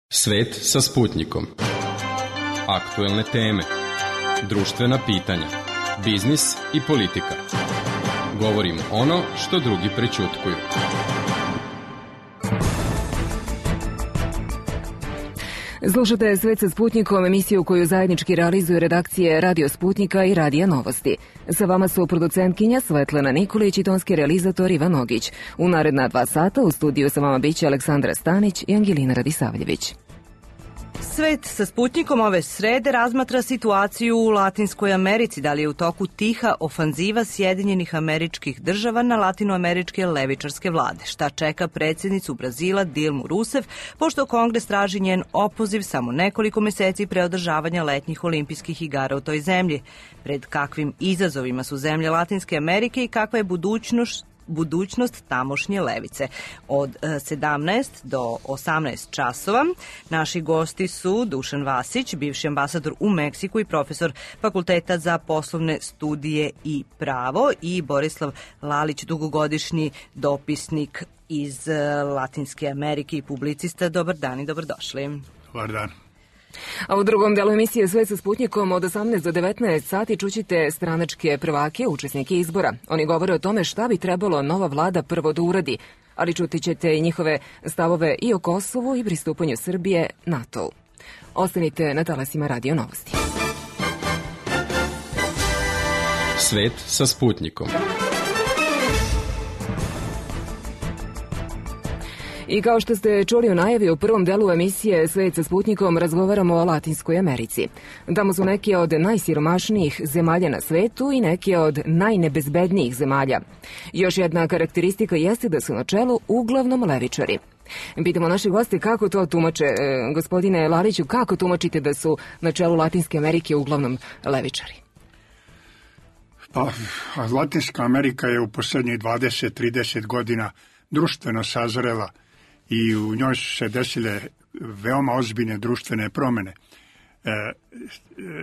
Svet sa Sputnjikom. Aktuelne teme, društvena pitanja, biznis i politika. Govorimo ono što drugi prećutkuju. Slušate Svet sa Sputnjikom, emisiju koju zajednički realizuju redakcije Radio Sputnjika i Radija Novosti. Sa vama su producentkinja Svetlana Nikolić i tonski realizator Ivan Ogić. U naredna 2 sata u studiju sa vama biće Aleksandra Stanić i Angelina Radisavljević. Svet sa Sputnjikom ove srede razmatra situaciju u Latinskoj Americi. Da li je u toku tiha ofanziva Sjedinjenih Američkih Država na latinoameričke levičarske vlade? Šta čeka predsjednicu Brazila Dilmu Rousseff, pošto Kongres traži njen opoziv samo nekoliko meseci pre održavanja letnjih olimpijskih igara u toj zemlji? Pred kakvim izazovima su zemlje Latinske Amerike i kakva je budućnost tamošnje levice? Od 17 do 18 časova naši gosti su Dušan Vasić, bivši ambasador u Meksiku i profesor Fakulteta za poslovne studije i pravo, i Borislav Lalić, dugogodišnji dopisnik iz Latinske Amerike i publicista. Dobar dan i dobrodošli. Dobar dan. A u drugom delu emisije Svet sa Sputnjikom od 18 do 19 sati čućite stranačke prvake, učesnike izbora. Oni govore o tome šta bi trebalo nova vlada prvo da uradi, ali čuti ćete i njihove stavove i o Kosovu i pristupanju Srbije NATO-u. Ostanite na talasima Radio Novosti. Svet sa Sputnjikom. I kao što ste čuli u najavi, u prvom delu emisije Svet sa Sputnjikom razgovaramo o Latinskoj Americi. Tamo su neke od najsiromašnijih zemalja na svetu i neke od najnebezbednijih zemalja. Još jedna karakteristika jeste da su na čelu uglavnom levičari. Pitamo naši goste kako to tumače. Gospodine Laliću, kako tumačite da su na čelu Latinske Amerike uglavnom levičari? Pa, Latinska Amerika je u posljednjih 20-30 godina društveno sazrela i u njoj su se desile veoma ozbiljne društvene promjene.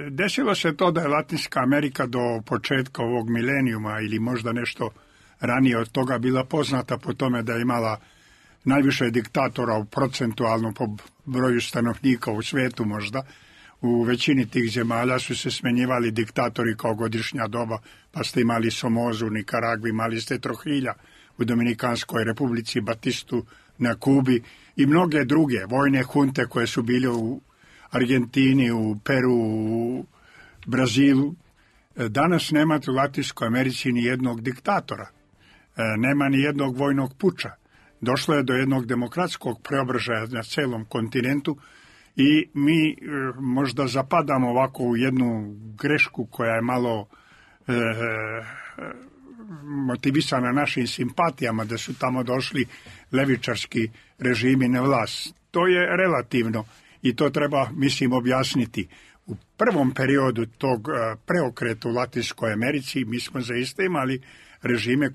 Desilo se to da je Latinska Amerika do početka ovog milenijuma ili možda nešto ranije od toga bila poznata po tome da je imala najviše diktatora procentualno po broju stanovnika u svijetu možda. U većini tih zemalja su se smenjivali diktatori kao godišnja doba, pa ste imali Somozu u Nikaragvi, imali ste Trujilja u Dominikanskoj republici, Batistu na Kubi i mnoge druge vojne hunte koje su bile u Argentini, u Peru, u Brazilu. Danas nema u Latinskoj Americi ni jednog diktatora, nema ni jednog vojnog puča. Došlo je do jednog demokratskog preobražaja na celom kontinentu i mi možda zapadamo ovako u jednu grešku koja je malo motivisana našim simpatijama da su tamo došli levičarski režimi na vlast. To je relativno i to treba, mislim, objasniti. U prvom periodu tog preokreta u Latinskoj Americi mi smo zaista imali režime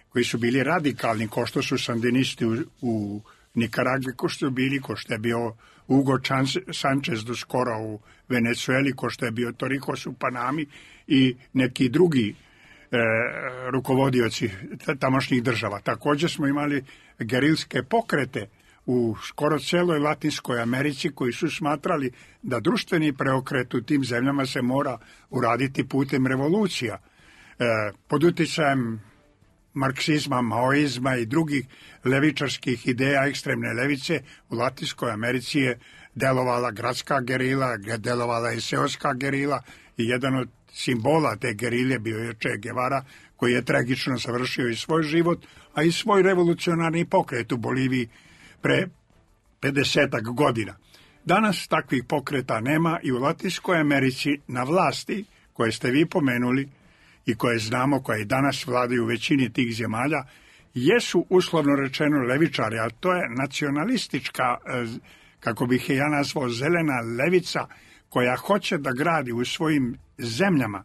koji su bili radikalni, kao što su sandinisti u Nikaragvi, ko što je bio Hugo Sanchez do skora u Venezueli, ko što je bio Torrijos u Panami i neki drugi rukovodioci tamošnjih država. Također smo imali gerilske pokrete u skoro celoj Latinskoj Americi koji su smatrali da društveni preokret u tim zemljama se mora uraditi putem revolucija. Pod uticajem marksizma, maoizma i drugih levičarskih ideja ekstremne levice u Latinskoj Americi je delovala gradska gerila, delovala je seoska gerila i jedan od simbola te gerilje bio je Che Guevara, koji je tragično završio i svoj život, a i svoj revolucionarni pokret u Boliviji pre 50-ak godina. Danas takvih pokreta nema i u Latinskoj Americi na vlasti, koje ste vi pomenuli i koje znamo, koje i danas vladaju u većini tih zemalja, jesu uslovno rečeno levičari, a to je nacionalistička, kako bih je ja nazvao, zelena levica, koja hoće da gradi u svojim zemljama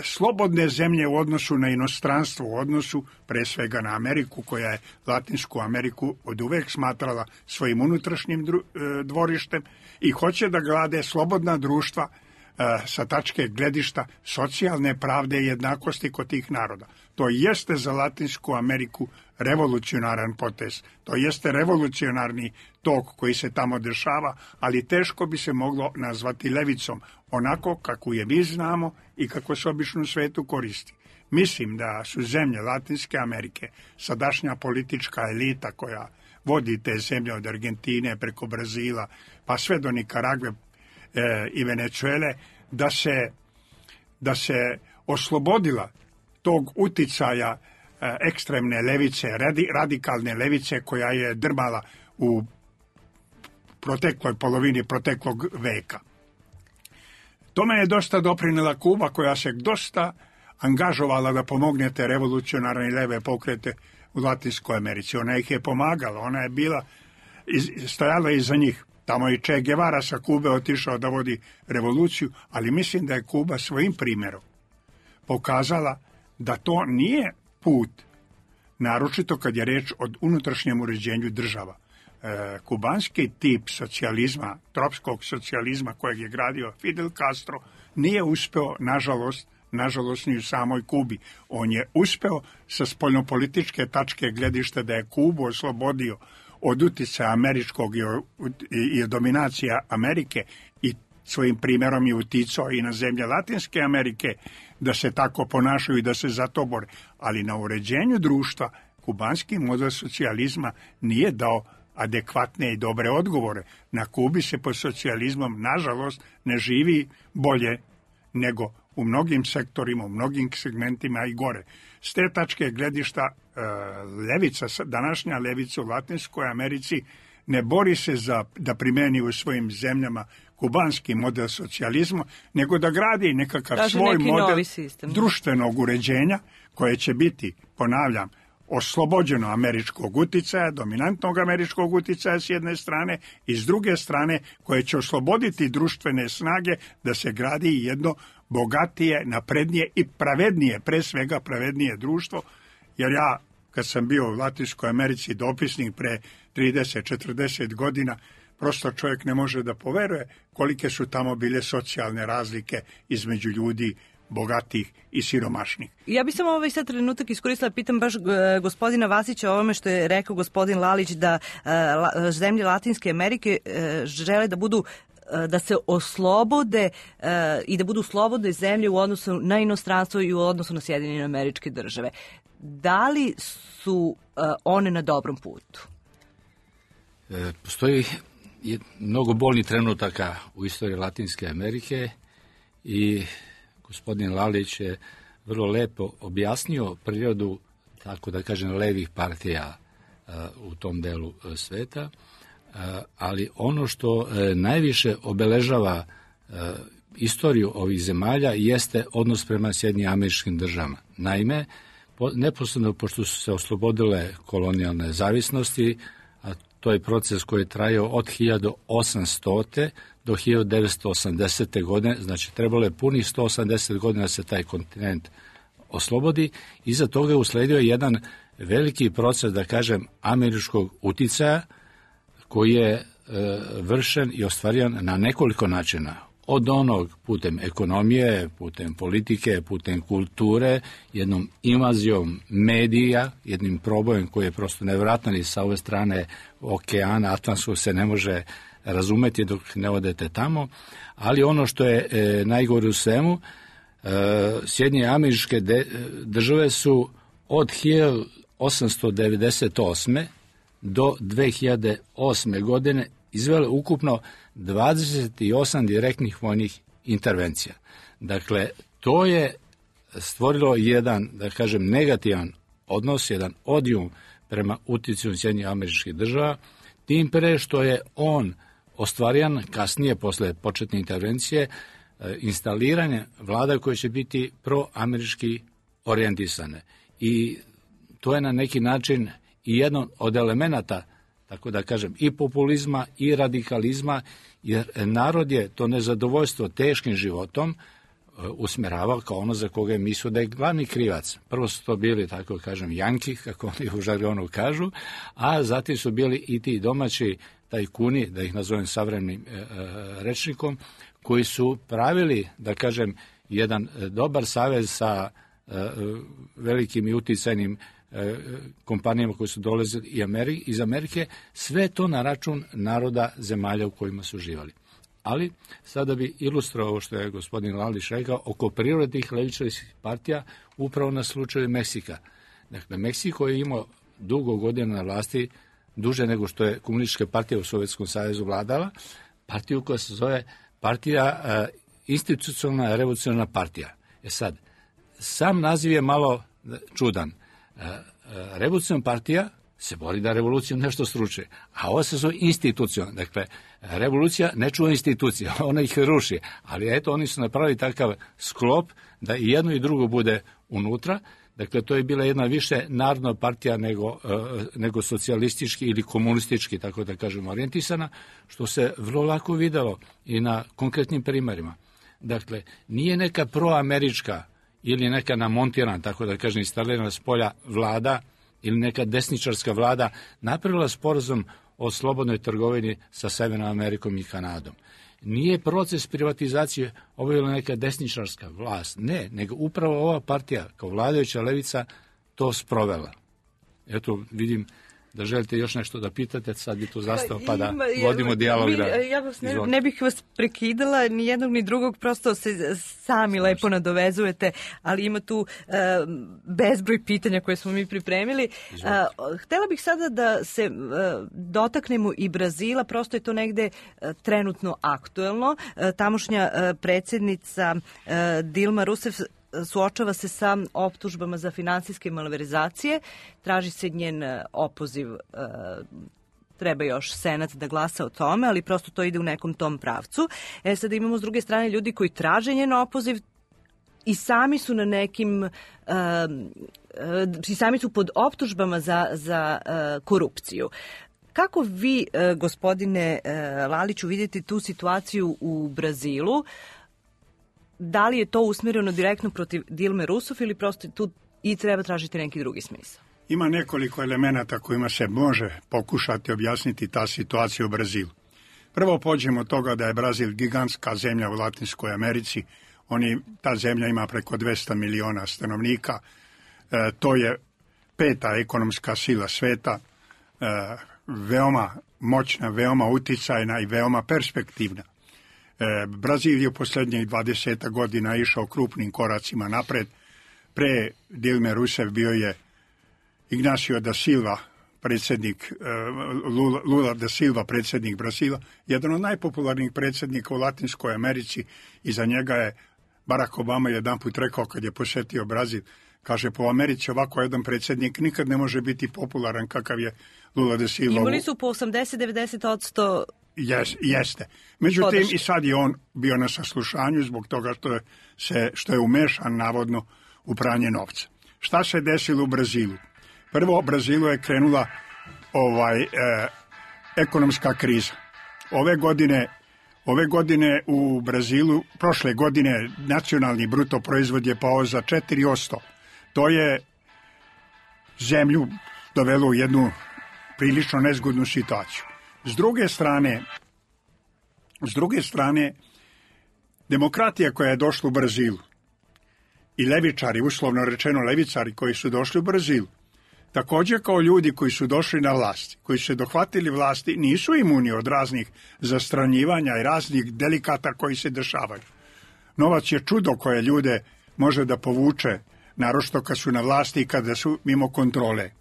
slobodne zemlje u odnosu na inostranstvo, u odnosu pre svega na Ameriku, koja je Latinsku Ameriku od uvek smatrala svojim unutrašnjim dvorištem i hoće da grade slobodna društva sa tačke gledišta socijalne pravde i jednakosti kod tih naroda. To jeste za Latinsku Ameriku revolucionaran potez. To jeste revolucionarni tok koji se tamo dešava, ali teško bi se moglo nazvati levicom, onako kako je mi znamo i kako se obično u svetu koristi. Mislim da su zemlje Latinske Amerike, sadašnja politička elita koja vodi te zemlje od Argentine preko Brazila, pa sve do Nikaragve i Venezuele, da se oslobodila tog uticaja ekstremne levice, radikalne levice koja je drmala u protekloj polovini proteklog veka. Tome je dosta doprinela Kuba koja se dosta angažovala da pomogne te revolucionarne i leve pokrete u Latinskoj Americi. Ona ih je pomagala, ona je bila, stajala iza njih. Tamo je Che Guevara sa Kube otišao da vodi revoluciju, ali mislim da je Kuba svojim primjerom pokazala da to nije put, naročito kad je reč o unutrašnjem uređenju država. Kubanski tip socijalizma, tropskog socijalizma kojeg je gradio Fidel Castro, nije uspeo, nažalost ni u samoj Kubi. On je uspeo sa spoljnopolitičke tačke gledišta da je Kubu oslobodio od uticaja američkog i dominacija Amerike i svojim primjerom je uticao i na zemlje Latinske Amerike da se tako ponašaju i da se za to bore. Ali na uređenju društva kubanski model socijalizma nije dao adekvatne i dobre odgovore. Na Kubi se pod socijalizmom, nažalost, ne živi bolje nego u mnogim sektorima, u mnogim segmentima i gore. S te tačke gledišta levica, današnja levica u Latinskoj Americi ne bori se da primeni u svojim zemljama kubanski model socijalizma, nego da gradi nekakav svoj model društvenog uređenja koje će biti, ponavljam, oslobođeno američkog uticaja, dominantnog američkog uticaja s jedne strane i s druge strane koje će osloboditi društvene snage da se gradi jedno bogatije, naprednije i pravednije, pre svega pravednije društvo, jer ja kad sam bio u Latinskoj Americi dopisnik pre 30-40 godina, prosto čovjek ne može da poveruje kolike su tamo bile socijalne razlike između ljudi bogatih i siromašnih. Ja bih samo sad trenutak iskoristila, pitam baš gospodina Vasića o ovome što je rekao gospodin Lalić, da zemlje Latinske Amerike žele da budu, da se oslobode i da budu slobodne zemlje u odnosu na inostranstvo i u odnosu na Sjedinjene Američke Države. Da li su one na dobrom putu? Postoji mnogo bolnih trenutaka u istoriji Latinske Amerike i gospodin Lalić je vrlo lepo objasnio prirodu, tako da kažem, levih partija u tom delu sveta, ali ono što najviše obeležava istoriju ovih zemalja jeste odnos prema Sjedinjenim Američkim Državama. Naime, neposredno pošto su se oslobodile kolonijalne zavisnosti, a to je proces koji je trajao od 1800. do 1980. godine, znači trebalo je punih 180 godina da se taj kontinent oslobodi. Iza toga je usledio jedan veliki proces, da kažem, američkog uticaja koji je vršen i ostvarivan na nekoliko načina. Od onog putem ekonomije, putem politike, putem kulture, jednom invazijom medija, jednim probojem koji je prosto nevjerojatan i sa ove strane okeana Atlantskog se ne može razumeti dok ne odete tamo, ali ono što je najgore u svemu, Sjedinjene Američke Države su od 1898. do 2008. godine izvele ukupno 28 direktnih vojnih intervencija. Dakle, to je stvorilo jedan, da kažem, negativan odnos, jedan odijum prema uticaju Sjedinjenih Američkih Država, tim pre što je on ostvarijan kasnije, posle početne intervencije, instaliranje vlada koje će biti proamerički orijentisane. I to je na neki način i jedan od elemenata, tako da kažem, i populizma i radikalizma, jer narod je to nezadovoljstvo teškim životom usmeravao kao ono za koga je mislio da je glavni krivac. Prvo su to bili, tako kažem, janki, kako oni u žargonu kažu, a zatim su bili i ti domaći tajkuni, da ih nazovem savremenim rečnikom, koji su pravili, da kažem, jedan dobar savez sa velikim i uticajnim kompanijama koji su dolazili iz Amerike, sve to na račun naroda zemalja u kojima su živali. Ali sada bi ilustrovao ovo što je gospodin Lalić rekao oko prirode tih levičarskih partija upravo na slučaju Meksika. Dakle, Meksiko je imao dugo godina na vlasti, duže nego što je komunistička partija u Sovjetskom savezu vladala, partiju koja se zove partija institucionalna revolucionarna partija. Sad, sam naziv je malo čudan. Revolucionarna partija se bori da revoluciju nešto sruči, a ovo se zove institucionalna. Dakle, revolucija ne čuva institucija, ona ih ruši, ali eto, oni su napravili takav sklop da i jedno i drugo bude unutra. Dakle, to je bila jedna više narodna partija nego socijalistički ili komunistički, tako da kažemo, orijentisana, što se vrlo lako videlo i na konkretnim primerima. Dakle, nije neka proamerička ili neka namontirana, tako da kažem, instalirana s polja vlada ili neka desničarska vlada napravila sporazum o slobodnoj trgovini sa Severnom Amerikom i Kanadom. Nije proces privatizacije obavila neka desničarska vlast, ne, nego upravo ova partija kao vladajuća levica to sprovela. Eto, vidim da želite još nešto da pitate, sad bi tu zastao pa da vodimo dijalog. Ja vas ne bih vas prekidala, ni jednog ni drugog, prosto se sami lepo nadovezujete, ali ima tu bezbroj pitanja koje smo mi pripremili. Htela bih sada da se dotaknemo i Brazila, prosto je to negde trenutno aktuelno. Tamošnja predsjednica Dilma Rousseff suočava se sa optužbama za finansijske malverzacije, traži se njen opoziv, treba još Senat da glasa o tome, ali prosto to ide u nekom tom pravcu. Sada imamo s druge strane ljudi koji traže njen opoziv i sami su na nekim, i sami su pod optužbama za korupciju. Kako vi, gospodine Laliću, vidite tu situaciju u Brazilu? Da li je to usmjereno direktno protiv Dilme Rousseff ili prosto tu i treba tražiti neki drugi smisao? Ima nekoliko elemenata kojima se može pokušati objasniti ta situacija u Brazilu. Prvo pođemo od toga da je Brazil gigantska zemlja u Latinskoj Americi. Ta zemlja ima preko 200 miliona stanovnika. To je 5. ekonomska sila sveta, veoma moćna, veoma uticajna i veoma perspektivna. Brazil je u posljednjih 20 godina išao krupnim koracima napred. Pre Dilme Rousseff bio je Ignacio da Silva, predsjednik Lula da Silva, predsjednik Brazila, jedan od najpopularnijih predsjednika u Latinskoj Americi. Iza njega je Barack Obama jedanput rekao kad je posjetio Brazil, kaže, po Americi ovako jedan predsjednik nikad ne može biti popularan kakav je Lula da Silva. Imali su po 80-90%. Jeste. Međutim, i sad je on bio na saslušanju zbog toga što je umešan navodno u pranje novca. Šta se desilo u Brazilu? Prvo, u Brazilu je krenula ekonomska kriza. Ove godine u Brazilu, prošle godine, nacionalni bruto proizvod je pao za 4%. To je zemlju dovelo u jednu prilično nezgodnu situaciju. S druge strane, demokratija koja je došla u Brazilu i levičari, uslovno rečeno levicari koji su došli u Brazilu, također kao ljudi koji su došli na vlast, koji su se dohvatili vlasti, nisu imuni od raznih zastranjivanja i raznih delikata koji se dešavaju. Novac je čudo koje ljude može da povuče, naročito kad su na vlasti i kada su mimo kontrole.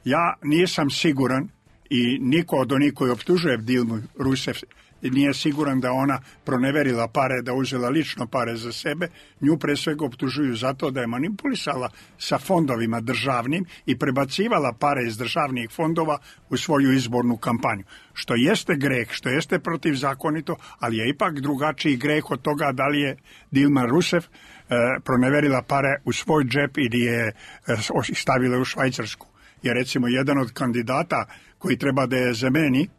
Ja nisam siguran i niko od onih koji optužuje Dilmu Rousseff nije siguran da ona proneverila pare, da uzela lično pare za sebe. Nju pre svega optužuju zato da je manipulisala sa fondovima državnim i prebacivala pare iz državnih fondova u svoju izbornu kampanju. Što jeste greh, što jeste protivzakonito, ali je ipak drugačiji greh od toga da li je Dilma Rousseff proneverila pare u svoj džep ili je stavila u Švajcarsku. Jer recimo jedan od kandidata koji treba da je zameni,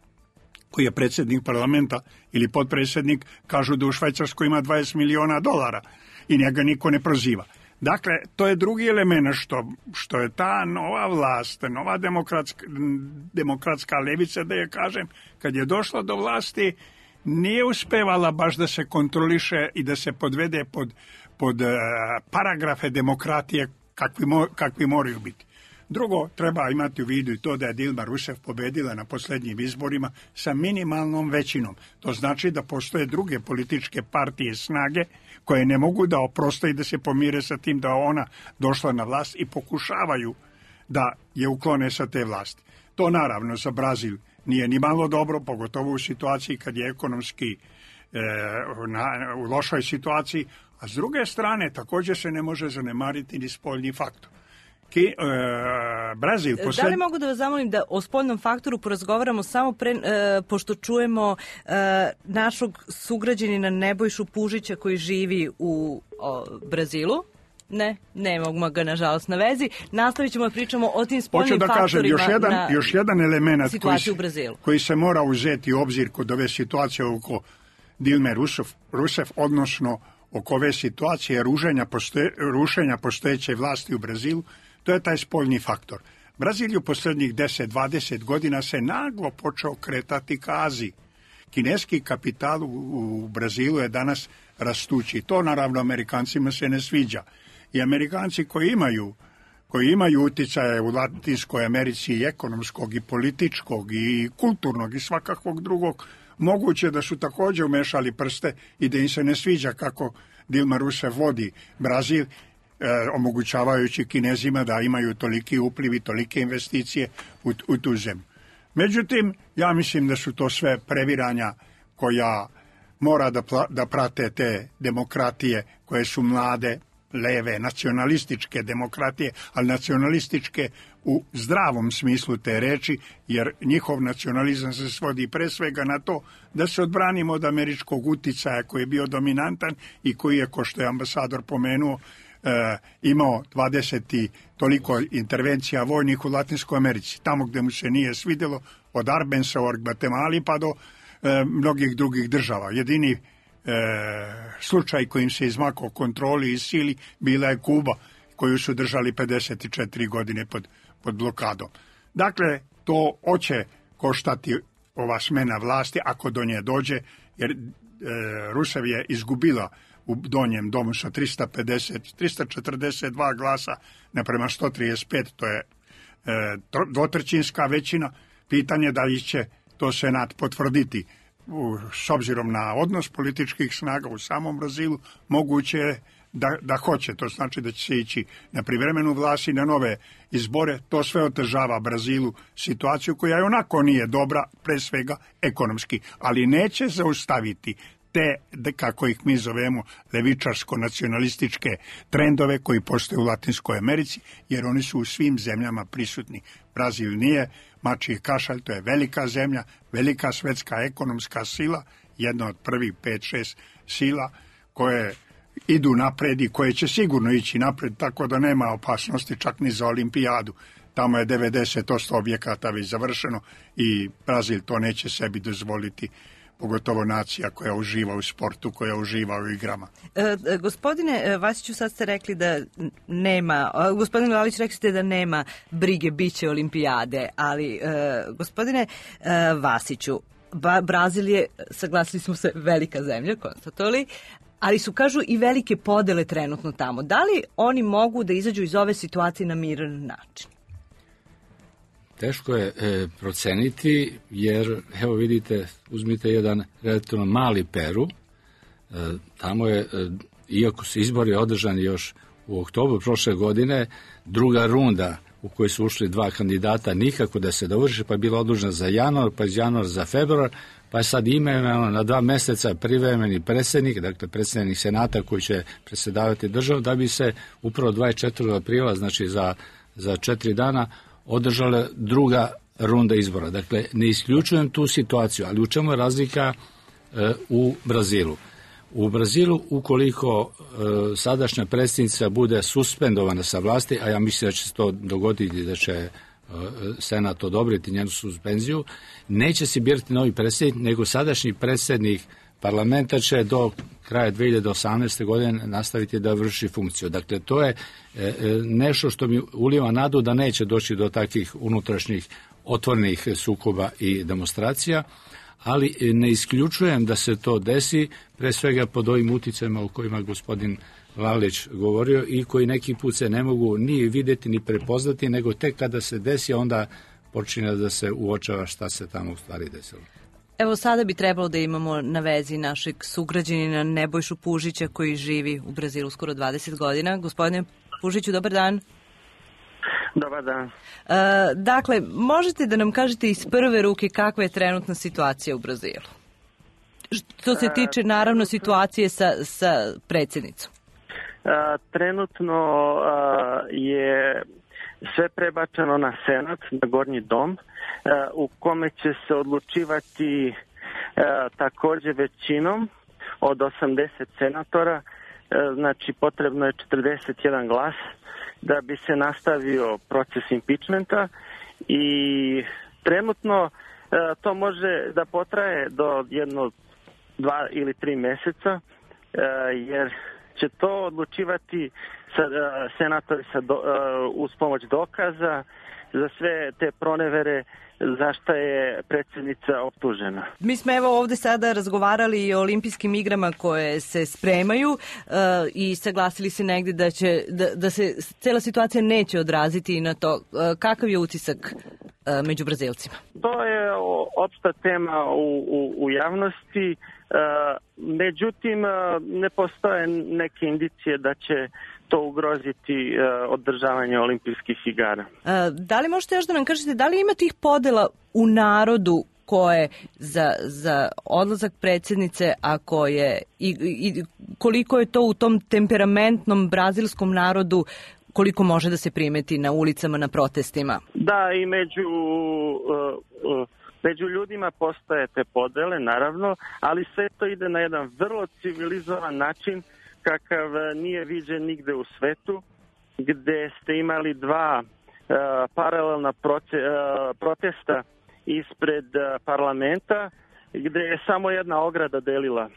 koji je predsjednik parlamenta ili potpredsjednik, kažu da u Švajcarskoj ima $20 miliona i njega niko ne proziva. Dakle, to je drugi element što je ta nova vlast, nova demokratska levica, da je kažem, kad je došla do vlasti, nije uspevala baš da se kontroliše i da se podvede pod paragrafe demokratije kakvi moraju biti. Drugo, treba imati u vidu i to da je Dilma Rousseff pobedila na posljednjim izborima sa minimalnom većinom. To znači da postoje druge političke partije snage koje ne mogu da oproste i da se pomire sa tim da ona došla na vlast i pokušavaju da je uklone sa te vlasti. To naravno za Brazil nije ni malo dobro, pogotovo u situaciji kad je ekonomski u lošoj situaciji, a s druge strane također se ne može zanemariti ni spoljni faktor. Brazil Da li mogu da vas zamolim da o spoljnom faktoru porazgovaramo samo pošto čujemo našog sugrađanina Nebojšu Pužića koji živi u Brazilu? Ne mogu ga nažalost na vezi. Nastavit ćemo da pričamo o tim spoljnim faktorima još jedan element situaciju u Brazilu. Koji se mora uzeti u obzir kod ove situacije oko Dilme Rousseff, odnosno oko ove situacije rušenja postojeće vlasti u Brazilu, to je taj spoljni faktor. Brazil u posljednjih 10-20 godina se naglo počeo kretati ka Aziji. Kineski kapital u Brazilu je danas rastući. To naravno Amerikancima se ne sviđa. I Amerikanci koji imaju utjecaje u Latinskoj Americi i ekonomskog i političkog i kulturnog i svakakvog drugog, moguće da su također umešali prste i da im se ne sviđa kako Dilma Rousseff vodi Brazil, omogućavajući Kinezima da imaju toliki upliv i tolike investicije u tu zemlju. Međutim, ja mislim da su to sve previranja koja mora da prate te demokratije koje su mlade, leve, nacionalističke demokratije, ali nacionalističke u zdravom smislu te reči, jer njihov nacionalizam se svodi pre svega na to da se odbranimo od američkog uticaja koji je bio dominantan i koji je, ko što je ambasador pomenuo, imao 20 i toliko intervencija vojnih u Latinskoj Americi. Tamo gdje mu se nije svidjelo, od Arbensa u Gvatemali pa do mnogih drugih država. Jedini slučaj kojim se izmakao kontroli i sili bila je Kuba, koju su držali 54 godine pod blokadom. Dakle, to hoće koštati ova smena vlasti ako do nje dođe, jer Rousseff je izgubila u donjem domu sa 342 glasa naprema 135, to je dvotrećinska većina. Pitanje da li će to Senat potvrditi. S obzirom na odnos političkih snaga u samom Brazilu, moguće je da hoće. To znači da će se ići na privremenu vlast i na nove izbore. To sve otežava Brazilu situaciju koja je onako nije dobra, pre svega ekonomski, ali neće zaustaviti te, kako ih mi zovemo, levičarsko-nacionalističke trendove koji postoje u Latinskoj Americi, jer oni su u svim zemljama prisutni. Brazil nije mačji kašalj, to je velika zemlja, velika svetska ekonomska sila, jedna od prvih 5-6 sila koje idu napred i koje će sigurno ići napred, tako da nema opasnosti čak ni za olimpijadu. Tamo je 90% objekata već završeno i Brazil to neće sebi dozvoliti, pogotovo nacija koja uživa u sportu, koja uživa u igrama. Gospodine Vasiću, sad ste rekli da nema, gospodine Lalić, rekli ste da nema brige, bit će olimpijade, ali gospodine Vasiću, Brazil je, saglasili smo se, velika zemlja, konstatovali, ali su, kažu, i velike podele trenutno tamo. Da li oni mogu da izađu iz ove situacije na miran način? Teško je proceniti, jer, evo vidite, uzmite jedan relativno mali Peru, tamo je, iako su izbori održani još u oktobru prošle godine, druga runda u kojoj su ušli dva kandidata nikako da se dovrši, pa je bila odlučena za januar, pa iz januara za februar, pa je sad imenovano na 2 mjeseca privremeni predsjednik, dakle predsjednik Senata koji će predsjedavati državu, da bi se upravo 24. aprila, znači za 4 dana, održala druga runda izbora. Dakle, ne isključujem tu situaciju, ali u čemu je razlika u Brazilu? U Brazilu, ukoliko sadašnja predsjednica bude suspendovana sa vlasti, a ja mislim da će se to dogoditi, da će Senat odobriti njenu suspenziju, neće se birati novi predsjednik, nego sadašnji predsjednik parlamenta će do kraja 2018. godine nastaviti da vrši funkciju. Dakle, to je nešto što mi ulijeva nadu da neće doći do takvih unutrašnjih otvornih sukoba i demonstracija, ali ne isključujem da se to desi, pre svega pod ovim uticajima o kojima gospodin Lalić govorio i koji neki put se ne mogu ni vidjeti ni prepoznati, nego tek kada se desi onda počinje da se uočava šta se tamo u stvari desilo. Evo sada bi trebalo da imamo na vezi našeg sugrađanina Nebojšu Pužića koji živi u Brazilu skoro 20 godina. Gospodine Pužiću, dobar dan. Dobar dan. Dakle, možete da nam kažete iz prve ruke kakva je trenutna situacija u Brazilu? Što se tiče, naravno, situacije sa predsjednicom. Trenutno je sve prebačeno na Senat, na Gornji dom, u kome će se odlučivati također većinom od 80 senatora, znači potrebno je 41 glas da bi se nastavio proces impeachmenta i trenutno to može da potraje do 1, 2 ili 3 mjeseca, jer će to odlučivati senatori uz pomoć dokaza za sve te pronevere za šta je predsjednica optužena. Mi smo evo ovdje sada razgovarali i o olimpijskim igrama koje se spremaju i saglasili se negdje da se cijela situacija neće odraziti na to. Kakav je utisak među Brazilcima? To je opšta tema u javnosti. Međutim, ne postoje neke indicije da će to ugroziti održavanje olimpijskih igara. Da li možete još da nam kažete, da li ima tih podela u narodu koje za odlazak predsjednice, a koje i koliko je to u tom temperamentnom brazilskom narodu, koliko može da se primeti na ulicama, na protestima? Da, i među ljudima postoje te podele, naravno, ali sve to ide na jedan vrlo civilizovan način kakav nije viđen nigde u svetu, gde ste imali 2 paralelna protesta ispred parlamenta, gde je samo jedna ograda delila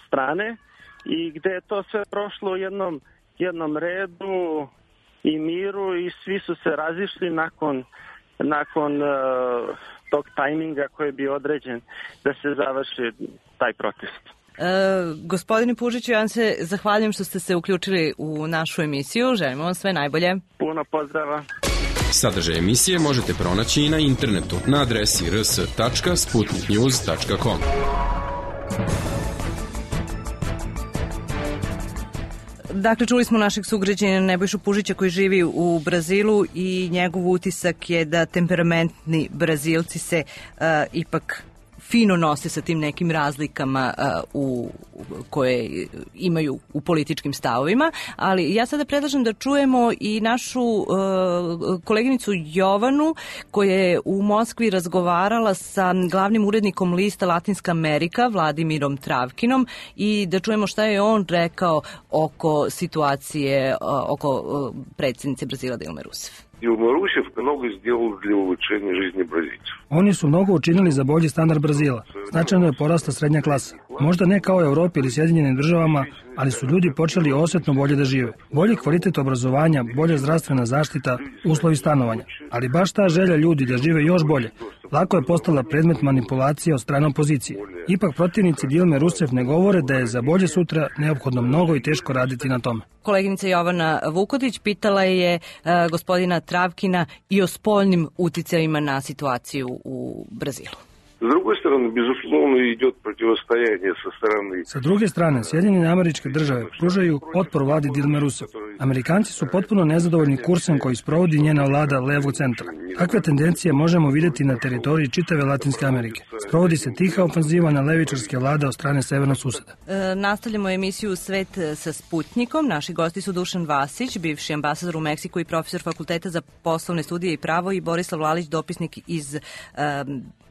strane i gde je to sve prošlo u jednom redu i miru i svi su se razišli nakon tog tajminga koji je bio određen da se završi taj protest. Gospodine Pužiću, ja vam se zahvaljujem što ste se uključili u našu emisiju. Želimo vam sve najbolje. Puno pozdrava. Sadržaj emisije možete pronaći i na internetu na adresi rs.sputniknews.com. Dakle, čuli smo našeg sugrađanina Nebojšu Pužića koji živi u Brazilu i njegov utisak je da temperamentni Brazilci se ipak fino nose sa tim nekim razlikama koje imaju u političkim stavovima, ali ja sada predlažem da čujemo i našu koleginicu Jovanu koja je u Moskvi razgovarala sa glavnim urednikom lista Latinska Amerika, Vladimirom Travkinom, i da čujemo šta je on rekao oko situacije oko predsjednice Brazila Dilme Rousseff. Dilma Rousseff mnogo сделала для улучшения жизни бразильцев. Oni su mnogo učinili za bolji standard Brazila. Značajno je porasla srednja klasa. Možda ne kao u Europi ili Sjedinjenim državama, ali su ljudi počeli osjetno bolje da žive. Bolji kvalitet obrazovanja, bolja zdravstvena zaštita, uslovi stanovanja. Ali baš ta želja ljudi da žive još bolje, lako je postala predmet manipulacije od strane opozicije. Ipak protivnici Dilme Rousseff ne govore da je za bolje sutra neophodno mnogo i teško raditi na tome. Koleginica Jovana Vukotić pitala je gospodina Travkina i o spoljnim uticajima na situaciju u Brazilu. С другой стороны, безусловно, идет противостояние со стороны... Sa druge strane, Sjedinjene Američke Države pružaju otpor vladi Dilme Rousseff. Amerikanci su potpuno nezadovoljni kursem koji sprovodi njena vlada levog centra. Takve tendencije možemo vidjeti na teritoriji čitave Latinske Amerike. Sprovodi se tiha ofanziva na levičarske vlade od strane severnog suseda. Nastavljamo emisiju Svet sa Sputnikom. Naši gosti su Dušan Vasić, bivši ambasador u Meksiku i profesor Fakulteta za poslovne studije i pravo, i Borislav Lalić, dopisnik iz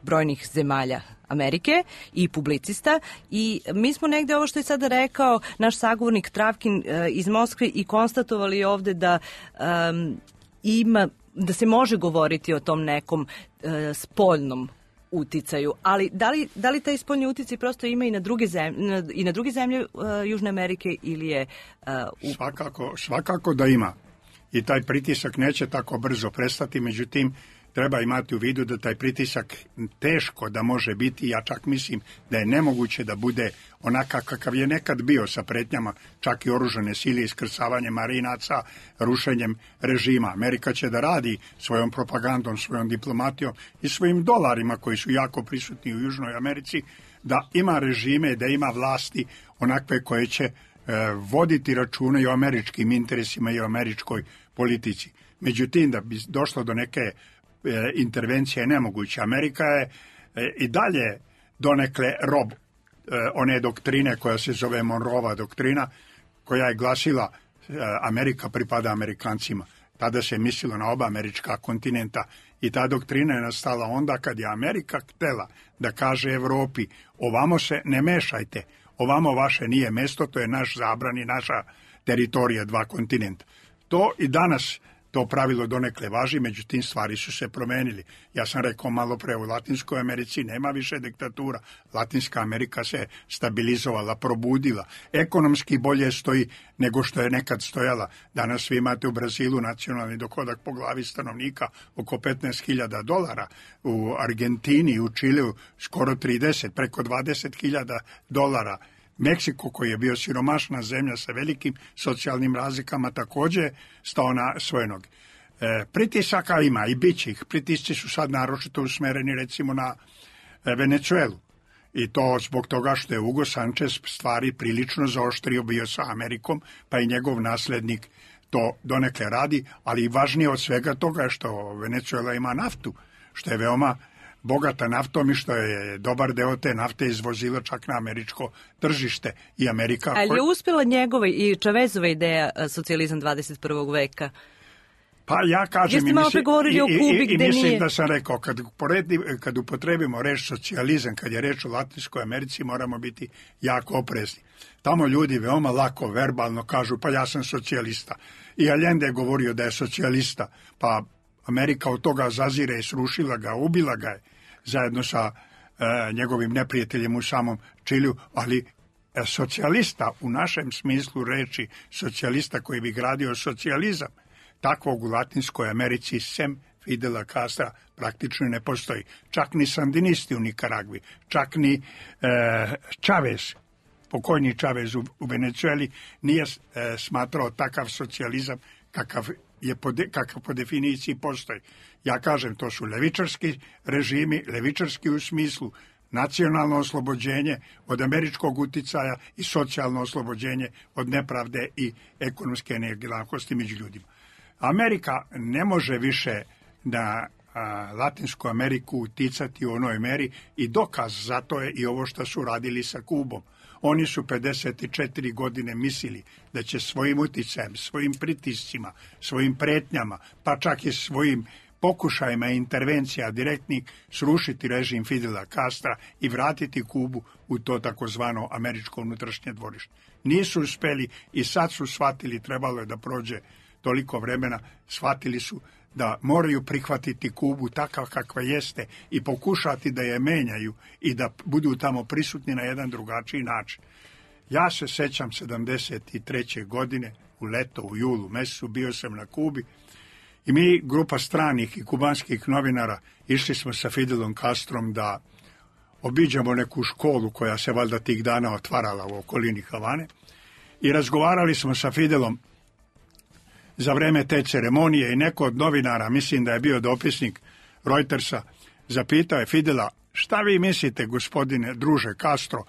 brojnih zemalja Amerike i publicista. I mi smo negde ovo što je sada rekao naš sagovornik Travkin iz Moskve i konstatovali ovde da da se može govoriti o tom nekom spoljnom uticaju, ali da li taj spoljni uticaj prosto ima i na druge zemlje Južne Amerike ili je Svakako da ima. I taj pritisak neće tako brzo prestati, međutim treba imati u vidu da taj pritisak teško da može biti, ja čak mislim da je nemoguće da bude onakav kakav je nekad bio sa pretnjama, čak i oružane sile, iskrcavanjem marinaca, rušenjem režima. Amerika će da radi svojom propagandom, svojom diplomatijom i svojim dolarima koji su jako prisutni u Južnoj Americi, da ima režime, da ima vlasti onakve koje će voditi računa i o američkim interesima i o američkoj politici. Međutim, da bi došlo do neke intervencije je nemoguće. Amerika je i dalje donekle rob one doktrine koja se zove Monroeva doktrina, koja je glasila Amerika pripada Amerikancima. Tada se mislilo na oba američka kontinenta i ta doktrina je nastala onda kad je Amerika htela da kaže Evropi, ovamo se ne mešajte, ovamo vaše nije mesto, to je naš zabran i naša teritorija, dva kontinenta. To i danas to pravilo donekle važi, međutim stvari su se promenili. Ja sam rekao malo pre, u Latinskoj Americi nema više diktatura. Latinska Amerika se stabilizovala, probudila. Ekonomski bolje stoji nego što je nekad stojala. Danas vi imate u Brazilu nacionalni dohodak po glavi stanovnika oko $15.000, u Argentini i u Čileu skoro 30, preko $20.000. Meksiko, koji je bio siromašna zemlja sa velikim socijalnim razlikama, također stao na svoje noge. Pritisaka ima i bit će ih. Pritisci su sad naročito usmereni recimo na Venecuelu. I to zbog toga što je Hugo Sanchez stvari prilično zaoštrio bio sa Amerikom, pa i njegov naslednik to donekle radi, ali i važnije od svega toga je što Venecuela ima naftu, što je veoma bogata naftom i što je dobar deo te nafte izvozila čak na američko tržište i Amerika. Ali je uspjela njegova i Chavezova ideja socijalizam 21. veka? Pa ja kažem i mislim da sam rekao, kad upotrebimo reč socijalizam, kad je reč o Latinskoj Americi, moramo biti jako oprezni. Tamo ljudi veoma lako, verbalno kažu, pa ja sam socijalista. I Allende je govorio da je socijalista, pa Amerika od toga zazire i srušila ga, ubila ga je zajedno sa njegovim neprijateljem u samom Čiliju, ali socijalista u našem smislu reči, socijalista koji bi gradio socijalizam, takvog u Latinskoj Americi sem Fidela Castra praktično ne postoji. Čak ni sandinisti u Nikaragvi, čak ni Chavez, pokojni Chavez u Venezueli nije smatrao takav socijalizam kakav po definiciji postoji. Ja kažem, to su levičarski režimi, levičarski u smislu nacionalno oslobođenje od američkog uticaja i socijalno oslobođenje od nepravde i ekonomske nejednakosti među ljudima. Amerika ne može više na Latinsku Ameriku uticati u onoj meri i dokaz za to je i ovo što su radili sa Kubom. Oni su 54 godine mislili da će svojim uticajem, svojim pritiscima, svojim pretnjama, pa čak i svojim pokušajima intervencija direktnih srušiti režim Fidela Castra i vratiti Kubu u to takozvano američko unutrašnje dvorište. Nisu uspeli i sad su shvatili, trebalo je da prođe toliko vremena, shvatili su da moraju prihvatiti Kubu takav kakva jeste i pokušati da je menjaju i da budu tamo prisutni na jedan drugačiji način. Ja se sećam 73. godine, u leto, u julu mesecu, bio sam na Kubi i mi, grupa stranih i kubanskih novinara, išli smo sa Fidelom Castrom da obiđemo neku školu koja se valjda tih dana otvarala u okolini Havane i razgovarali smo sa Fidelom za vreme te ceremonije i neko od novinara, mislim da je bio dopisnik Reutersa, zapitao je Fidela, šta vi mislite, gospodine druže Castro,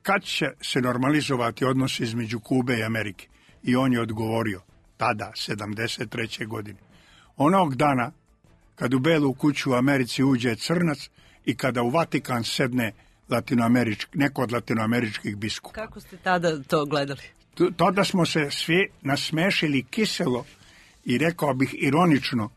kad će se normalizovati odnosi između Kube i Amerike? I on je odgovorio, tada, 73. godine. Onog dana, kad u Belu kuću u Americi uđe crnac i kada u Vatikan sedne neko od latinoameričkih biskupa. Kako ste tada to gledali? Tada smo se svi nasmešili kiselo i rekao bih ironično,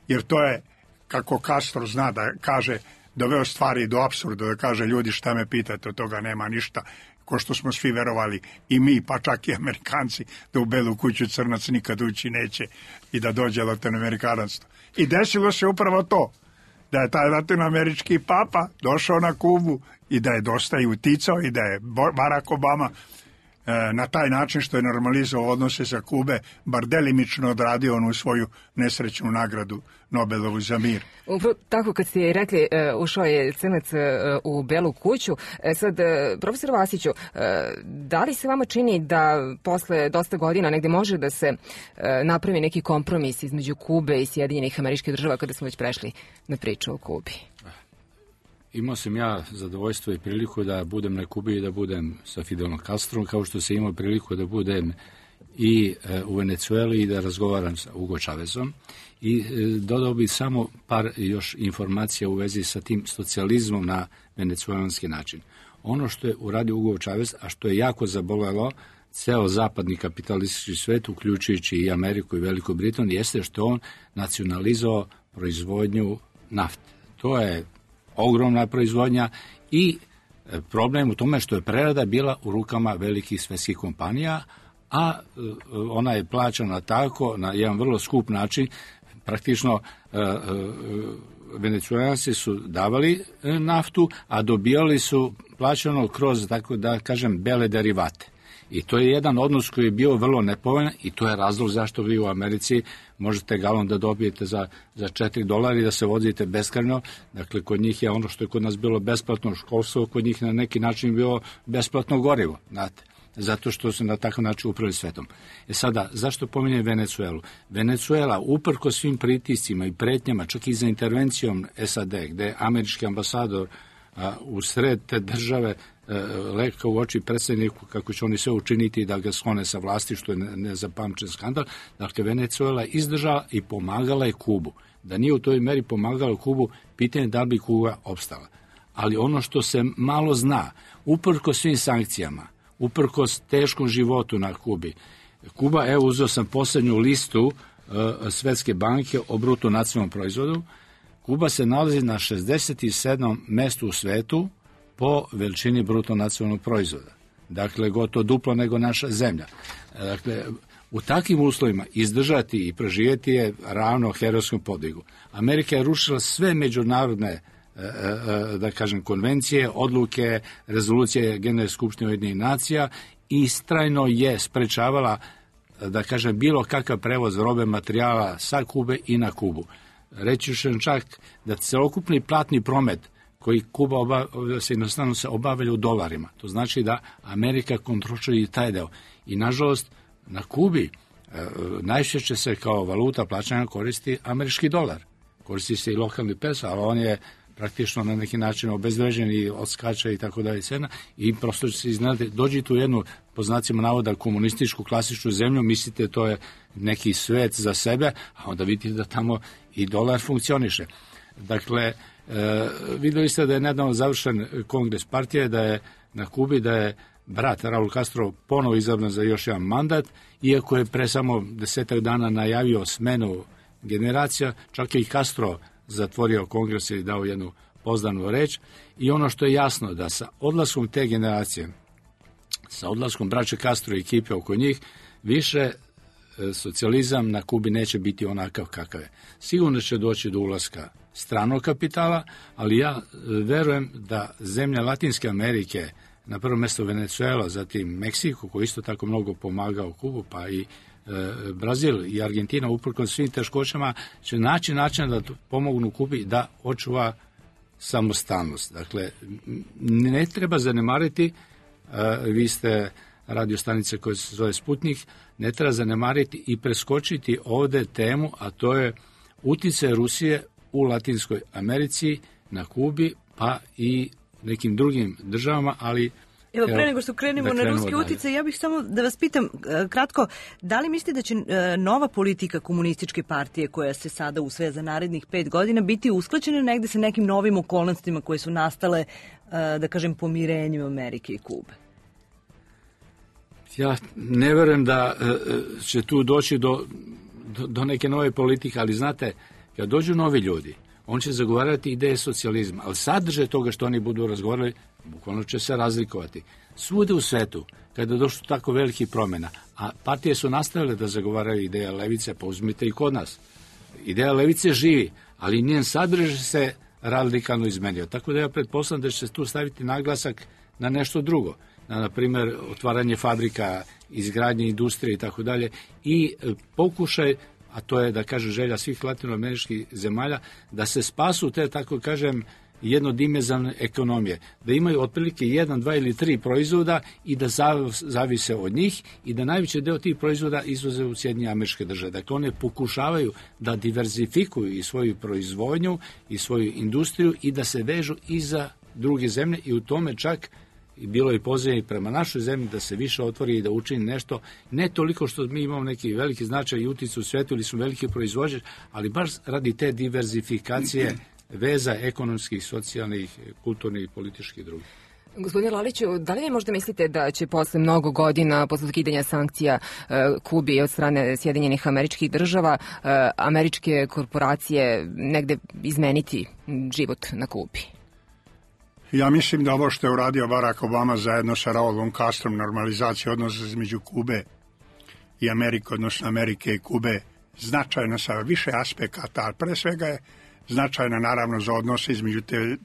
jer to je, kako Castro zna da kaže, doveo stvari do apsurda, da kaže ljudi šta me pitate, od toga nema ništa, ko što smo svi verovali i mi, pa čak i Amerikanci, da u Belu kuću crnac nikad ući neće i da dođe latinoamerikanstvo. I desilo se upravo to, da je taj latinoamerički papa došao na Kubu i da je dosta i uticao i da je Barack Obama na taj način što je normalizovao odnose sa Kube, bar delimično odradio onu svoju nesrećnu nagradu Nobelovu za mir. Upravo tako kad ste rekli, ušao je Crnac u Belu kuću. Sad, profesor Vasiću, da li se vama čini da posle dosta godina negde može da se napravi neki kompromis između Kube i Sjedinjenih Američkih Država kada smo već prešli na priču o Kubi? Imao sam ja zadovoljstvo i priliku da budem na Kubi i da budem sa Fidelom Castrom, kao što sam imao priliku da budem i u Venecueli i da razgovaram sa Hugo Chávezom. I dodao bih samo par još informacija u vezi sa tim socijalizmom na venecuelanski način. Ono što je uradio Hugo Chávez, a što je jako zabolelo ceo zapadni kapitalistički svet, uključujući i Ameriku i Veliku Britaniju, jeste što on nacionalizovao proizvodnju nafte. To je ogromna proizvodnja i problem u tome što je prerada bila u rukama velikih svetskih kompanija, a ona je plaćana tako na jedan vrlo skup način. Praktično Venecuelanci su davali naftu, a dobijali su plaćano kroz, tako da kažem, bele derivate. I to je jedan odnos koji je bio vrlo nepovoljan i to je razlog zašto vi u Americi možete galon da dobijete za $4 i da se vozite beskrajno. Dakle, kod njih je ono što je kod nas bilo besplatno školstvo, kod njih na neki način bilo besplatno gorivo, znate. Zato što su na takav način upravili svetom. Sada, zašto pominjem Venecuelu? Venecuela, uprko svim pritiscima i pretnjama, čak i za intervencijom SAD, gde je američki ambasador u sred te države leka u oči predsjedniku kako će oni sve učiniti da ga sklone sa vlasti, što je nezapamćen skandal. Dakle, Venecuela je izdržala i pomagala je Kubu. Da nije u toj meri pomagala Kubu, pitanje da bi Kuba opstala. Ali ono što se malo zna, uprko svim sankcijama, uprkos teškom životu na Kubi. Kuba, evo uzeo sam posljednju listu Svetske banke o bruto nacionalnom proizvodu. Kuba se nalazi na 67. mestu u svetu po veličini bruto nacionalnog proizvoda. Dakle, gotovo duplo nego naša zemlja. Dakle, u takvim uslovima izdržati i preživjeti je ravno herojskom podvigu. Amerika je rušila sve međunarodne da kažem, konvencije, odluke, rezolucije Generalne skupštine Ujedinjenih nacija i istrajno je sprečavala, da kažem, bilo kakav prevoz robe materijala sa Kube i na Kubu. Reći ću čak da celokupni platni promet koji Kuba jednostavno se obavlja u dolarima. To znači da Amerika kontroliše i taj deo. I nažalost na Kubi najčešće se kao valuta plaćanja koristi američki dolar. Koristi se i lokalni peso, ali on je praktično na neki način obezvređen i odskača i tako dalje cena i prosto se iznenaditi, dođite u jednu, po znacima navoda, komunističku klasičnu zemlju, mislite to je neki svet za sebe, a onda vidite da tamo i dolar funkcioniše. Dakle, videli ste da je nedavno završen kongres partije, da je na Kubi, da je brat Raul Castro ponovo izabran za još jedan mandat, iako je pre samo 10 dana najavio smenu generacija, čak je i Castro zatvorio kongres i dao jednu pozdravnu reč. I ono što je jasno, da sa odlaskom te generacije, sa odlaskom braće Castro i ekipe oko njih, više socijalizam na Kubi neće biti onakav kakav je. Sigurno će doći do ulaska stranog kapitala, ali ja verujem da zemlje Latinske Amerike, na prvo mjesto Venecuela, zatim Meksiko, koji isto tako mnogo pomagao Kubu, pa i Brazil i Argentina, uprkos svim teškoćama, će naći način da pomognu Kubi da očuva samostalnost. Dakle, ne treba zanemariti, vi ste radio stanice koja se zove Sputnik, ne treba zanemariti i preskočiti ovde temu, a to je uticaj Rusije u Latinskoj Americi, na Kubi, pa i nekim drugim državama, ali Evo, pre nego što krenemo na ruski uticaj, ja bih samo da vas pitam kratko, da li mislite da će nova politika komunističke partije koja se sada usvaja za narednih 5 godina biti usklađena negde sa nekim novim okolnostima koje su nastale, da kažem, pomirenjem Amerike i Kube? Ja ne verujem da će tu doći do neke nove politike, ali znate, kad dođu novi ljudi, on će zagovarati ideje socijalizma, ali sadržaj toga što oni budu razgovarali, bukvalno će se razlikovati. Svude u svetu, kada je došlo tako velikih promjena, a partije su nastavile da zagovaraju ideje levice, pa uzmite i kod nas. Ideja levice živi, ali njen sadržaj se radikalno izmenio. Tako da ja pretpostavljam da će se tu staviti naglasak na nešto drugo. na primjer, otvaranje fabrika, izgradnje industrije i tako dalje, i pokušaj, a to je, da kažem, želja svih latinoameričkih zemalja, da se spasu te, tako kažem, jednodimenzionalne ekonomije, da imaju otprilike 1, 2 ili 3 proizvoda i da zavise od njih i da najveći deo tih proizvoda izvoze u Sjedinjene Američke Države. Dakle, one pokušavaju da diverzifikuju i svoju proizvodnju i svoju industriju i da se vežu i za druge zemlje, i u tome čak bilo je poziv prema našoj zemlji da se više otvori i da učini nešto, ne toliko što mi imamo neki veliki značaj i uticaj u svetu ili smo veliki proizvođač, ali baš radi te diverzifikacije veza ekonomskih, socijalnih, kulturnih i političkih i drugih. Gospodine Laliću, da li vi možda mislite da će posle mnogo godina, posle ukidanja sankcija Kubi od strane Sjedinjenih Američkih Država, američke korporacije negde izmeniti život na Kubi? Ja mislim da ovo što je uradio Barack Obama zajedno sa Raulom Castrom, normalizacija odnosa između Kube i Amerike, odnosno Amerike i Kube, značajno sa više aspekata, ali pre svega je značajna naravno za odnose između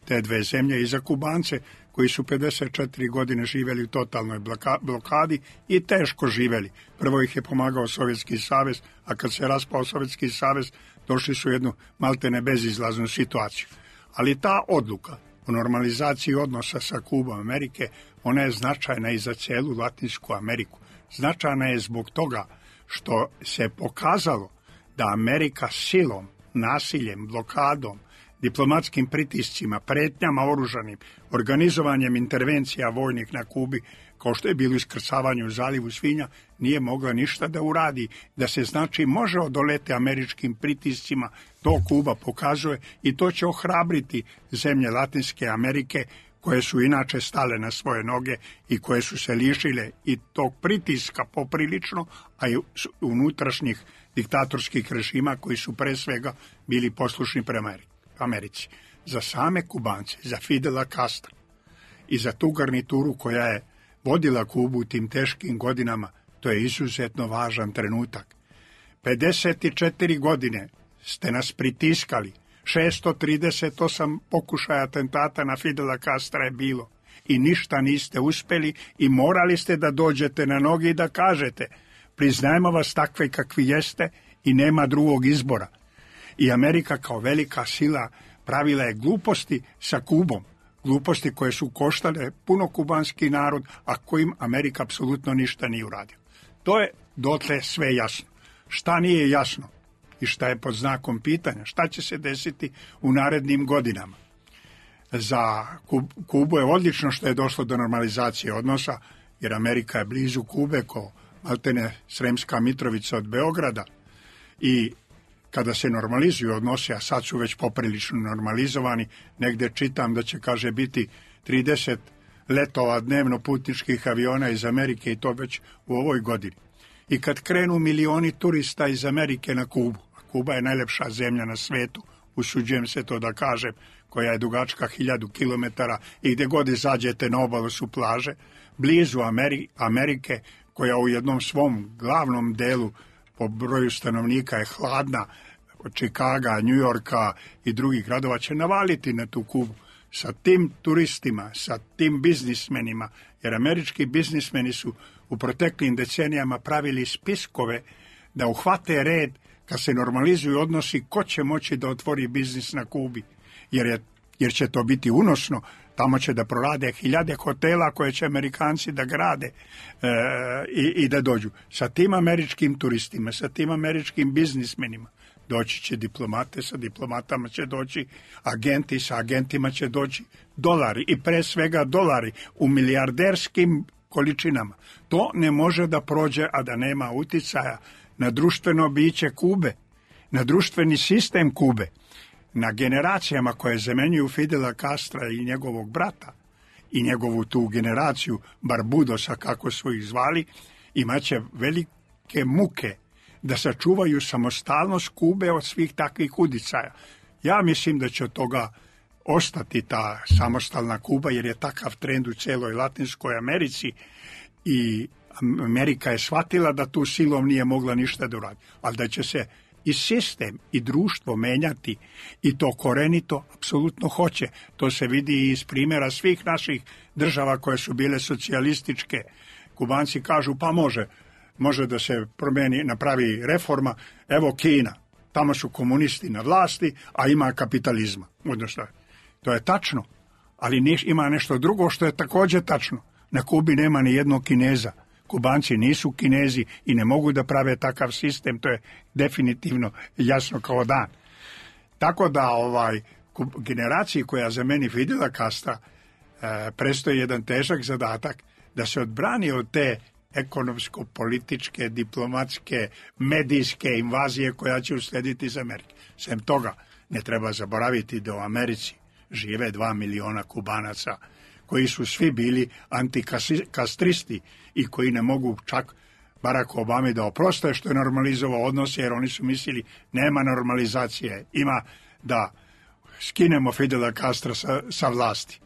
te dve zemlje i za Kubance koji su 54 godine živjeli u totalnoj blokadi i teško živjeli. Prvo ih je pomagao Sovjetski savez, a kad se raspao Sovjetski savez došli su u jednu maltene bezizlaznu situaciju. Ali ta odluka o normalizaciji odnosa sa Kubom Amerike, ona je značajna i za cijelu Latinsku Ameriku. Značajna je zbog toga što se pokazalo da Amerika silom, nasiljem, blokadom, diplomatskim pritiscima, pretnjama oružanim, organizovanjem intervencija vojnih na Kubi, kao što je bilo iskrcavanje u zalivu svinja, nije mogla ništa da uradi, da se znači može odoleti američkim pritiscima, to Kuba pokazuje i to će ohrabriti zemlje Latinske Amerike koje su inače stale na svoje noge i koje su se lišile i tog pritiska poprilično, a i unutrašnjih diktatorskih režima koji su pre svega bili poslušni prema Americi. Za same Kubance, za Fidela Castra i za tu garnituru koja je vodila Kubu u tim teškim godinama, to je izuzetno važan trenutak. 54 godine ste nas pritiskali, 638 pokušaja atentata na Fidela Castra je bilo i ništa niste uspeli i morali ste da dođete na noge i da kažete priznajemo vas takve kakvi jeste i nema drugog izbora. I Amerika kao velika sila pravila je gluposti sa Kubom, gluposti koje su koštale puno kubanski narod, a kojim Amerika apsolutno ništa nije uradio. To je dotle sve jasno. Šta nije jasno i šta je pod znakom pitanja, šta će se desiti u narednim godinama. Za Kubu je odlično što je došlo do normalizacije odnosa, jer Amerika je blizu Kube, ko maltene Sremska Mitrovica od Beograda, i kada se normalizuju odnose, a sad su već poprilično normalizovani, negde čitam da će, kaže, biti 30 letova dnevno putničkih aviona iz Amerike i to već u ovoj godini. I kad krenu milioni turista iz Amerike na Kubu, a Kuba je najlepša zemlja na svetu, usuđujem se to da kažem, koja je dugačka 1000 kilometara i gde god izađete na obalu su plaže, blizu Amerike, koja u jednom svom glavnom delu po broju stanovnika je hladna, od Čikaga, Njujorka i drugih gradova, će navaliti na tu Kubu sa tim turistima, sa tim biznismenima, jer američki biznismeni su u proteklim decenijama pravili spiskove da uhvate red kad se normalizuju odnosi ko će moći da otvori biznis na Kubi, jer će to biti unosno. Tamo će da prorade 1000 hotela koje će Amerikanci da grade i da dođu. Sa tim američkim turistima, sa tim američkim biznismenima doći će diplomate, sa diplomatama će doći agenti, sa agentima će doći dolari i pre svega dolari u milijarderskim količinama. To ne može da prođe, a da nema uticaja na društveno biće Kube, na društveni sistem Kube, na generacijama koje zamenjuju Fidela Castra i njegovog brata i njegovu tu generaciju Barbudosa, kako su ih zvali, imaće velike muke da sačuvaju samostalnost Kube od svih takvih uticaja. Ja mislim da će od toga ostati ta samostalna Kuba, jer je takav trend u celoj Latinskoj Americi i Amerika je shvatila da tu silom nije mogla ništa da uradi, ali da će se i sistem i društvo menjati i to korenito apsolutno hoće. To se vidi iz primjera svih naših država koje su bile socijalističke. Kubanci kažu pa može da se promeni, napravi reforma. Evo Kina, tamo su komunisti na vlasti, a ima kapitalizma. Odnosno, to je tačno, ali ima nešto drugo što je također tačno. Na Kubi nema ni jednog Kineza. Kubanci nisu Kinezi i ne mogu da prave takav sistem, to je definitivno jasno kao dan. Tako da generaciji koja za meni Fidela Castra predstoji jedan težak zadatak da se odbrani od te ekonomsko-političke, diplomatske, medijske invazije koja će uslediti iz Amerike. Sem toga, ne treba zaboraviti da u Americi žive 2 miliona Kubanaca koji su svi bili antikastristi i koji ne mogu čak Barack Obama da oproste što je normalizovao odnose, jer oni su mislili nema normalizacije, ima da skinemo Fidela Castra sa vlasti.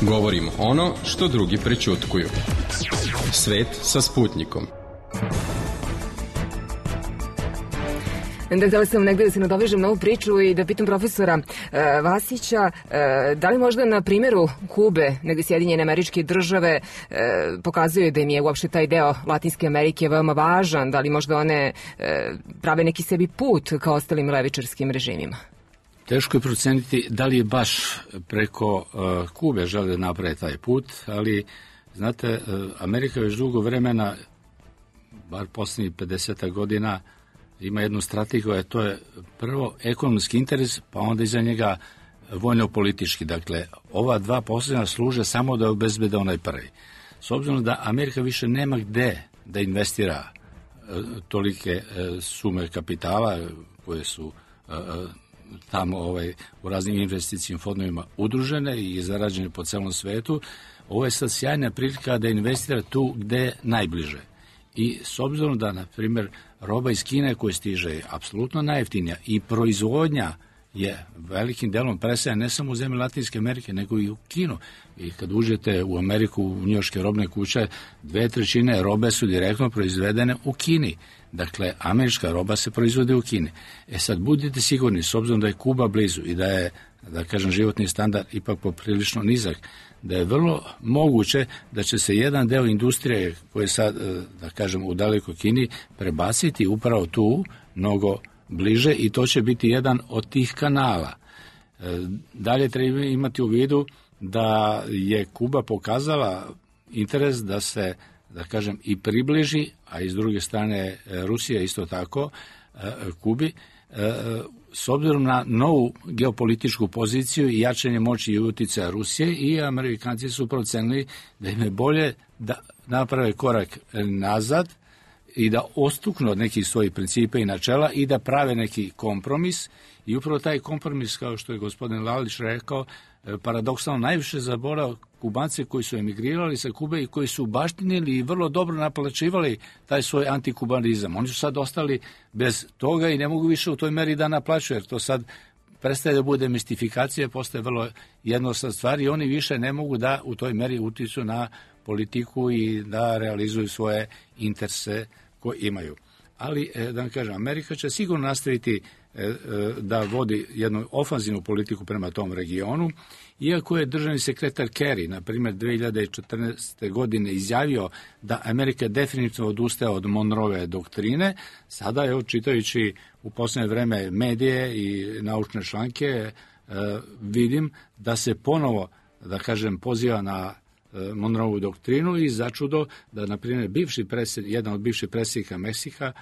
Govorimo ono što drugi prećutkuju. Svet sa Sputnikom. Htjela sam negdje da se nadovežem na ovu priču i da pitam profesora Vasića, da li možda na primjeru Kube, negdje Sjedinjene Američke Države, pokazuju da im je uopšte taj deo Latinske Amerike veoma važan, da li možda one prave neki sebi put kao ostalim levičarskim režimima? Teško je proceniti da li je baš preko Kube žele napraviti taj put, ali znate, Amerika već dugo vremena, bar posljednjih 50 godina, ima jednu strategiju, a to je prvo ekonomski interes, pa onda iza njega vojno-politički. Dakle, ova dva posljednja služe samo da obezbede onaj prvi. S obzirom da Amerika više nema gde da investira tolike sume kapitala koje su tamo u raznim investicijim fondovima udružene i zarađene po celom svetu, ovo je sad sjajna prilika da investira tu gde je najbliže. I s obzirom da, na primjer, roba iz Kine koja stiže je apsolutno najjeftinija i proizvodnja je velikim delom presaja ne samo u zemlji Latinske Amerike, nego i u Kinu. I kad uđete u Ameriku, u njujorške robne kuće, 2/3 robe su direktno proizvedene u Kini. Dakle, američka roba se proizvode u Kini. Sad budite sigurni, s obzirom da je Kuba blizu i da je, da kažem, životni standard ipak poprilično nizak, da je vrlo moguće da će se jedan deo industrije koji je sad, da kažem, u dalekoj Kini prebaciti upravo tu mnogo bliže i to će biti jedan od tih kanala. Dalje treba imati u vidu da je Kuba pokazala interes da se, da kažem, i približi, a i s druge strane Rusija isto tako Kubi, s obzirom na novu geopolitičku poziciju i jačanje moći i utjecaja Rusije, i Amerikanci su procenili da im je bolje da naprave korak nazad i da ostuknu od nekih svojih principa i načela i da prave neki kompromis. I upravo taj kompromis, kao što je gospodin Lalić rekao, paradoksalno najviše zaborao Kubance koji su emigrirali sa Kube i koji su baštinili i vrlo dobro naplaćivali taj svoj antikubanizam. Oni su sad ostali bez toga i ne mogu više u toj meri da naplaćuju, jer to sad prestaje da bude mistifikacija, postaje vrlo jednostavna stvar i oni više ne mogu da u toj meri utiču na politiku i da realizuju svoje interese koje imaju. Ali, da vam kažem, Amerika će sigurno nastaviti da vodi jednu ofanzivnu politiku prema tom regionu, iako je državni sekretar Kerry, na primjer, 2014. godine izjavio da Amerika definitivno odustaje od Monroeve doktrine. Sada je, čitajući u posljednje vreme medije i naučne članke, vidim da se ponovo, da kažem, poziva na Monroevu doktrinu i začudo da, na primjer, jedan od bivših predsjednika Meksika,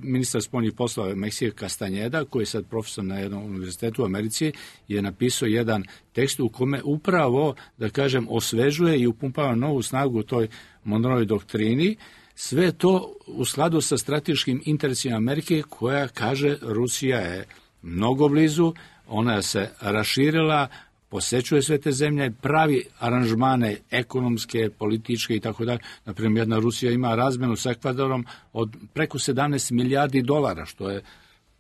ministar spoljnih poslova Meksika Castañeda, koji je sad profesor na jednom univerzitetu u Americi, je napisao jedan tekst u kome upravo, da kažem, osvežuje i upumpava novu snagu u toj Monroevoj doktrini. Sve to u skladu sa strateškim interesima Amerike, koja kaže Rusija je mnogo blizu, ona se raširila, posećuje sve te zemlje, pravi aranžmane ekonomske, političke i tako dalje. Naprimjer, jedna Rusija ima razmenu sa Ekvadorom od preko 17 milijardi dolara, što je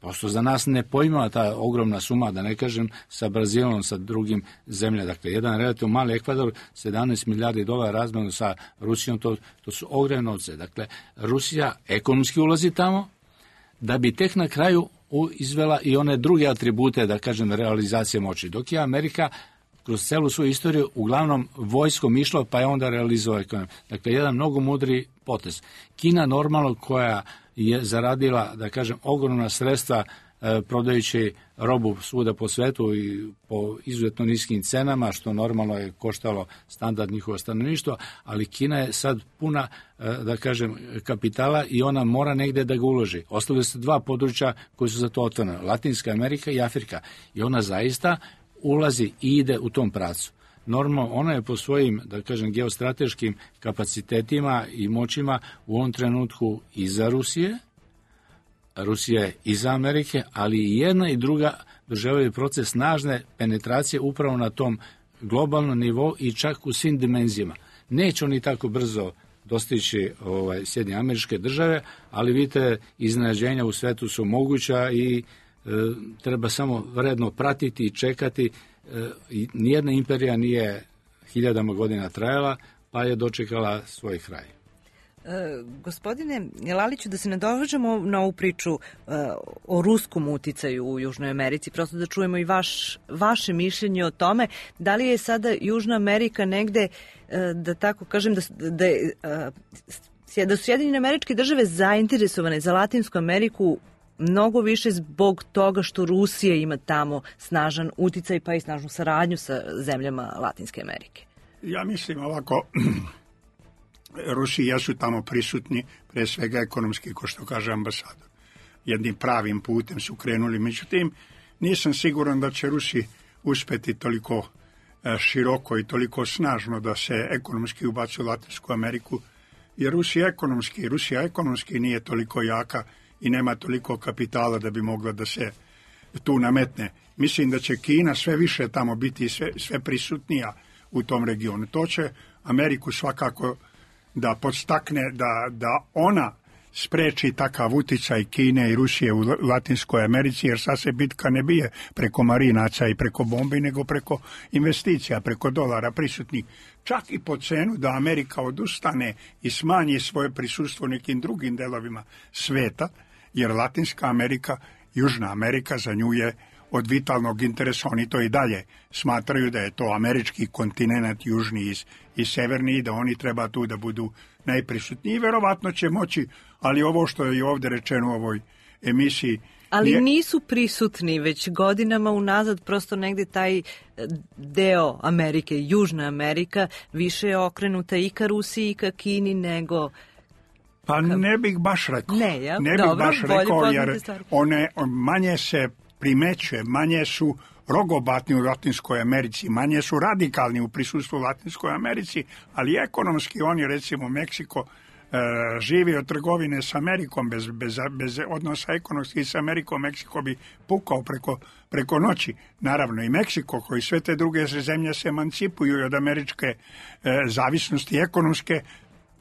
Prosto za nas ne pojma ta ogromna suma, da ne kažem sa Brazilom, sa drugim zemljama. Dakle, jedan relativno mali Ekvador, 17 milijardi dolara razmenu sa Rusijom, to su ogromne novce. Dakle, Rusija ekonomski ulazi tamo, da bi tek na kraju izvela i one druge atribute, da kažem, realizacije moći. Dok je Amerika kroz celu svoju istoriju uglavnom vojskom išla, pa je onda realizovao ekonomiju. Dakle, jedan mnogo mudri potez. Kina normalno koja je zaradila, da kažem, ogromna sredstva prodajući robu svuda po svetu i po izuzetno niskim cenama, što normalno je koštalo standard njihovo stanovništvo, ali Kina je sad puna, da kažem, kapitala i ona mora negde da ga uloži. Ostavili se dva područja koji su za to otvorene, Latinska Amerika i Afrika. I ona zaista ulazi i ide u tom pravcu. Normalno, ona je po svojim, da kažem, geostrateškim kapacitetima i moćima u ovom trenutku iza Rusije, Rusija je iza Amerike, ali i jedna i druga doživljaju proces snažne penetracije upravo na tom globalnom nivou i čak u svim dimenzijama. Neće oni tako brzo dostići Sjedinjene Američke Države, ali vidite, iznenađenja u svetu su moguća i treba samo vredno pratiti i čekati. Nijedna imperija nije hiljadama godina trajala, pa je dočekala svoj kraj. Gospodine Laliću, da se nadovežemo na ovu priču o ruskom uticaju u Južnoj Americi, prosto da čujemo i vaše mišljenje o tome, da li je sada Južna Amerika negde, da tako kažem, da su Sjedinjene Američke Države zainteresovane za Latinsku Ameriku mnogo više zbog toga što Rusija ima tamo snažan uticaj pa i snažnu saradnju sa zemljama Latinske Amerike? Ja mislim ovako, Rusi jesu tamo prisutni, pre svega ekonomski, ko što kaže ambasador. Jednim pravim putem su krenuli, međutim, nisam siguran da će Rusi uspeti toliko široko i toliko snažno da se ekonomski ubaci u Latinsku Ameriku, jer Rusija ekonomski nije toliko jaka i nema toliko kapitala da bi mogla da se tu nametne. Mislim da će Kina sve više tamo biti sve prisutnija u tom regionu. To će Ameriku svakako da podstakne da ona spreči takav uticaj Kine i Rusije u Latinskoj Americi, jer sad se bitka ne bije preko marinaca i preko bombi, nego preko investicija, preko dolara prisutnih. Čak i po cenu da Amerika odustane i smanji svoje prisustvo u nekim drugim delovima sveta, jer Latinska Amerika, Južna Amerika za nju je od vitalnog interesa. Oni to i dalje smatraju da je to američki kontinent, južni i severni, i da oni treba tu da budu najprisutniji. Verovatno će moći, ali ovo što je i ovde rečeno u ovoj emisiji... Ali nisu prisutni već godinama unazad, prosto negde taj deo Amerike, Južna Amerika, više je okrenuta i ka Rusiji i ka Kini nego... Pa ne bih baš rekao. Jer one manje se primećuje, manje su rogobatni u Latinskoj Americi, manje su radikalni u prisustvu u Latinskoj Americi, ali ekonomski oni, recimo Meksiko, živi od trgovine s Amerikom, bez odnosa ekonomski s Amerikom, Meksiko bi pukao preko noći. Naravno i Meksiko, koji sve te druge zemlje se emancipuju od američke zavisnosti ekonomske,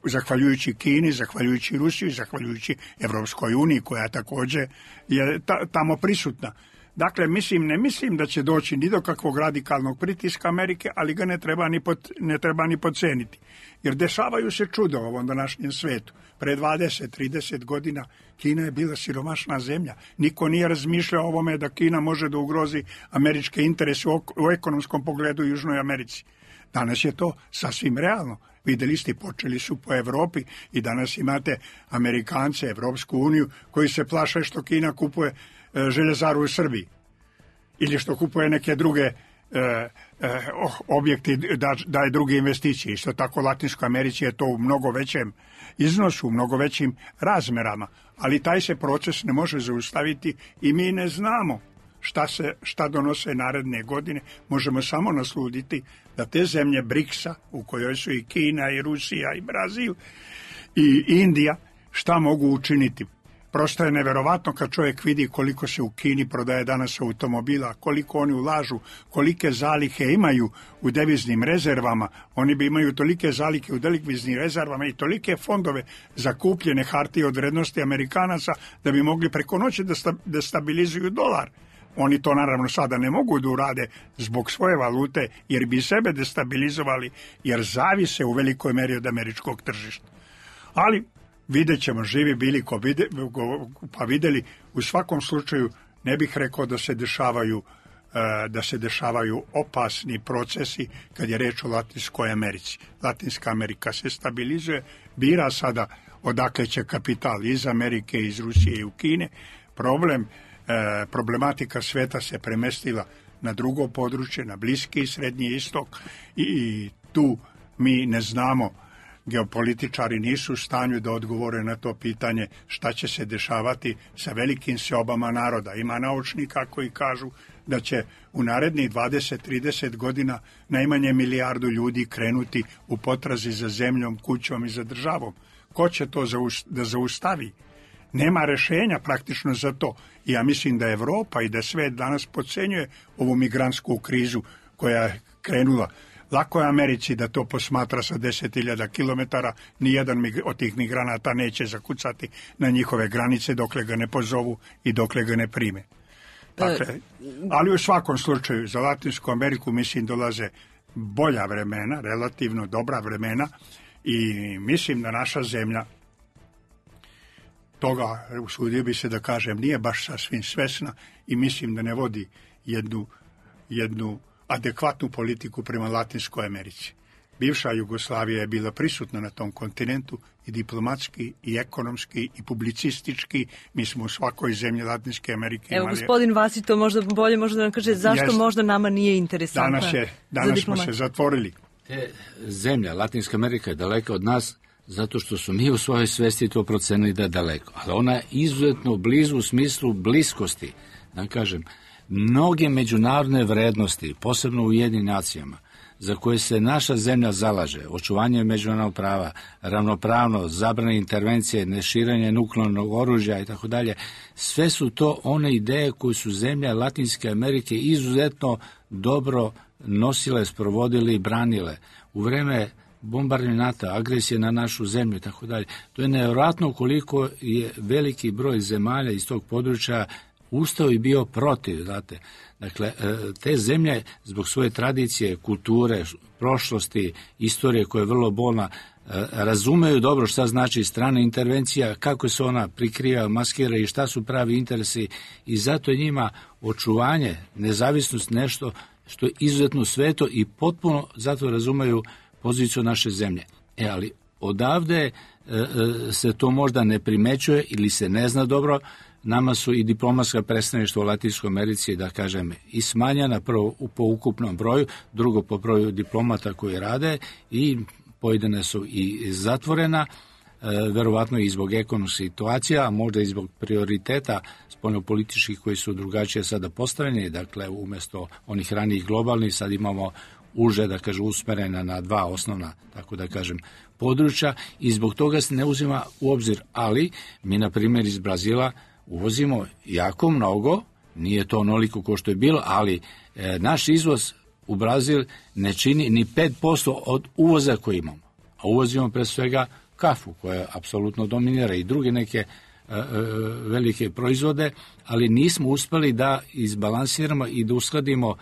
zahvaljujući Kini, zahvaljujući Rusiji, zahvaljujući Evropskoj uniji, koja također je tamo prisutna. Dakle, ne mislim da će doći ni do kakvog radikalnog pritiska Amerike, ali ga ne treba ni podceniti. Jer dešavaju se čudo u ovom današnjem svetu. Pre 20-30 godina Kina je bila siromašna zemlja. Niko nije razmišljao o ovome da Kina može da ugrozi američke interese u ekonomskom pogledu u Južnoj Americi. Danas je to sasvim realno. Videli ste, počeli su po Evropi i danas imate Amerikance, Evropsku uniju, koji se plaše što Kina kupuje željezaru u Srbiji ili što kupuje neke druge objekti, daje druge investicije. Isto tako Latinskoj Americi je to u mnogo većem iznosu, u mnogo većim razmerama, ali taj se proces ne može zaustaviti i mi ne znamo šta donose naredne godine. Možemo samo nasluditi da te zemlje BRICS-a, u kojoj su i Kina i Rusija i Brazil i Indija, šta mogu učiniti. Prosto je neverovatno kad čovjek vidi koliko se u Kini prodaje danas automobila, koliko oni ulažu, kolike zalihe imaju u deviznim rezervama. Oni bi imaju tolike zalihe u deviznim rezervama i tolike fondove za kupljene hartije od vrednosti Amerikanaca da bi mogli preko noći da stabilizuju dolar. Oni to naravno sada ne mogu da urade zbog svoje valute jer bi sebe destabilizovali jer zavise u velikoj meri od američkog tržišta. Ali vidjet ćemo, živi bili pa vidjeli. U svakom slučaju ne bih rekao da se dešavaju opasni procesi kad je reč o Latinskoj Americi. Latinska Amerika se stabilizuje, bira sada odakle će kapital iz Amerike, iz Rusije i u Kine. Problematika sveta se premestila na drugo područje, na Bliski i Srednji istok i tu mi ne znamo, geopolitičari nisu u stanju da odgovore na to pitanje šta će se dešavati sa velikim seobama naroda. Ima naučnika koji kažu da će u narednih 20-30 godina najmanje 1 milijardu ljudi krenuti u potrazi za zemljom, kućom i za državom. Ko će to da zaustavi? Nema rešenja praktično za to. I ja mislim da Evropa i da svet danas podcenjuje ovu migrantsku krizu koja je krenula. Lako je Americi da to posmatra sa 10.000 kilometara, nijedan od tih migranata neće zakucati na njihove granice dokle ga ne pozovu i dokle ga ne prime. Dakle, ali u svakom slučaju za Latinsku Ameriku mislim dolaze bolja vremena, relativno dobra vremena i mislim da naša zemlja toga, usudio bi se da kažem, nije baš sasvim svesna i mislim da ne vodi jednu adekvatnu politiku prema Latinskoj Americi. Bivša Jugoslavija je bila prisutna na tom kontinentu i diplomatski, i ekonomski, i publicistički. Mi smo u svakoj zemlji Latinske Amerike imali... Evo, gospodin Vasić to možda bolje može da nam kaže zašto možda nama nije interesantna Danas smo se zatvorili. Te zemlja, Latinska Amerika je daleka od nas zato što su mi u svojoj svesti to procenili da je daleko. Ali ona je izuzetno blizu u smislu bliskosti. Da kažem, mnoge međunarodne vrednosti, posebno u Ujedinjenim nacijama, za koje se naša zemlja zalaže, očuvanje međunarodnog prava, ravnopravnost, zabrane intervencije, neširenje nuklearnog oružja i tako dalje, sve su to one ideje koje su zemlje Latinske Amerike izuzetno dobro nosile, sprovodile i branile. U vreme bombardovanja NATO, agresije na našu zemlju i tako dalje. To je nevjerojatno koliko je veliki broj zemalja iz tog područja ustao i bio protiv, znate. Dakle, te zemlje zbog svoje tradicije, kulture, prošlosti, istorije koja je vrlo bolna, razumeju dobro šta znači strana intervencija, kako se ona prikriva, maskira i šta su pravi interesi i zato je njima očuvanje, nezavisnost nešto što je izuzetno sveto i potpuno zato razumeju poziciju naše zemlje. Ali odavde se to možda ne primećuje ili se ne zna dobro. Nama su i diplomatska predstavništva u Latinskoj Americi, da kažem, i smanjena prvo po ukupnom broju, drugo po broju diplomata koji rade i pojedine su i zatvorena, verovatno i zbog ekonomske situacije, a možda i zbog prioriteta spoljnopolitičkih koji su drugačije sada postavljeni, dakle umjesto onih ranijih globalnih sad imamo uže, da kažem, usmerena na dva osnovna, tako da kažem, područja i zbog toga se ne uzima u obzir, ali mi na primjer iz Brazila uvozimo jako mnogo, nije to onoliko kao što je bilo, ali naš izvoz u Brazil ne čini ni 5% od uvoza koji imamo. A uvozimo pre svega kafu koja apsolutno dominira i druge neke velike proizvode, ali nismo uspeli da izbalansiramo i da uskladimo,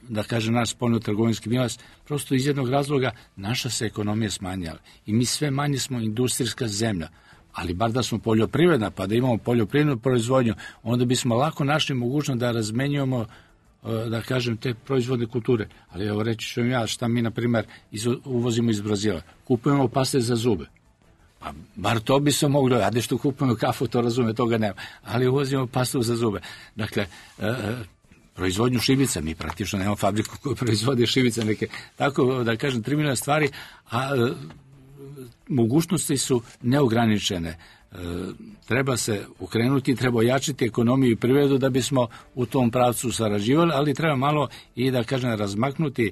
da kažem, naš spoljno-trgovinski bilans, prosto iz jednog razloga naša se ekonomija smanjala i mi sve manje smo industrijska zemlja. Ali bar da smo poljoprivredna, pa da imamo poljoprivrednu proizvodnju, onda bismo lako našli mogućnost da razmenjujemo, da kažem, te proizvodne kulture. Ali evo reći ću ja šta mi, na primjer, uvozimo iz Brazila. Kupujemo paste za zube. Pa bar to bi se moglo, a da što kupujemo kafu, to razume, toga nema. Ali uvozimo pastu za zube. Dakle, proizvodnju šibica, mi praktično nemamo fabriku koja proizvodi šibice, neke, tako da kažem, 3 miliona stvari, a mogućnosti su neograničene. treba se ukrenuti, treba ojačiti ekonomiju i privredu da bismo u tom pravcu sarađivali, ali treba malo i da kažem razmaknuti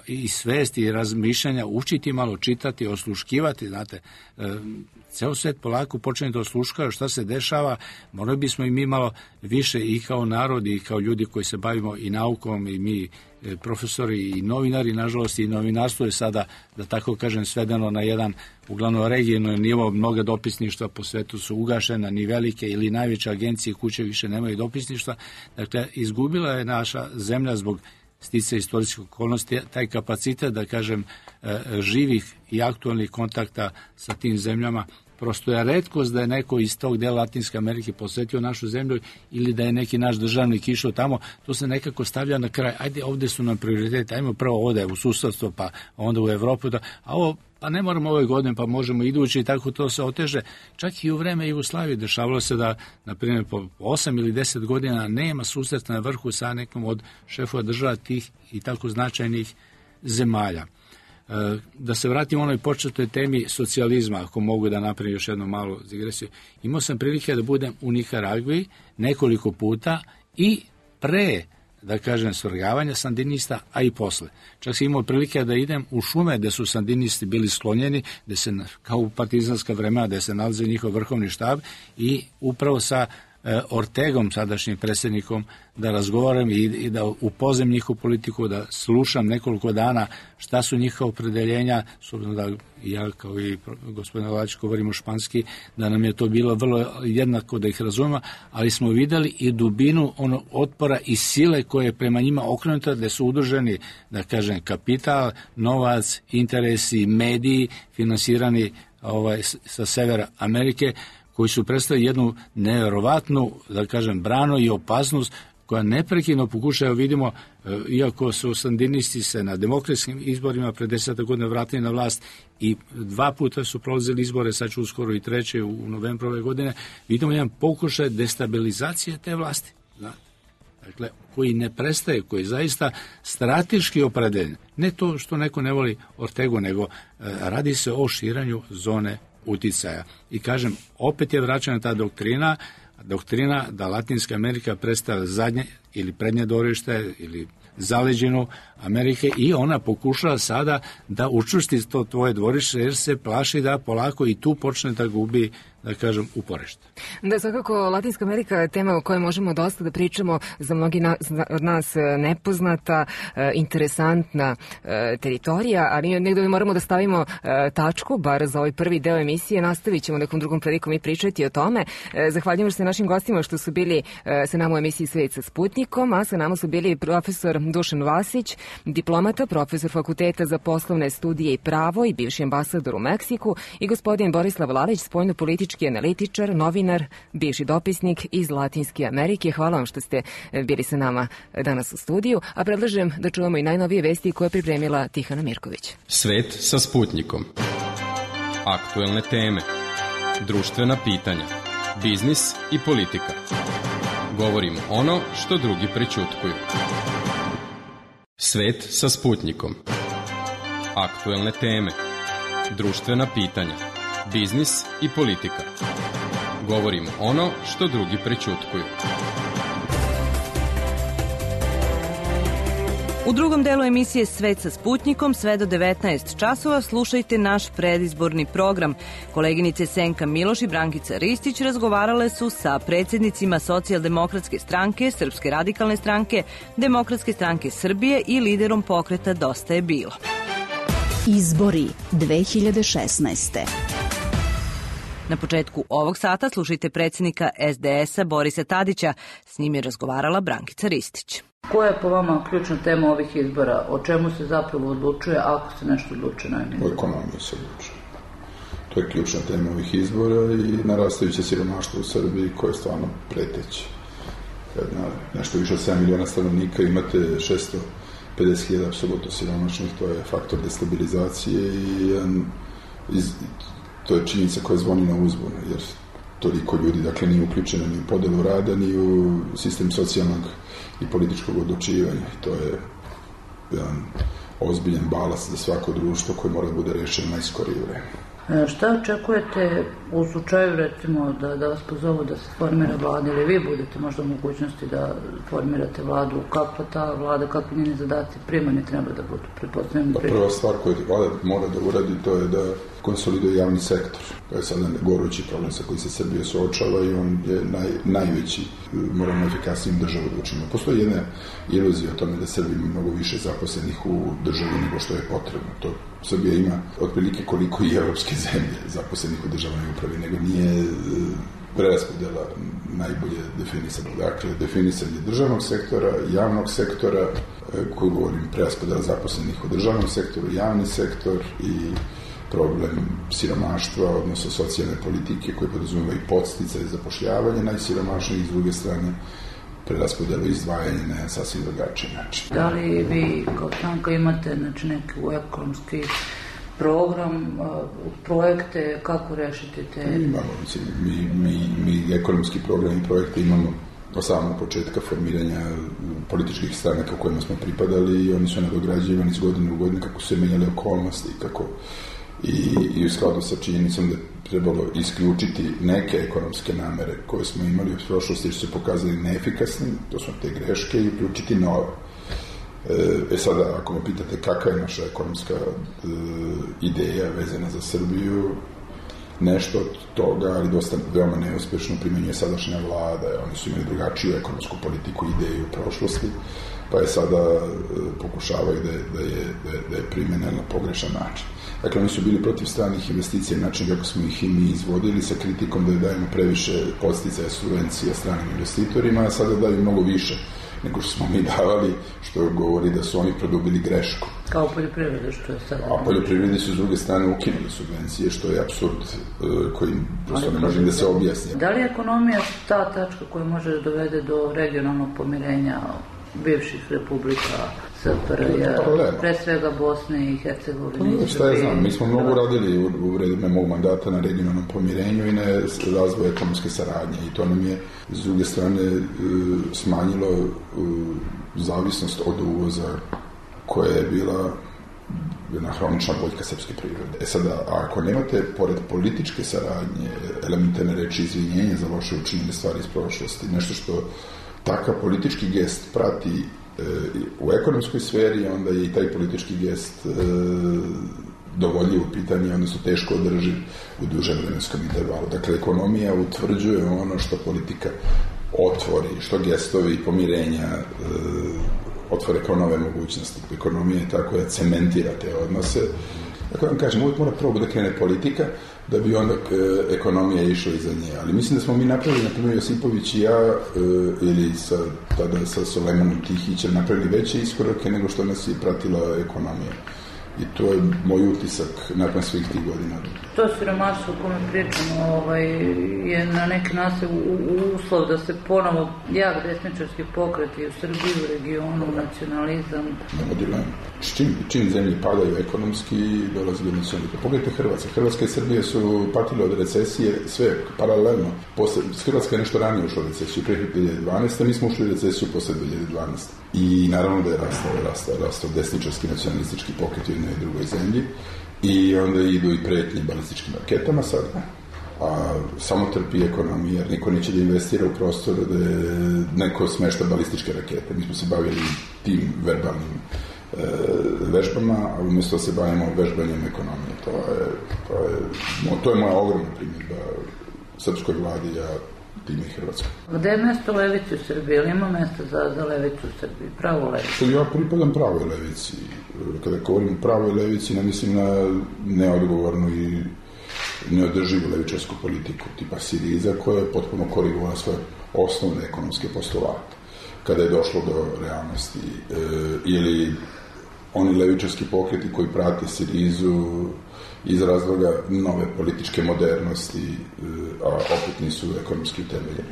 i svesti i razmišljanja, učiti malo, čitati, osluškivati, znate, ceo svet polako počne da osluškava šta se dešava, morali bismo i mi malo više i kao narod i kao ljudi koji se bavimo i naukom i mi profesori i novinari, nažalost i novinarstvo je sada, da tako kažem, svedeno na jedan uglavnom regionalni nivo, mnoga dopisništva po svetu su ugašena, ni velike ili najveće agencije kuće više nemaju dopisništva, dakle izgubila je naša zemlja zbog sticaja istorijskih okolnosti taj kapacitet, da kažem, živih i aktualnih kontakta sa tim zemljama. Prosto je retkost da je neko iz tog dela Latinske Amerike posetio našu zemlju ili da je neki naš državnik išao tamo, to se nekako stavlja na kraj. Ajde, ovde su nam prioriteti, ajmo prvo ovde u susedstvo, pa onda u Evropu, a ovo, pa ne moramo ove godine, pa možemo idući i tako to se oteže. Čak i u vreme Jugoslavije dešavalo se da, na primjer, po 8 ili 10 godina nema susreta na vrhu sa nekom od šefova država tih i tako značajnih zemalja. Da se vratim onoj početnoj temi socijalizma, ako mogu da napravim još jednu malu digresiju. Imao sam prilike da budem u Nikaragvi nekoliko puta i pre, da kažem, svrgavanja sandinista, a i posle. Čak sam imao prilike da idem u šume gde su sandinisti bili sklonjeni, gde se, kao u partizanska vremena, gde se nalazi njihov vrhovni štab i upravo sa Ortegom, sadašnjim predsjednikom, da razgovaram i da upoznam njihovu politiku, da slušam nekoliko dana šta su njihova opredeljenja, s obzirom da ja kao i gospodin Lalić govorimo španski, da nam je to bilo vrlo jednako da ih razumemo, ali smo videli i dubinu ono otpora i sile koje je prema njima okrenuta, gde su udruženi, da kažem, kapital, novac, interesi, mediji, finansirani sa severa Amerike, koji su predstavili jednu nevjerovatnu, da kažem, branu i opasnost koja neprekidno pokušaju, vidimo, iako su sandinisti se na demokratskim izborima pre 10 godina vratili na vlast i 2 puta su prolazili izbore, sad će uskoro i 3. u novembru ove godine, vidimo jedan pokušaj destabilizacije te vlasti. Dakle, koji ne prestaje, koji je zaista strateški opredeljen. Ne to što neko ne voli Ortegu, nego radi se o širanju zone uticaja. I kažem, opet je vraćana ta doktrina da Latinska Amerika predstavlja zadnje ili prednje dvorište ili zaleđinu Amerike i ona pokušava sada da učvrsti to tvoje dvorište jer se plaši da polako i tu počne da gubi, da kažem, uporište. Da, svakako Latinska Amerika je tema o kojoj možemo dosta da pričamo, za mnogi od nas nepoznata, interesantna teritorija, ali negdje moramo da stavimo tačku, bar za ovaj prvi deo emisije, nastavit ćemo nekom drugom prilikom i pričati o tome. Zahvaljujem se našim gostima što su bili sa nama u emisiji Svet sa Sputnikom, a sa nama su bili profesor Dušan Vasić, diplomata, profesor Fakulteta za poslovne studije i pravo i bivši ambasador u Meksiku, i gospodin Borislav Lalić, spoljnopolitički analitičar, novinar, bivši dopisnik iz Latinske Amerike. Hvala vam što ste bili sa nama danas u studiju, a predlažem da čujemo i najnovije vesti koje je pripremila Tihana Mirković. Svet sa Sputnikom. Aktuelne teme, društvena pitanja, biznis i politika. Govorimo ono što drugi prećutkuju. Svet sa Sputnikom. Aktuelne teme, društvena pitanja, biznis i politika. Govorimo ono što drugi prećutkuju. U drugom delu emisije Svet sa Sputnikom sve do 19 časova slušajte naš predizborni program. Koleginice Senka Miloš i Brankica Ristić razgovarale su sa predsjednicima Socijaldemokratske stranke, Srpske radikalne stranke, Demokratske stranke Srbije i liderom pokreta Dosta je bilo. Izbori 2016. Na početku ovog sata slušajte predsjednika SDS-a Borisa Tadića. S njim je razgovarala Brankica Ristić. Koja je po vama ključna tema ovih izbora? O čemu se zapravo odlučuje ako se nešto odlučuje najmanje? O ekonomiji se odlučuje. To je ključna tema ovih izbora i narastajuće siromaštvo u Srbiji koje je stvarno preteće. Kad na nešto više od 7 miliona stanovnika imate 650.000 apsolutno siromašnih, to je faktor destabilizacije i to je činjenica koja zvoni na uzbunu, jer toliko ljudi, dakle, nije uključeno ni u podelu rada, ni u sistem socijalnog i političkog odlučivanja. I to je jedan ozbiljan balast za svako društvo koje mora da bude rešeno najskorije vreme. Šta očekujete u slučaju, recimo, da vas pozovu da se formira vlada ili vi budete možda u mogućnosti da formirate vladu? Kakva ta vlada, kakvi njeni zadaci primarni treba da budu? Prva stvar koju vlada mora da uradi to je da konsoliduje javni sektor. To je sada gorući problem sa koji se Srbija suočava i on je najveći, moramo efikasnijim državu da učinimo. Postoji jedna iluzija o tome da Srbija ima mnogo više zaposlenih u državi nego što je potrebno. To Srbija ima otprilike koliko i evropske zemlje zaposlenih u državnoj upravi, nego nije preraspodjela najbolje definisana. Dakle, definisanje državnog sektora, javnog sektora, koju govorim, preraspodjela zaposlenih u državnom sektoru, javni sektor i problem siromaštva, odnosno socijalne politike koje podrazumeva i podsticaje zapošljavanje najsiromašnijih, s druge strane preraspodjelu i izdvajanje na sasvim drugačiji način. Da li vi kao stranka imate neki ekonomski program, projekte, kako rešiti te? Imamo, mi ekonomski program i projekte imamo od samog početka formiranja političkih stranaka u kojima smo pripadali i oni su nadograđivani iz godine u godinu kako su se menjale okolnosti i u skladu sa činjenicom da je trebalo isključiti neke ekonomske namere koje smo imali u prošlosti jer su se pokazali neefikasnim, to su te greške, i uključiti nove. Sada, ako me pitate kakva je naša ekonomska ideja vezana za Srbiju, nešto od toga, ali dosta veoma neuspešno primenjuje sadašnja vlada. Oni su imali drugačiju ekonomsku politiku i ideju u prošlosti, pa je sada pokušavaju da je primene na pogrešan način. Dakle, oni su bili protiv stranih investicija, način kako smo ih i mi izvodili, sa kritikom da je dajemo previše podsticaja subvencija stranim investitorima, a sada daju mnogo više nego što smo mi davali, što govori da su oni produbili grešku. Kao poljoprivrede, što je sada? A poljoprivredi su s druge strane ukinuli subvencije, što je apsurd koji prosto ne može da se objasni. Da li je ekonomija ta tačka koja može da dovede do regionalnog pomirenja bivših republika SFRJ, pre svega Bosne i Hercegovine? Šta ja znam, mi smo mnogo radili u vreme mog mandata na regionalnom pomirenju i na razvoju ekonomske saradnje i to nam je s druge strane smanjilo zavisnost od uvoza koja je bila jedna hronična boljka srpske prirode. Sada, ako nemate, pored političke saradnje, elementarne reči izvinjenja za loše učinjene stvari iz prošlosti, nešto što takav politički gest prati u ekonomskoj sferi, onda je i taj politički gest dovoljiv u pitanje, odnosno teško održiv u dužem vremenskom intervalu. Dakle, ekonomija utvrđuje ono što politika otvori, što gestovi pomirenja otvore kao nove mogućnosti. Ekonomija je tako da cementira te odnose. Dakle, vam kažem, uvijek mora prvo da krene politika, da bi onda ekonomija išla iza nje. Ali mislim da smo mi napravili, na primjer Josipović i ja, ili tada sa Sulejmanom Tihićem, napravili veće iskorake nego što nas je pratila ekonomija. I to je moj utisak nakon svih tih godina. To siromaštvo o kome pričamo je na neki način uslov da se ponovo jak desničarski pokreti u Srbiji, u regionu, nacionalizam. Nema dilema. Čim zemlje padaju ekonomski, dolazi do nacionalizma. Pogledajte Hrvatska. Hrvatska i Srbija su patile od recesije sve paralelno. Hrvatska je nešto ranije ušla u recesiju pre 2012. Mi smo ušli u recesiju posle 2012. I naravno da je rastao desničarski nacionalistički pokret u jednoj i drugoj zemlji i onda idu i pretnje balističkim raketama sada, a samo trpi ekonomija, jer niko neće da investira u prostor da je neko smešta balističke rakete. Mi smo se bavili tim verbalnim vežbama, a umjesto da se bavimo vežbanjem ekonomije. To je moja ogromna primjedba srpskoj vladi, time i Hrvatskoj. Gde je mesto levici u Srbiji? Ili ima mesta za levicu u Srbiji? Pravu levicu? Ja pripadam pravoj levici. Kada govorim o pravoj levici, ne mislim na neodgovornu i neodrživu levičarsku politiku tipa Siriza, koja je potpuno korigovala svoje osnovne ekonomske postulate. Kada je došlo do realnosti, ili oni levičarski pokreti koji prate Sirizu iz razloga nove političke modernosti, a opet nisu ekonomski utemeljeni.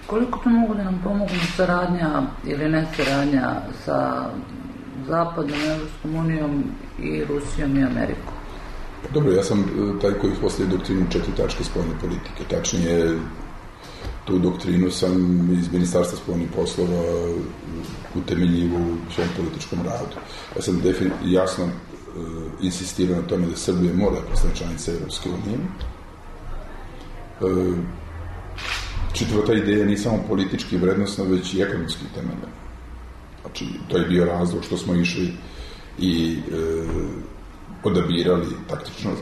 Koliko to mogu da nam pomogu saradnja ili ne saradnja sa Zapadom, Evropskom unijom i Rusijom i Amerikom? Dobro, ja sam taj koji uspostavio doktrinu 4 tačke spoljne politike. Tačnije, tu doktrinu sam iz Ministarstva spoljnih poslova utemeljivo u svom političkom radu. Ja sam jasno insistirao na tome da Srbija mora postane članica Evropske unije. Čitava ta ideja nije samo politički vrednostna, već i ekonomski temelj. Znači, to je bio razlog što smo išli i odabirali,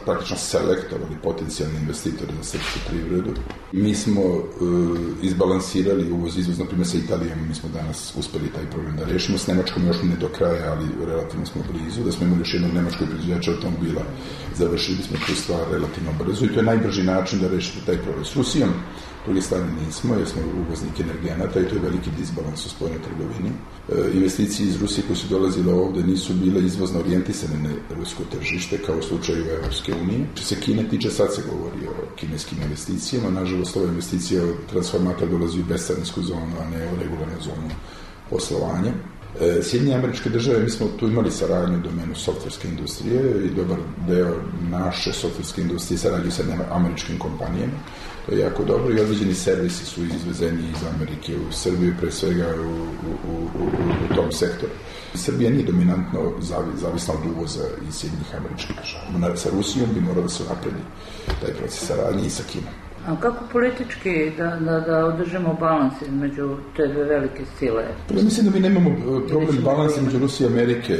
praktično selektovali potencijalne investitore za srpsku privredu. Mi smo izbalansirali uvoz-izvoz, na primjer sa Italijom, mi smo danas uspeli taj problem da rešimo, s Nemačkom još ne do kraja, ali relativno smo blizu, da smo imali još jednog nemačkog proizvođača automobila, završili smo tu stvar relativno brzo i to je najbrži način da rešite taj problem. S Rusijom, s druge strane nismo, jer smo uvoznik energenata i to je veliki disbalans u spoljnoj trgovini. Investicije iz Rusije koje su dolazile ovde nisu bile izvozno orijentisane na rusko tržište, kao u slučaju Evropske unije. Što se Kine tiče, sad se govori o kineskim investicijama, nažalost ova investicija transformator dolazi u bescarinsku zonu, a ne u regularnu zonu poslovanja. Sjedinjene Američke Države, mi smo tu imali saradnju u domenu softverske industrije i dobar deo naše softverske industrije sarađuju sa američkim kompanijama. To je jako dobro i određeni servisi su izvezeni iz Amerike u Srbiju, pre svega u tom sektoru. Srbija nije dominantno zavisna od uvoza iz Sjedinjenih Američkih Država. Sa Rusijom bi moralo da se napredi taj proces saradnje i sa Kinom. A kako politički da održimo balans između te dve velike sile? Ja mislim da mi nemamo problem balansa između Rusije i Amerike,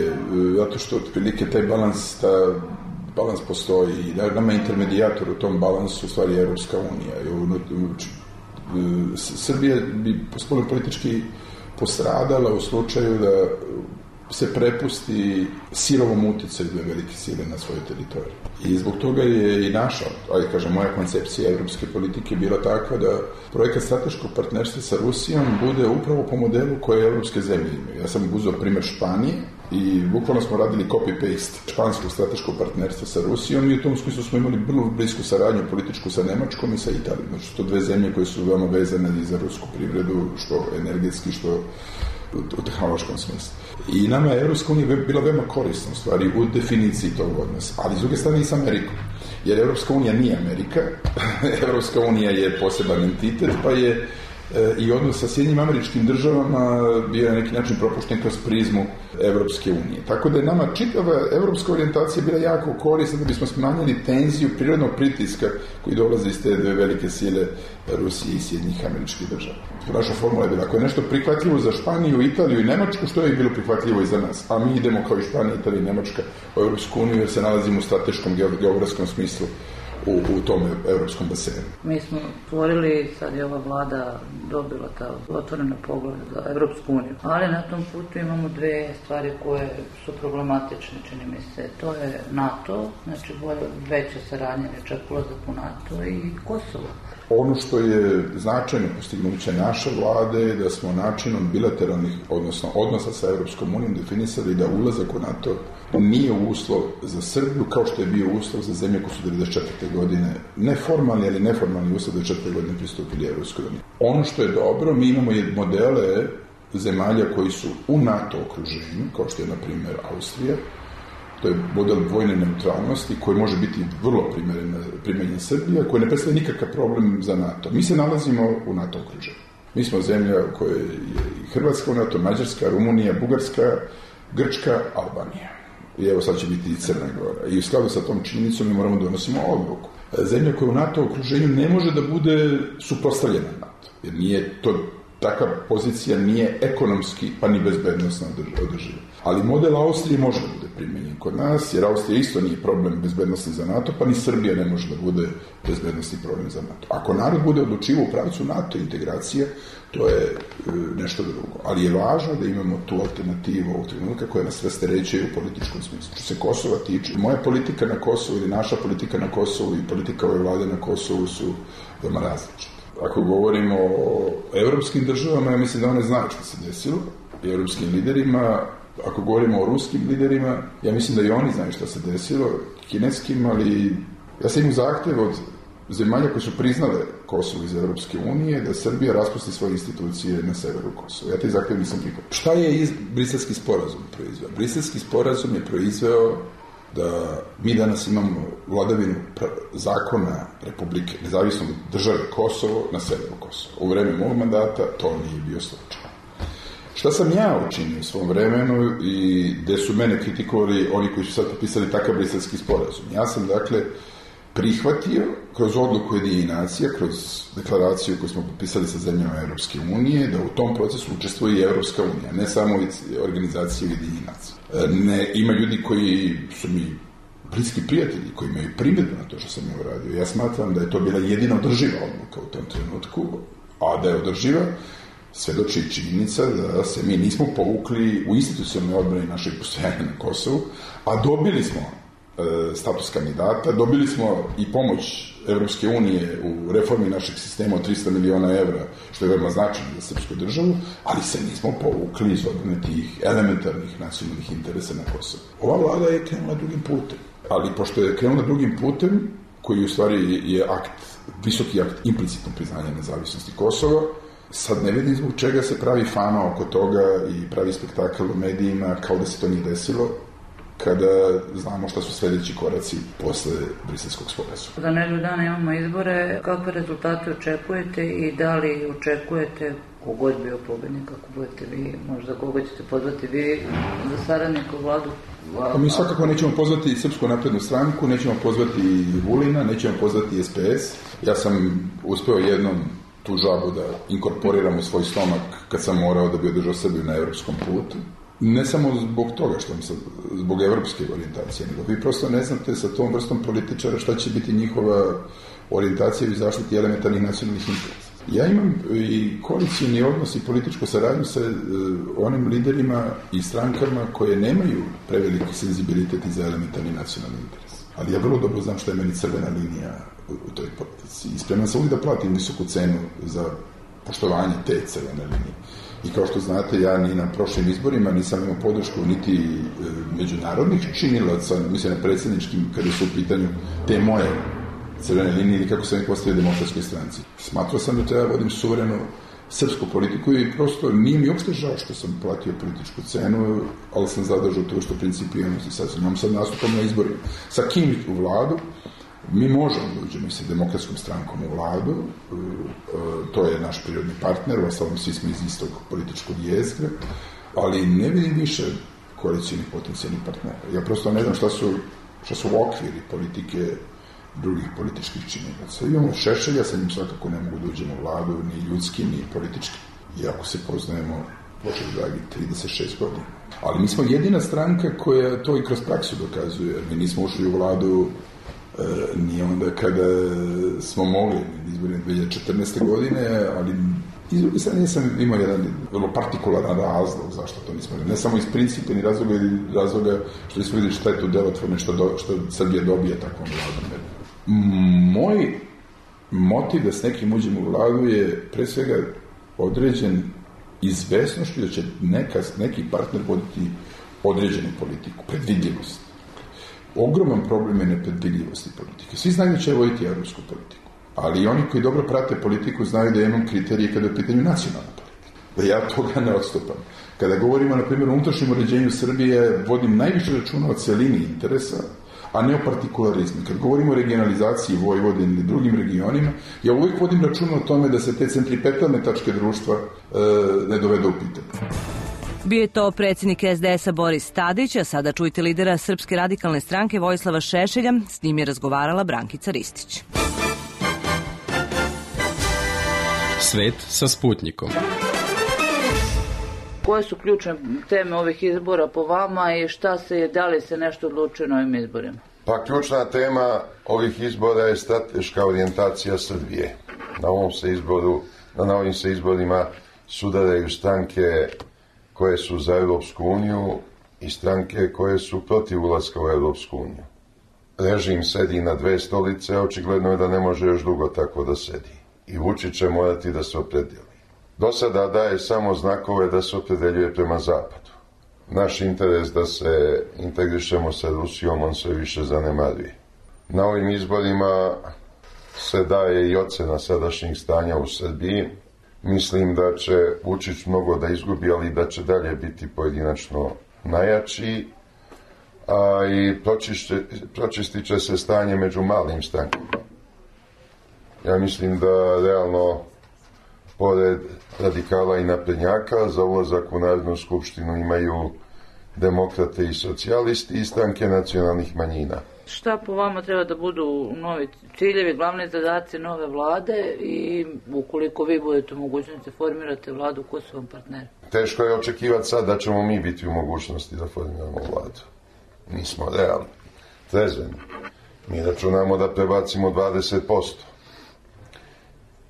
zato što otprilike taj balans postoji i nama intermedijator u tom balansu u stvari je Evropska unija. Srbija bi spoljno politički postradala u slučaju da se prepusti silovom uticaju dve velike sile na svojoj teritoriji. I zbog toga je i naša, moja koncepcija evropske politike bila takva da projekat strateškog partnerstva sa Rusijom bude upravo po modelu koje evropske zemlje imaju. Ja sam uzeo primer Španije i bukvalno smo radili copy-paste španskog strateškog partnerstva sa Rusijom i u tom smislu smo imali vrlo blisku saradnju političku sa Nemačkom i sa Italijom. Znači, to dve zemlje koje su veoma vezane i za rusku privredu, što energetski, što u tehnološkom smislu. I nama je Evropska unija bila veoma korisna u stvari u definiciji tog odnosa, ali s druge strane i sa Amerikom. Jer Evropska unija nije Amerika, Evropska unija je poseban entitet, pa je i odnos sa Sjedinjenim Američkim Državama bio na neki način propušten kroz prizmu Evropske unije. Tako da je nama čitava evropska orijentacija bila jako korisna da bismo smanjili tenziju prirodnog pritiska koji dolazi iz te dve velike sile Rusije i Sjedinjenih Američkih Država. Naša formula je bila, ako je nešto prihvatljivo za Španiju, Italiju i Nemačku, što je bilo prihvatljivo i za nas? A mi idemo kao i Španija, Italija i Nemačka u Evropsku uniju jer se nalazimo u strateškom geografskom smislu u tom evropskom basenu. Mi smo stvorili, sad je ova vlada dobila ta otvorena pogled za Evropsku uniju, ali na tom putu imamo dve stvari koje su problematične, čini mi se. To je NATO, znači veća saradnja, čak ulazak u NATO i Kosovo. Ono što je značajno postignuće naše vlade je da smo načinom bilateralnih, odnosno odnosa sa Evropskom unijom definisali da ulazak u NATO nije uslov za Srbiju kao što je bio uslov za zemlje koje su 1994. godine neformalni, ali neformalni uslov da 4. godine pristupili Evropskoj uniji. Ono što je dobro, mi imamo modele zemalja koji su u NATO okruženju, kao što je na primjer Austrija. To je model vojne neutralnosti koji može biti vrlo primenjen Srbija, koji ne predstavlja nikakav problem za NATO. Mi se nalazimo u NATO okruženju. Mi smo zemlja u kojoj je i Hrvatska u NATO, Mađarska, Rumunija, Bugarska, Grčka, Albanija. I evo sad će biti i Crna Gora. I u skladu sa tom činjenicom mi moramo donosimo odluku. Zemlja koja u NATO okruženju ne može da bude suprotstavljena NATO. Jer nije to, takva pozicija nije ekonomski pa ni bezbednosno održiva. Ali model Austrije može da bude primenjen kod nas, jer Austrija isto nije problem bezbednosti za NATO, pa ni Srbija ne može da bude bezbednosti problem za NATO. Ako narod bude odlučivao u pravcu NATO integracije, to je nešto drugo. Ali je važno da imamo tu alternativu ovog trenutka koja nas rasterećuje u političkom smislu. Što se Kosova tiče, moja politika na Kosovu ili naša politika na Kosovu i politika ove vlade na Kosovu su veoma različite. Ako govorimo o evropskim državama, ja mislim da one znaju što se desilo, i evropskim liderima. Ako govorimo o ruskim liderima, ja mislim da i oni znaju što se desilo, kineskim, ali ja sam imao zahtev od zemalja koje su priznale Kosovo iz Evropske unije da Srbija raspusti svoje institucije na severu Kosova. Ja taj zahtev nisam prihvatio. Šta je Briselski sporazum proizveo? Briselski sporazum je proizveo da mi danas imamo vladavinu zakona Republike, nezavisno države Kosovo na severu Kosova. U vreme mog mandata to nije bio slučaj. Šta sam ja učinio u svom vremenu i gde su mene kritikovali oni koji su sad potpisali takav briselski sporazum? Ja sam, dakle, prihvatio kroz odluku Ujedinjenih nacija, kroz deklaraciju koju smo potpisali sa zemljama Evropske unije, da u tom procesu učestvuje i Evropska unija, ne samo organizacije Ujedinjenih nacija. Ima ljudi koji su mi bliski prijatelji, koji imaju primjedbu na to što sam je uradio. Ja smatram da je to bila jedina održiva odluka u tom trenutku, a da je održiva svedoči činjenica da se mi nismo povukli u institucionalnoj odbrani našeg postojanja na Kosovu, a dobili smo status kandidata, dobili smo i pomoć Evropske unije u reformi našeg sistema od 300 miliona evra, što je veoma značajno za srpsku državu, ali se nismo povukli iz odbrane tih elementarnih nacionalnih interesa na Kosovu. Ova vlada je krenula drugim putem, ali pošto je krenula drugim putem, koji u stvari je visoki akt implicitnog priznanja nezavisnosti Kosova, sad ne vidim zbog čega se pravi fama oko toga i pravi spektakl u medijima kao da se to nije desilo, kada znamo šta su sledeći koraci posle briselskog sporazuma. Za nedelju dana imamo izbore. Kakve rezultate očekujete i da li očekujete, kogod bio pobednik, ako budete vi, možda koga ćete pozvati vi za saradnika u vladu? Mi svakako nećemo pozvati Srpsku naprednu stranku, nećemo pozvati Vulina, nećemo pozvati SPS. Ja sam uspeo jednom tu žabu da inkorporiram u svoj stomak kad sam morao da bi održao Srbiju na evropskom putu. Ne samo zbog toga zbog evropske orijentacije, nego vi prosto ne znate sa tom vrstom političara šta će biti njihova orijentacija u zaštiti elementarnih nacionalnih interesa. Ja imam i koalicijni odnos i političku saradnju sa onim liderima i strankama koje nemaju preveliki senzibilitet za elementarni nacionalni interes. Ali ja vrlo dobro znam šta je meni crvena linija u toj politici. I spreman sam uvijek da platim visoku cenu za poštovanje te crvene linije. I kao što znate, ja ni na prošlim izborima nisam imao podršku niti međunarodnih činilaca, mislim na predsjedničkim, kada su u pitanju te moje crvene linije ili kako sam ih postavio Demokratskoj stranci. Smatrao sam da treba vodim suverenu srpsku politiku i prosto nije mi uopšte žao što sam platio političku cenu, ali sam zadržao to što principijalnosti sad imam sad nastupom na izborima. Sa kim u vladu? Mi možemo da uđemo sa Demokratskom strankom u vladu, to je naš prirodni partner, uostalom svi smo iz istog političkog jezgra, ali ne vidim više koalicijnih potencijalnih partnera. Ja prosto ne znam šta su okviri politike drugih političkih činilaca. Imamo Šešelja, sa njim svakako ne mogu da uđemo u vladu, ni ljudski, ni politički. Iako se poznajemo, Bože dragi, 36 godina. Ali mi smo jedina stranka koja to i kroz praksu dokazuje. Mi nismo ušli u vladu ni onda kada smo mogli izboriti 2014. godine, ali sad nisam imao jedan vrlo partikularan razlog zašto to nismo. Ne samo iz principa ni razloga što nismo vidjeli šta je to delotvorno, što Srbija dobije takvom vladom. Moj motiv da s nekim uđemo u vladu je pre svega određen izvesnošću da će neki partner voditi određenu politiku, predvidljivost. Ogroman problem je nepredvidljivosti politike. Svi znaju da će voditi evropsku politiku, ali i oni koji dobro prate politiku znaju da imam kriterije kada je u pitanju nacionalna politika. Da ja toga ne odstupam. Kada govorimo, na primjer, o unutrašnjem uređenju Srbije, vodim najviše računa o celini interesa, a ne o partikularizmu. Kad govorimo o regionalizaciji Vojvodine i drugim regionima, ja uvijek vodim računa o tome da se te centripetalne tačke društva ne dovedu u pitanje. Bio je to predsjednik SDS-a Boris Tadić, a sada čujte lidera Srpske radikalne stranke Vojislava Šešelja. S njim je razgovarala Brankica Ristić. Svet sa Sputnikom. Koje su ključne teme ovih izbora po vama i da li se nešto odlučuje na ovim izborima? Pa ključna tema ovih izbora je strateška orijentacija Srbije. Na ovim se izborima sudaraju stranke koje su za Europsku uniju i stranke koje su protiv ulaska u Europsku uniju. Režim sedi na dve stolice, očigledno je da ne može još dugo tako da sedi. I Vučić će morati da se opredeli. Do sada daje samo znakove da se opredeljuje prema zapadu. Naš interes da se integrišemo sa Rusijom, on sve više zanemaruje. Na ovim izborima se daje i ocena sadašnjih stanja u Srbiji. Mislim da će Vučić mnogo da izgubi, ali da će dalje biti pojedinačno najjači, a i pročistit će se stanje među malim strankama. Ja mislim da realno pored radikala i naprednjaka, za ulazak u Narodnu skupštinu imaju demokrate i socijalisti i stranke nacionalnih manjina. Šta po vama treba da budu novi ciljevi, glavni zadaci nove vlade i ukoliko vi budete u mogućnosti formirate vladu, ko su vam partneri? Teško je očekivati sad da ćemo mi biti u mogućnosti da formiramo vladu. Mi smo realni, trezveni. Mi računamo da prebacimo 20%.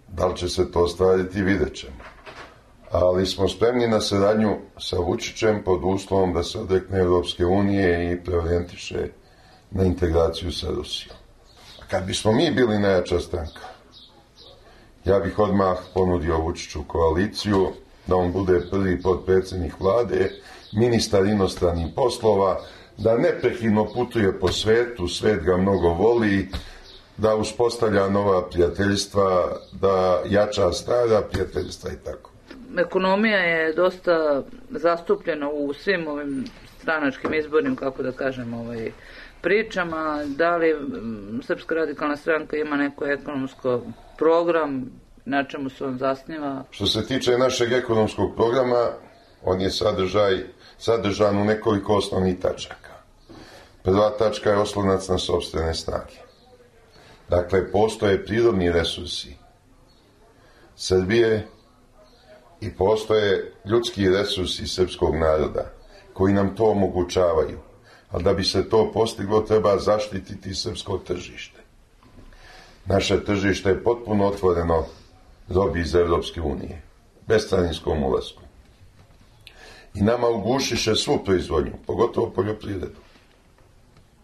Da li će se to ostvariti, vidjet ćemo. Ali smo spremni na saradnju sa Vučićem pod uslovom da se odrekne Evropske unije i preorijentiše na integraciju sa Rusijom. A kad bismo mi bili najjača stranka, ja bih odmah ponudio Vučiću koaliciju, da on bude prvi potpredsjednik vlade, ministar inostranih poslova, da neprekidno putuje po svetu, svet ga mnogo voli, da uspostavlja nova prijateljstva, da jača stara prijateljstva i tako. Ekonomija je dosta zastupljena u svim ovim stranačkim izbornim, kako da kažem, pričama. Da li Srpska radikalna stranka ima neko ekonomsko program, na čemu se on zasniva? Što se tiče našeg ekonomskog programa, on je sadržan u nekoliko osnovnih tačaka. Prva tačka je oslonac na sopstvene snage. Dakle, postoje prirodni resursi Srbije i postoje ljudski resursi srpskog naroda koji nam to omogućavaju. Ali da bi se to postiglo, treba zaštititi srpsko tržište. Naše tržište je potpuno otvoreno robi iz Evropske unije, bescarinskom ulasku. I nama ugušiše svu proizvodnju, pogotovo poljoprivredu.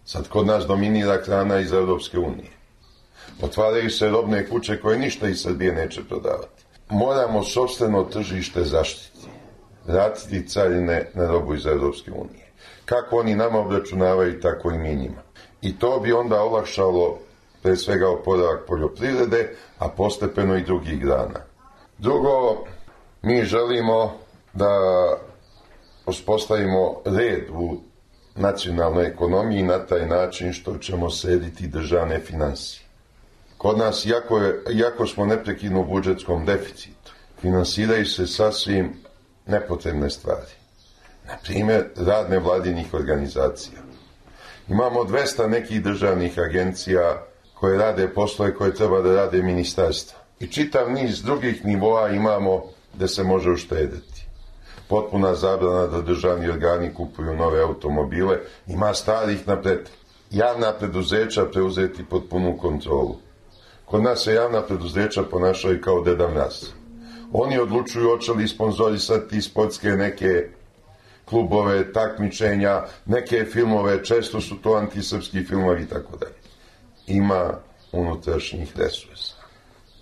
Sad kod nas dominira hrana iz Evropske unije. Otvaraju se robne kuće koje ništa iz Srbije neće prodavati. Moramo sopstveno tržište zaštiti, vratiti carine na robu iz Evropske unije. Kako oni nama obračunavaju, tako i mi njima. I to bi onda olakšalo pre svega oporavak poljoprivrede, a postepeno i drugih grana. Drugo, mi želimo da uspostavimo red u nacionalnoj ekonomiji na taj način što ćemo srediti državne finansije. Kod nas, iako smo neprekidno u budžetskom deficitu, finansiraju se sasvim nepotrebne stvari. Na primjer, rad nevladinih organizacija. Imamo 200 nekih državnih agencija koje rade poslove koje treba da rade ministarstva. I čitav niz drugih nivoa imamo gde se može uštedeti. Potpuna zabrana da državni organi kupuju nove automobile, ima starih napred. Javna preduzeća preuzeti pod punu kontrolu. Kod nas se javna preduzeća ponašaju kao Deda Mraz. Oni odlučuju hoće li sponzorisati sportske neke klubove, takmičenja, neke filmove, često su to antisrpski filmovi i tako dalje. Ima unutrašnjih resursa.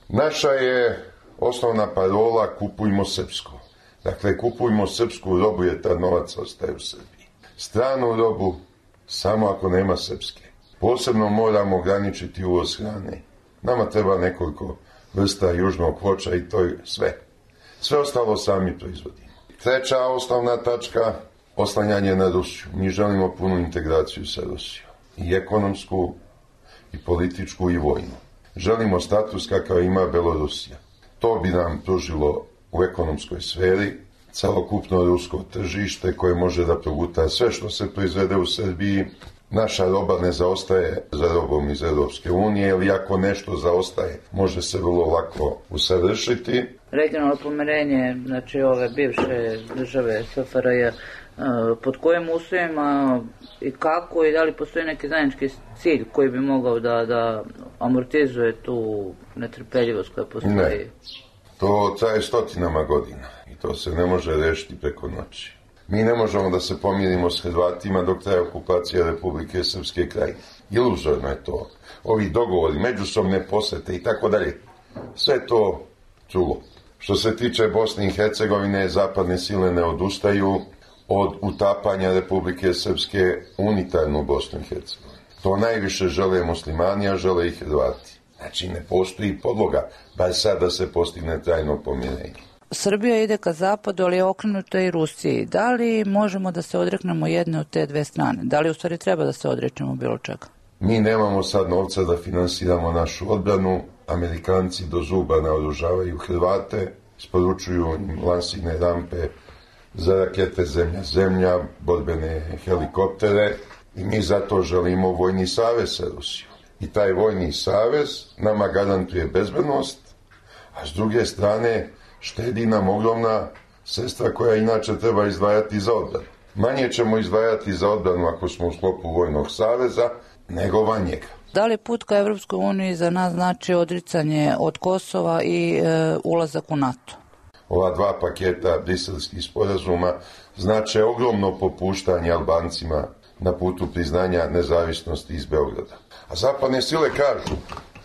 Naša je osnovna parola kupujmo srpsko. Dakle, kupujmo srpsku robu jer ta novac ostaje u Srbiji. Stranu robu samo ako nema srpske. Posebno moramo ograničiti uvoz hrane. Nama treba nekoliko vrsta južnog voća i to je sve. Sve ostalo sami proizvodimo. Treća osnovna tačka, oslanjanje na Rusiju. Mi želimo punu integraciju sa Rusijom. I ekonomsku, i političku, i vojnu. Želimo status kakav ima Belorusija. To bi nam pružilo u ekonomskoj sferi celokupno rusko tržište koje može da proguta sve što se proizvede u Srbiji. Naša roba ne zaostaje za robom iz Evropske unije, ili ako nešto zaostaje, može se vrlo lako usavršiti. Regionalno pomirenje, znači ove bivše države SFRJ, pod kojim uslovima i kako i da li postoji neki zajednički cilj koji bi mogao da amortizuje tu netrpeljivost koja postoji? Ne, to traje stotinama godina i to se ne može rešiti preko noći. Mi ne možemo da se pomirimo s Hrvatima dok traje okupacija Republike Srpske Krajine. Iluzorno je to. Ovi dogovori, međusobne posete i tako dalje. Sve to čulo. Što se tiče Bosne i Hercegovine, zapadne sile ne odustaju od utapanja Republike Srpske unitarnu Bosnu i Hercegovinu. To najviše žele muslimani, a žele i Hrvati. Znači ne postoji podloga, bar sad da se postigne trajno pomirenje. Srbija ide ka zapadu, ali je okrenuta i Rusiji. Da li možemo da se odreknemo jedne od te dve strane? Da li u stvari treba da se odrečemo bilo čega? Mi nemamo sad novca da finansiramo našu odbranu. Amerikanci do zuba naoružavaju Hrvate. isporučuju im lansirne rampe za rakete Zemlja, borbene helikoptere i mi zato želimo vojni savez sa Rusijom. I taj vojni savez nama garantuje bezbednost, a s druge strane štedi nam ogromna sredstva koja inače treba izdvajati za odbranu. Manje ćemo izdvajati za odbranu ako smo u sklopu vojnog saveza nego van njega. Da li put ka Evropskoj uniji za nas znači odricanje od Kosova i ulazak u NATO? Ova dva paketa briselskih sporazuma znače ogromno popuštanje Albancima na putu priznanja nezavisnosti iz Beograda. A zapadne sile kažu,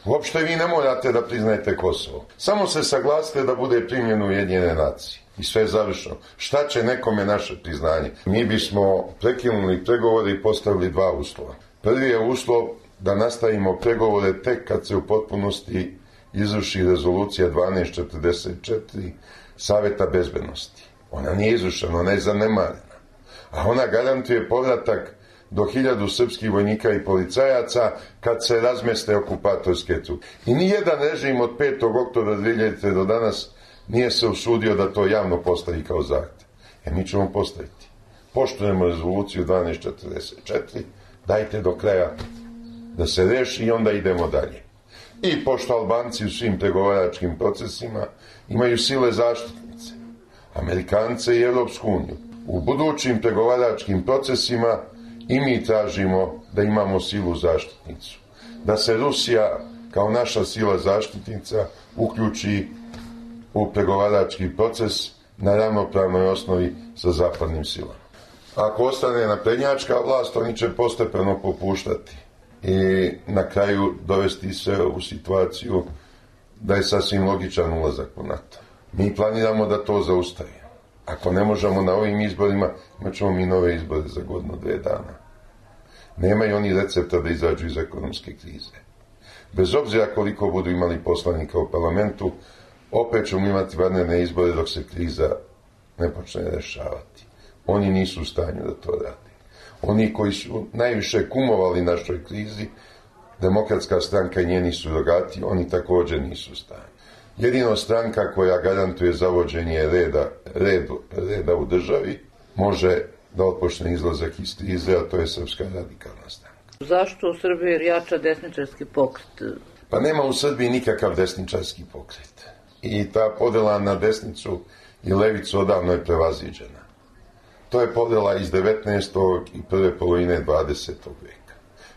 uopšte vi ne morate da priznajete Kosovo. Samo se saglasite da bude primljeno Ujedinjene nacije. I sve je završeno. Šta će nekome naše priznanje? Mi bismo prekinuli pregovore i postavili dva uslova. Prvi je uslov da nastavimo pregovore tek kad se u potpunosti izvrši rezolucija 1244 Saveta bezbednosti. Ona nije izvršena, ona je zanemarena. A ona garantuje povratak do 1000 srpskih vojnika i policajaca kad se razmeste okupatorske trupe. I nijedan režim od 5. oktobra 2000. do danas nije se usudio da to javno postavi kao zahtev. Mi ćemo postaviti. Poštujemo rezoluciju 1244, dajte do kraja da se reši i onda idemo dalje. I pošto Albanci u svim pregovaračkim procesima imaju sile zaštitnice, Amerikance i Evropsku uniju, u budućim pregovaračkim procesima i mi tražimo da imamo silu zaštitnicu. Da se Rusija kao naša sila zaštitnica uključi u pregovarački proces na ravnopravnoj osnovi sa zapadnim silama. Ako ostane naprednjačka vlast, oni će postepeno popuštati i na kraju dovesti se u situaciju da je sasvim logičan ulazak u NATO. Mi planiramo da to zaustavimo. Ako ne možemo na ovim izborima, imat ćemo mi nove izbore za godinu, 2 dana. Nemaju oni recepta da izađu iz ekonomske krize. Bez obzira koliko budu imali poslanika u parlamentu, opet ćemo imati vanredne izbore dok se kriza ne počne rešavati. Oni nisu u stanju da to rade. Oni koji su najviše kumovali našoj krizi, Demokratska stranka i njeni surogati, oni također nisu u stanju. Jedino stranka koja garantuje zavođenje reda u državi može da otpočne izlazak iz krize, a to je Srpska radikalna stranka. Zašto u Srbiji jača desničarski pokret? Pa nema u Srbiji nikakav desničarski pokret. I ta podela na desnicu i levicu odavno je prevaziđena. To je podela iz 19. i prve polovine 20. veka.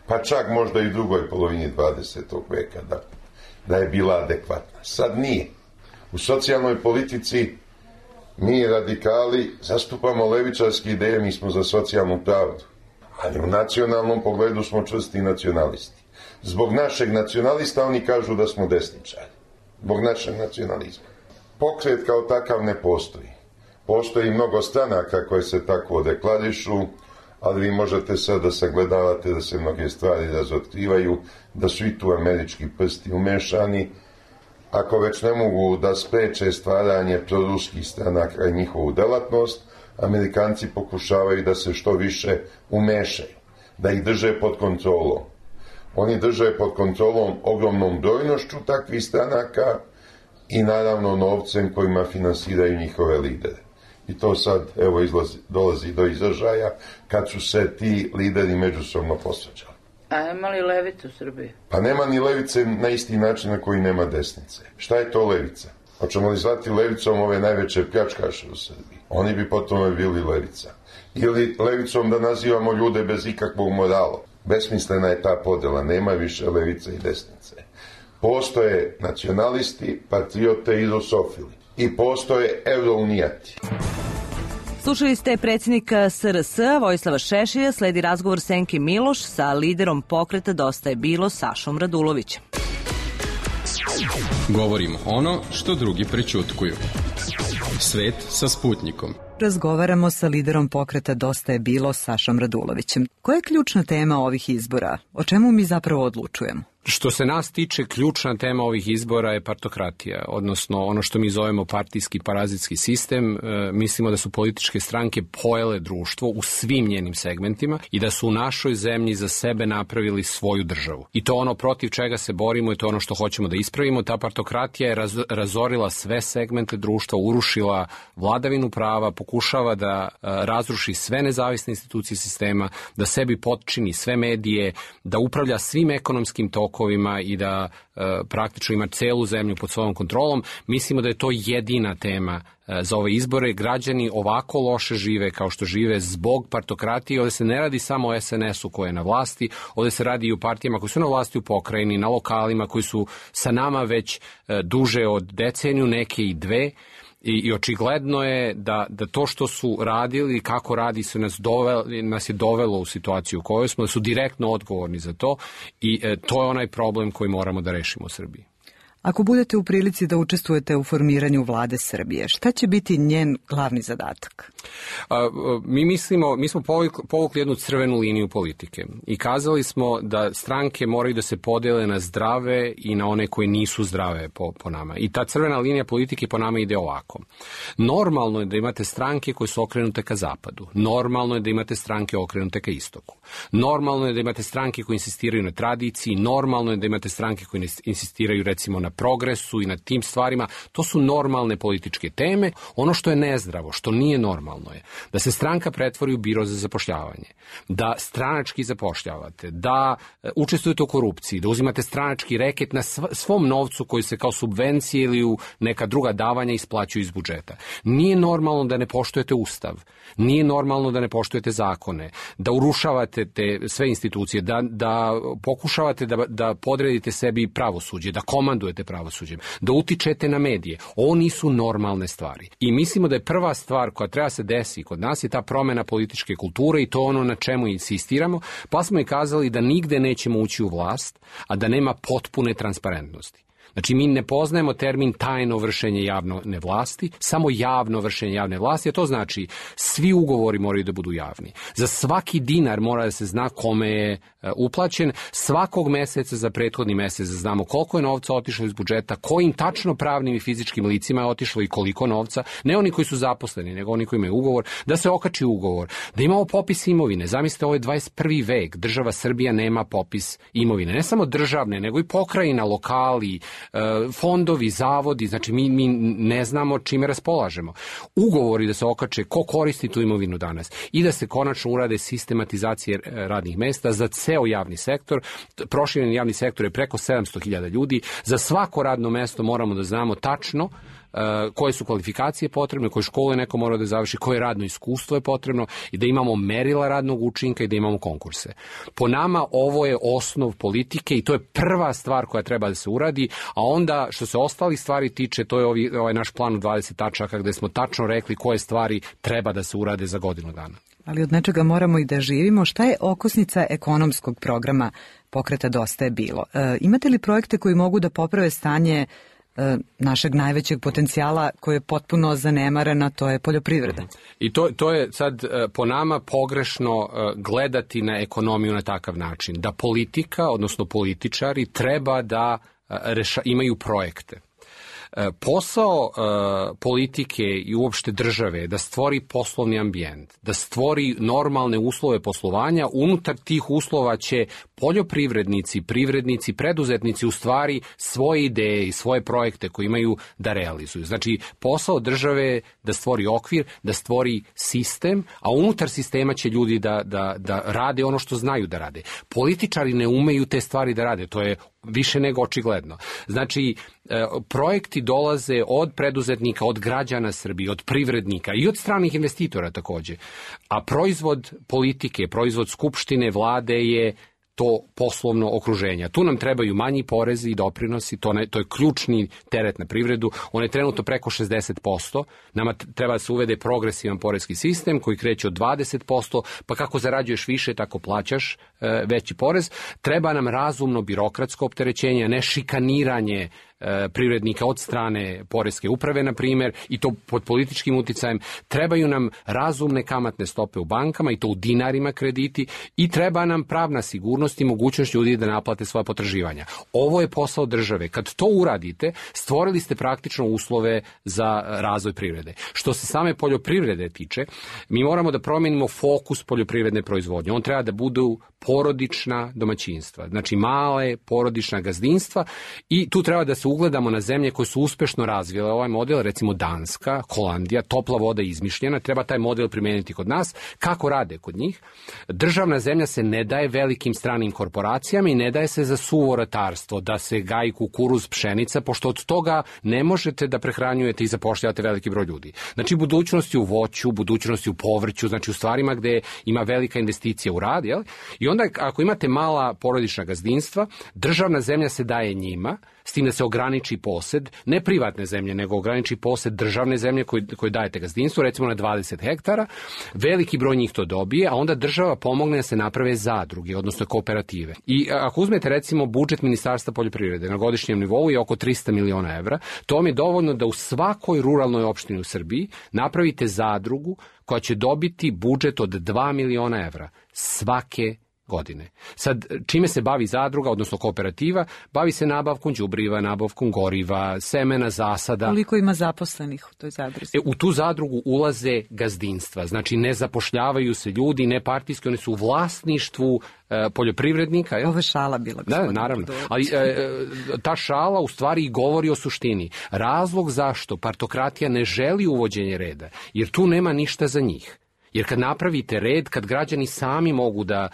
Pa čak možda i u drugoj polovini 20. veka da je bila adekvatna. Sad nije. U socijalnoj politici mi radikali zastupamo levičarske ideje, mi smo za socijalnu pravdu. Ali u nacionalnom pogledu smo čvrsti nacionalisti. Zbog našeg nacionalista oni kažu da smo desničari. Zbog našeg nacionalizma. Pokret kao takav ne postoji. Postoji mnogo stranaka koje se tako deklarišu, ali vi možete sad da sagledavate da se mnoge stvari razotkrivaju, da su i tu američki prsti umešani. Ako već ne mogu da spreče stvaranje proruskih stranaka i njihovu delatnost, Amerikanci pokušavaju da se što više umešaju, da ih drže pod kontrolom. Oni drže pod kontrolom ogromnom brojnošću takvih stranaka i naravno novcem kojima finansiraju njihove lidere. I to sad, evo, dolazi do izražaja kad su se ti lideri međusobno posvađali. A ima li levice u Srbiji? Pa nema ni levice na isti način na koji nema desnice. Šta je to levica? Hoćemo li zvati levicom ove najveće pljačkaše u Srbiji? Oni bi potom bili levica. Ili levicom da nazivamo ljude bez ikakvog morala. Besmislena je ta podela, nema više levice i desnice. Postoje nacionalisti, patriote i rusofili. I postoje eurounijati. Slušali ste predsjednika SRS Vojislava Šešelja, sledi razgovor Senke Miloš sa liderom pokreta Dosta je bilo Sašom Radulovićem. Govorimo ono što drugi prećutkuju. Svet sa Sputnikom. Razgovaramo sa liderom pokreta Dosta je bilo Sašom Radulovićem. Koja je ključna tema ovih izbora? O čemu mi zapravo odlučujemo? Što se nas tiče, ključna tema ovih izbora je partokratija, odnosno ono što mi zovemo partijski parazitski sistem. Mislimo da su političke stranke pojele društvo u svim njenim segmentima i da su u našoj zemlji za sebe napravili svoju državu. I to ono protiv čega se borimo i to ono što hoćemo da ispravimo. Ta partokratija je razorila sve segmente društva, urušila vladavinu prava, pokušava da razruši sve nezavisne institucije sistema, da sebi potčini sve medije, da upravlja svim ekonomskim tokovima i da praktično ima celu zemlju pod svojom kontrolom. Mislimo da je to jedina tema za ove izbore. Građani ovako loše žive kao što žive zbog partokratije. Ovdje se ne radi samo o SNS-u koji je na vlasti, ovdje se radi i o partijama koji su na vlasti u pokrajini, na lokalima koji su sa nama već duže od deceniju, neke i dve. I očigledno je da to što su radili, kako radi se nas je dovelo u situaciju u kojoj smo, da su direktno odgovorni za to i to je onaj problem koji moramo da rešimo u Srbiji. Ako budete u prilici da učestvujete u formiranju vlade Srbije, šta će biti njen glavni zadatak? Mi smo povukli jednu crvenu liniju politike i kazali smo da stranke moraju da se podele na zdrave i na one koje nisu zdrave po nama. I ta crvena linija politike po nama ide ovako. Normalno je da imate stranke koje su okrenute ka zapadu. Normalno je da imate stranke okrenute ka istoku. Normalno je da imate stranke koje insistiraju na tradiciji. Normalno je da imate stranke koje insistiraju recimo na progresu i na tim stvarima. To su normalne političke teme. Ono što je nezdravo, što nije normalno je da se stranka pretvori u biro za zapošljavanje, da stranački zapošljavate, da učestvujete u korupciji, da uzimate stranački reket na svom novcu koji se kao subvencije ili u neka druga davanja isplaćuju iz budžeta. Nije normalno da ne poštujete ustav, nije normalno da ne poštujete zakone, da urušavate te sve institucije, da pokušavate da podredite sebi pravosuđe, da komandujete pravosuđem, da utičete na medije. Ovo nisu normalne stvari. I mislimo da je prva stvar koja treba se desi kod nas je ta promena političke kulture i to ono na čemu insistiramo, pa smo i kazali da nigde nećemo ući u vlast, a da nema potpune transparentnosti. Znači, mi ne poznajemo termin tajno vršenje javne vlasti, samo javno vršenje javne vlasti, a to znači svi ugovori moraju da budu javni. Za svaki dinar mora da se zna kome je uplaćen, svakog meseca za prethodni mesec da znamo koliko je novca otišlo iz budžeta, kojim tačno pravnim i fizičkim licima je otišlo i koliko novca, ne oni koji su zaposleni, nego oni koji imaju ugovor, da se okači ugovor, da imamo popis imovine. Zamislite, ovo je 21. vek, država Srbija nema popis imovine, ne samo državne, nego i pokrajina, lokali, fondovi, zavodi, znači mi ne znamo čime raspolažemo. Ugovori da se okače ko koristi tu imovinu danas i da se konačno urade sistematizacije radnih mesta za ceo javni sektor. Proširen javni sektor je preko 700.000 ljudi. Za svako radno mesto moramo da znamo tačno koje su kvalifikacije potrebne, koje škole neko mora da završi, koje radno iskustvo je potrebno i da imamo merila radnog učinka i da imamo konkurse. Po nama ovo je osnov politike i to je prva stvar koja treba da se uradi, a onda što se ostalih stvari tiče, to je ovaj naš plan u 20 tačaka gde smo tačno rekli koje stvari treba da se urade za godinu dana. Ali od nečega moramo i da živimo. Šta je okosnica ekonomskog programa Pokreta Dosta je bilo? Imate li projekte koji mogu da poprave stanje našeg najvećeg potencijala koji je potpuno zanemarena, to je poljoprivreda? I to je sad po nama pogrešno gledati na ekonomiju na takav način. Da politika, odnosno političari, treba da imaju projekte. Posao politike i uopšte države je da stvori poslovni ambijent, da stvori normalne uslove poslovanja. Unutar tih uslova će poljoprivrednici, privrednici, preduzetnici u stvari svoje ideje i svoje projekte koje imaju da realizuju. Znači, posao države je da stvori okvir, da stvori sistem, a unutar sistema će ljudi da rade ono što znaju da rade. Političari ne umeju te stvari da rade, to je više nego očigledno. Znači, projekti dolaze od preduzetnika, od građana Srbije, od privrednika i od stranih investitora takođe. A proizvod politike, proizvod skupštine, vlade je to poslovno okruženje. Tu nam trebaju manji porezi i doprinosi, to je ključni teret na privredu, on je trenutno preko 60%, nama treba da se uvede progresivan poreski sistem koji kreće od 20%, pa kako zarađuješ više, tako plaćaš veći porez. Treba nam razumno birokratsko opterećenje, ne šikaniranje privrednika od strane poreske uprave, na primjer, i to pod političkim uticajem. Trebaju nam razumne kamatne stope u bankama i to u dinarima krediti i treba nam pravna sigurnost i mogućnost ljudi da naplate svoje potraživanja. Ovo je posao države. Kad to uradite, stvorili ste praktično uslove za razvoj privrede. Što se same poljoprivrede tiče, mi moramo da promijenimo fokus poljoprivredne proizvodnje. On treba da budu porodična domaćinstva, znači male porodična gazdinstva i tu treba da se ugledamo na zemlje koje su uspešno razvile ovaj model, recimo Danska, Holandija, topla voda je izmišljena, treba taj model primijeniti kod nas. Kako rade kod njih? Državna zemlja se ne daje velikim stranim korporacijama i ne daje se za suvo ratarstvo, da se gaji kukuruz, pšenica, pošto od toga ne možete da prehranjujete i zapošljavate veliki broj ljudi. Znači budućnosti u voću, budućnosti u povrću, znači u stvarima gde ima velika investicija u rad, jel? I onda ako imate mala porodična gazdinstva, državna zemlja se daje njima, s tim da se ograniči posed, ne privatne zemlje, nego ograniči posed državne zemlje koje dajete gazdinstvu, recimo na 20 hektara, veliki broj njih to dobije, a onda država pomogne da se naprave zadruge, odnosno kooperative. I ako uzmete recimo budžet Ministarstva poljoprivrede na godišnjem nivou je oko 300 miliona evra, to vam je dovoljno da u svakoj ruralnoj opštini u Srbiji napravite zadrugu koja će dobiti budžet od 2 miliona evra svake godine. Sad, čime se bavi zadruga, odnosno kooperativa? Bavi se nabavkom đubriva, nabavkom goriva, semena, zasada. Koliko ima zaposlenih u toj zadruzi? U tu zadrugu ulaze gazdinstva, znači ne zapošljavaju se ljudi, ne partijski, oni su u vlasništvu poljoprivrednika. Ovo je šala bila. Da, naravno. Ali ta šala u stvari i govori o suštini. Razlog zašto partokratija ne želi uvođenje reda, jer tu nema ništa za njih. Jer kad napravite red, kad građani sami mogu da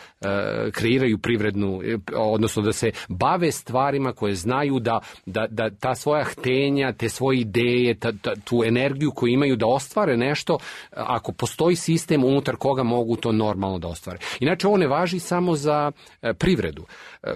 kreiraju privrednu, odnosno da se bave stvarima koje znaju da ta svoja htenja, te svoje ideje, tu energiju koju imaju da ostvare nešto, ako postoji sistem unutar koga mogu to normalno da ostvare. Inače, ovo ne važi samo za privredu.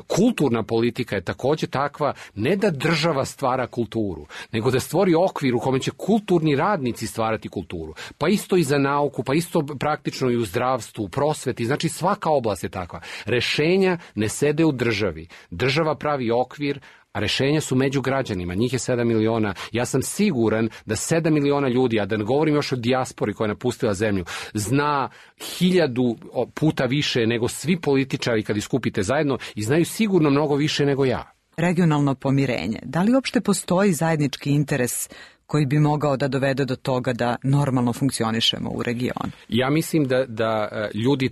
Kulturna politika je također takva, ne da država stvara kulturu, nego da stvori okvir u kome će kulturni radnici stvarati kulturu. Pa isto i za nauku, pa isto praktično i u zdravstvu, u prosveti, znači svaka oblast je takva. Rešenja ne sede u državi. Država pravi okvir, a rešenja su među građanima, njih je 7 miliona. Ja sam siguran da 7 miliona ljudi, a da ne govorim još o dijaspori koja je napustila zemlju, zna 1000 puta više nego svi političari kad iskupite zajedno i znaju sigurno mnogo više nego ja. Regionalno pomirenje. Da li uopšte postoji zajednički interes koji bi mogao da dovede do toga da normalno funkcionišemo u regionu? Ja mislim da ljudi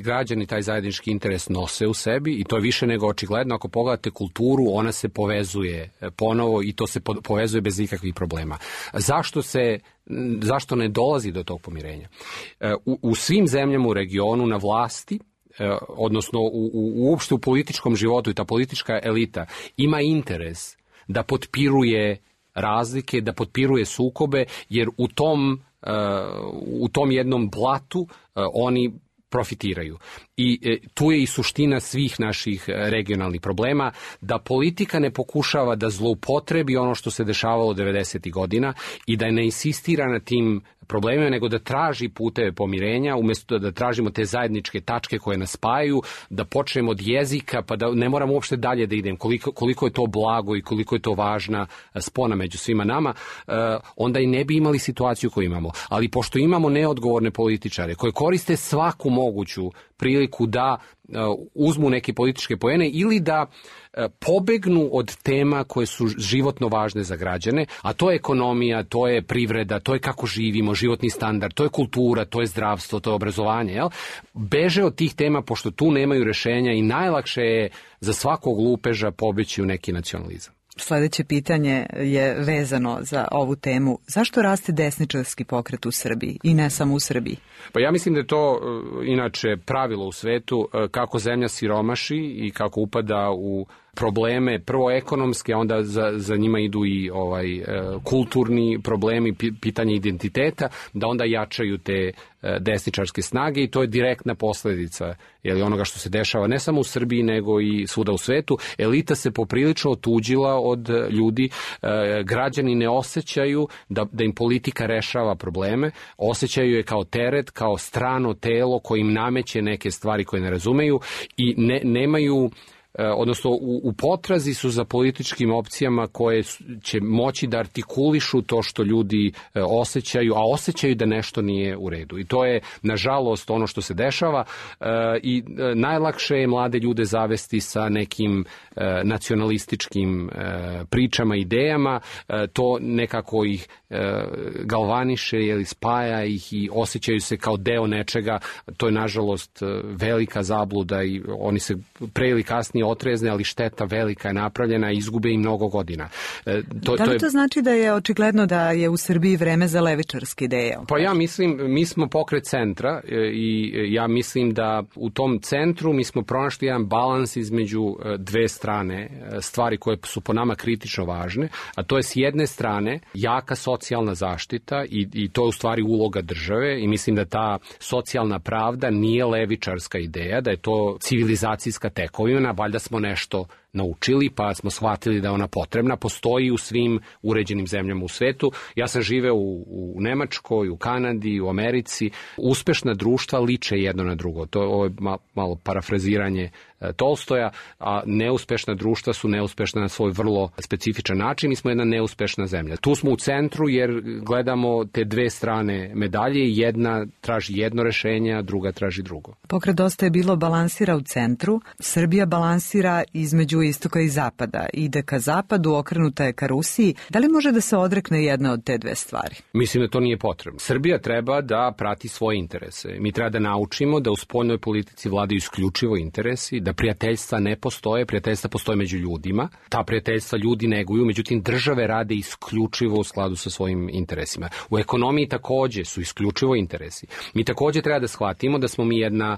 građani taj zajednički interes nose u sebi i to je više nego očigledno. Ako pogledate kulturu, ona se povezuje ponovo i to se povezuje bez ikakvih problema. Zašto ne dolazi do tog pomirenja? U svim zemljama u regionu na vlasti, odnosno uopšte u političkom životu i ta politička elita ima interes da potpiruje razlike, da potpiruje sukobe, jer u tom jednom blatu oni profitiraju. I tu je i suština svih naših regionalnih problema, da politika ne pokušava da zloupotrebi ono što se dešavalo 90. godina i da ne insistira na tim problemima, nego da traži puteve pomirenja, umjesto da tražimo te zajedničke tačke koje nas spajaju, da počnemo od jezika, pa da ne moramo uopšte dalje da idem, koliko je to blago i koliko je to važna spona među svima nama, onda i ne bi imali situaciju koju imamo. Ali pošto imamo neodgovorne političare koje koriste svaku moguću priliku da uzmu neke političke poene ili da pobegnu od tema koje su životno važne za građane, a to je ekonomija, to je privreda, to je kako živimo, životni standard, to je kultura, to je zdravstvo, to je obrazovanje. Jel? Beže od tih tema pošto tu nemaju rešenja i najlakše je za svakog lupeža pobeći u neki nacionalizam. Sledeće pitanje je vezano za ovu temu. Zašto raste desničarski pokret u Srbiji i ne samo u Srbiji? Pa ja mislim da je to inače pravilo u svetu, kako zemlja siromaši i kako upada u probleme, prvo ekonomske, a onda za njima idu i kulturni problemi, pitanje identiteta, da onda jačaju te desničarske snage i to je direktna posledica onoga što se dešava ne samo u Srbiji nego i svuda u svetu. Elita se poprilično otuđila od ljudi, građani ne osjećaju da im politika rešava probleme, osjećaju je kao teret, kao strano telo koje im nameće neke stvari koje ne razumeju i nemaju odnosno u potrazi su za političkim opcijama koje će moći da artikulišu to što ljudi osjećaju, a osjećaju da nešto nije u redu. I to je, nažalost, ono što se dešava i najlakše je mlade ljude zavesti sa nekim nacionalističkim pričama, idejama, to nekako ih galvaniše ili spaja ih i osjećaju se kao deo nečega. To je, nažalost, velika zabluda i oni se pre ili kasnije otrezne, ali šteta velika je napravljena i izgube i mnogo godina. Da li to znači da je očigledno da je u Srbiji vreme za levičarske ideje? Pa ja mislim, mi smo pokret centra i ja mislim da u tom centru mi smo pronašli jedan balans između dve strane, stvari koje su po nama kritično važne, a to je s jedne strane jaka socijalna zaštita i to je u stvari uloga države i mislim da ta socijalna pravda nije levičarska ideja, da je to civilizacijska tekovina, valjda smo nešto naučili pa smo shvatili da je ona potrebna, postoji u svim uređenim zemljama u svetu. Ja sam živeo u Nemačkoj, u Kanadi, u Americi. Uspešna društva liče jedno na drugo. Ovo je malo parafraziranje Tolstoja, a neuspešna društva su neuspešna na svoj vrlo specifičan način. Mi smo jedna neuspešna zemlja. Tu smo u centru jer gledamo te dve strane medalje. Jedna traži jedno rešenje, a druga traži drugo. Pokret Dosta je bilo balansira u centru. Srbija balansira između istoka i zapada. Ide ka zapadu, okrenuta je ka Rusiji. Da li može da se odrekne jedna od te dve stvari? Mislim da to nije potrebno. Srbija treba da prati svoje interese. Mi treba da naučimo da u spoljnoj politici vladaju isključivo interesi, da prijateljstva ne postoje, prijateljstva postoje među ljudima. Ta prijateljstva ljudi neguju, međutim države rade isključivo u skladu sa svojim interesima. U ekonomiji takođe su isključivo interesi. Mi takođe treba da shvatimo da smo mi jedna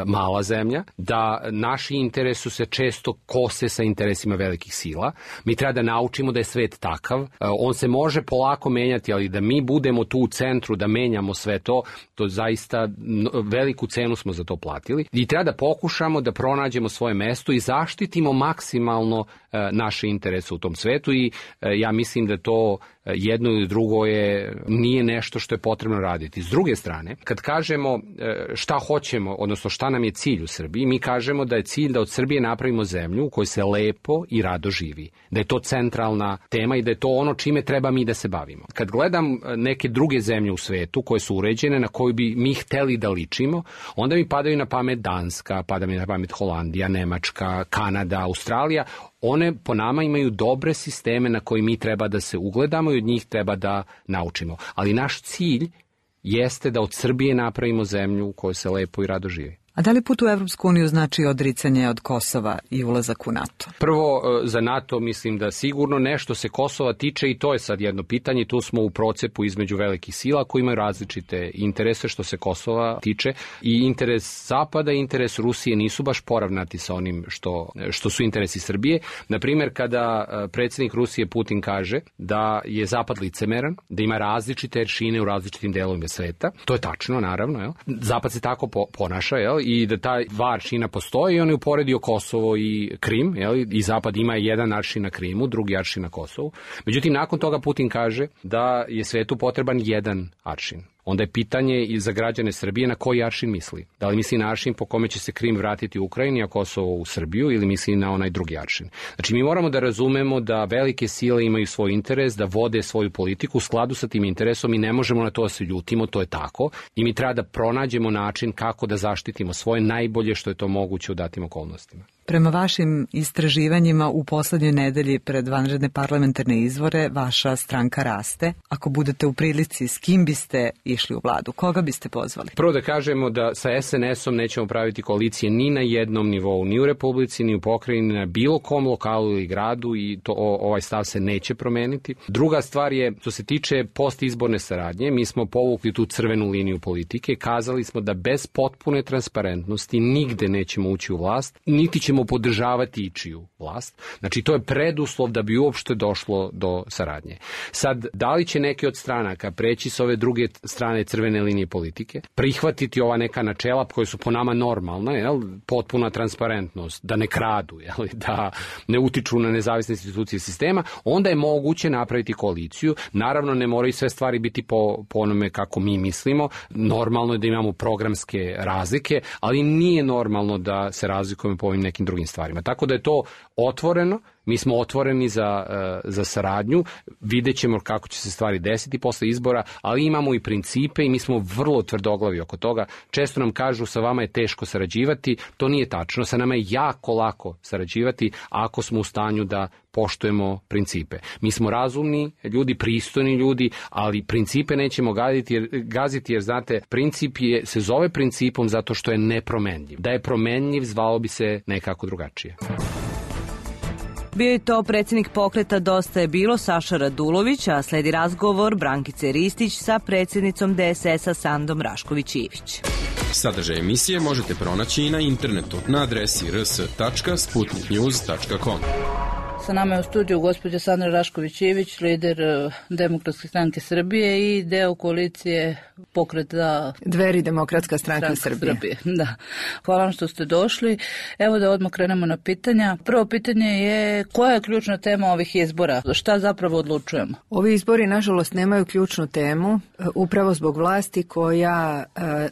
mala zemlja, da naši interesi se često kose sa interesima velikih sila. Mi treba da naučimo da je svet takav. On se može polako menjati, ali da mi budemo tu u centru, da menjamo sve to, to zaista veliku cenu smo za to platili. I treba da pokušamo da pronađemo svoje mesto i zaštitimo maksimalno naše interese u tom svetu i ja mislim da to jedno ili drugo nije nešto što je potrebno raditi. S druge strane, kad kažemo šta hoćemo, odnosno šta nam je cilj u Srbiji, mi kažemo da je cilj da od Srbije napravimo zemlju u kojoj se lepo i rado živi. Da je to centralna tema i da je to ono čime treba mi da se bavimo. Kad gledam neke druge zemlje u svetu koje su uređene, na koju bi mi hteli da ličimo, onda mi padaju na pamet Danska, pada mi na pamet Holandija, Nemačka, Kanada, Australija. One po nama imaju dobre sisteme na koji mi treba da se ugledamo i od njih treba da naučimo. Ali naš cilj jeste da od Srbije napravimo zemlju u kojoj se lepo i rado živi. A da li put u Evropsku uniju znači odricanje od Kosova i ulazak u NATO? Prvo, za NATO mislim da sigurno nešto se Kosova tiče i to je sad jedno pitanje. Tu smo u procepu između velikih sila koji imaju različite interese što se Kosova tiče i interes Zapada i interes Rusije nisu baš poravnati sa onim što su interesi Srbije. Naprimjer, kada predsjednik Rusije Putin kaže da je Zapad licemeran, da ima različite aršine u različitim delovima sveta, to je tačno, naravno. Jel? Zapad se tako ponaša, jel? I da ta dva aršina postoji i on je uporedio Kosovo i Krim, i Zapad ima jedan aršin na Krimu, drugi aršin na Kosovu. Međutim, nakon toga Putin kaže da je svetu potreban jedan aršin. Onda je pitanje i za građane Srbije na koji aršin misli. Da li misli na aršin po kome će se Krim vratiti u Ukrajini, a Kosovo u Srbiju, ili misli na onaj drugi aršin. Znači, mi moramo da razumemo da velike sile imaju svoj interes, da vode svoju politiku u skladu sa tim interesom i ne možemo na to da se ljutimo, to je tako. I mi treba da pronađemo način kako da zaštitimo svoje najbolje što je to moguće u datim okolnostima. Prema vašim istraživanjima u poslednjoj nedelji pred vanredne parlamentarne izbore vaša stranka raste. Ako budete u prilici, s kim biste išli u vladu? Koga biste pozvali? Prvo da kažemo da sa SNS-om nećemo praviti koalicije ni na jednom nivou, ni u Republici, ni u pokrajini, na bilo kom lokalu ili gradu i ovaj stav se neće promeniti. Druga stvar je, što se tiče postizborne saradnje, mi smo povukli tu crvenu liniju politike, kazali smo da bez potpune transparentnosti nigde nećemo ući u vlast, niti ćemo podržavati ičiju vlast. Znači, to je preduslov da bi uopšte došlo do saradnje. Sad, da li će neke od stranaka preći s ove druge strane crvene linije politike, prihvatiti ova neka načela koje su po nama normalna, potpuna transparentnost, da ne kradu, da ne utiču na nezavisne institucije sistema, onda je moguće napraviti koaliciju. Naravno, ne moraju sve stvari biti po onome kako mi mislimo. Normalno je da imamo programske razlike, ali nije normalno da se razlikujemo po ovim nekim nekim drugim stvarima. Tako da je to otvoreno, mi smo otvoreni za saradnju, vidjet ćemo kako će se stvari desiti posle izbora, ali imamo i principe i mi smo vrlo tvrdoglavi oko toga. Često nam kažu sa vama je teško sarađivati, to nije tačno, sa nama je jako lako sarađivati ako smo u stanju da poštujemo principe. Mi smo razumni ljudi, pristojni ljudi, ali principe nećemo gaziti jer znate, princip se zove principom zato što je nepromenljiv. Da je promenljiv, zvalo bi se nekako drugačije. Bio je to predsjednik pokreta Dosta je bilo Saša Radulović, a sledi razgovor Brankice Ristić sa predsjednicom DSS-a Sandom Rašković-Ivić. Sadržaj emisije možete pronaći i na internetu na adresi rs.sputniknews.com. Sa nama je u studiju gospođa Sandra Rašković-Ivić, lider Demokratske stranke Srbije i deo koalicije pokreta Dveri Demokratska stranka Srbije. Da. Hvala vam što ste došli. Evo da odmah krenemo na pitanja. Prvo pitanje je koja je ključna tema ovih izbora? Šta zapravo odlučujemo? Ovi izbori nažalost nemaju ključnu temu, upravo zbog vlasti koja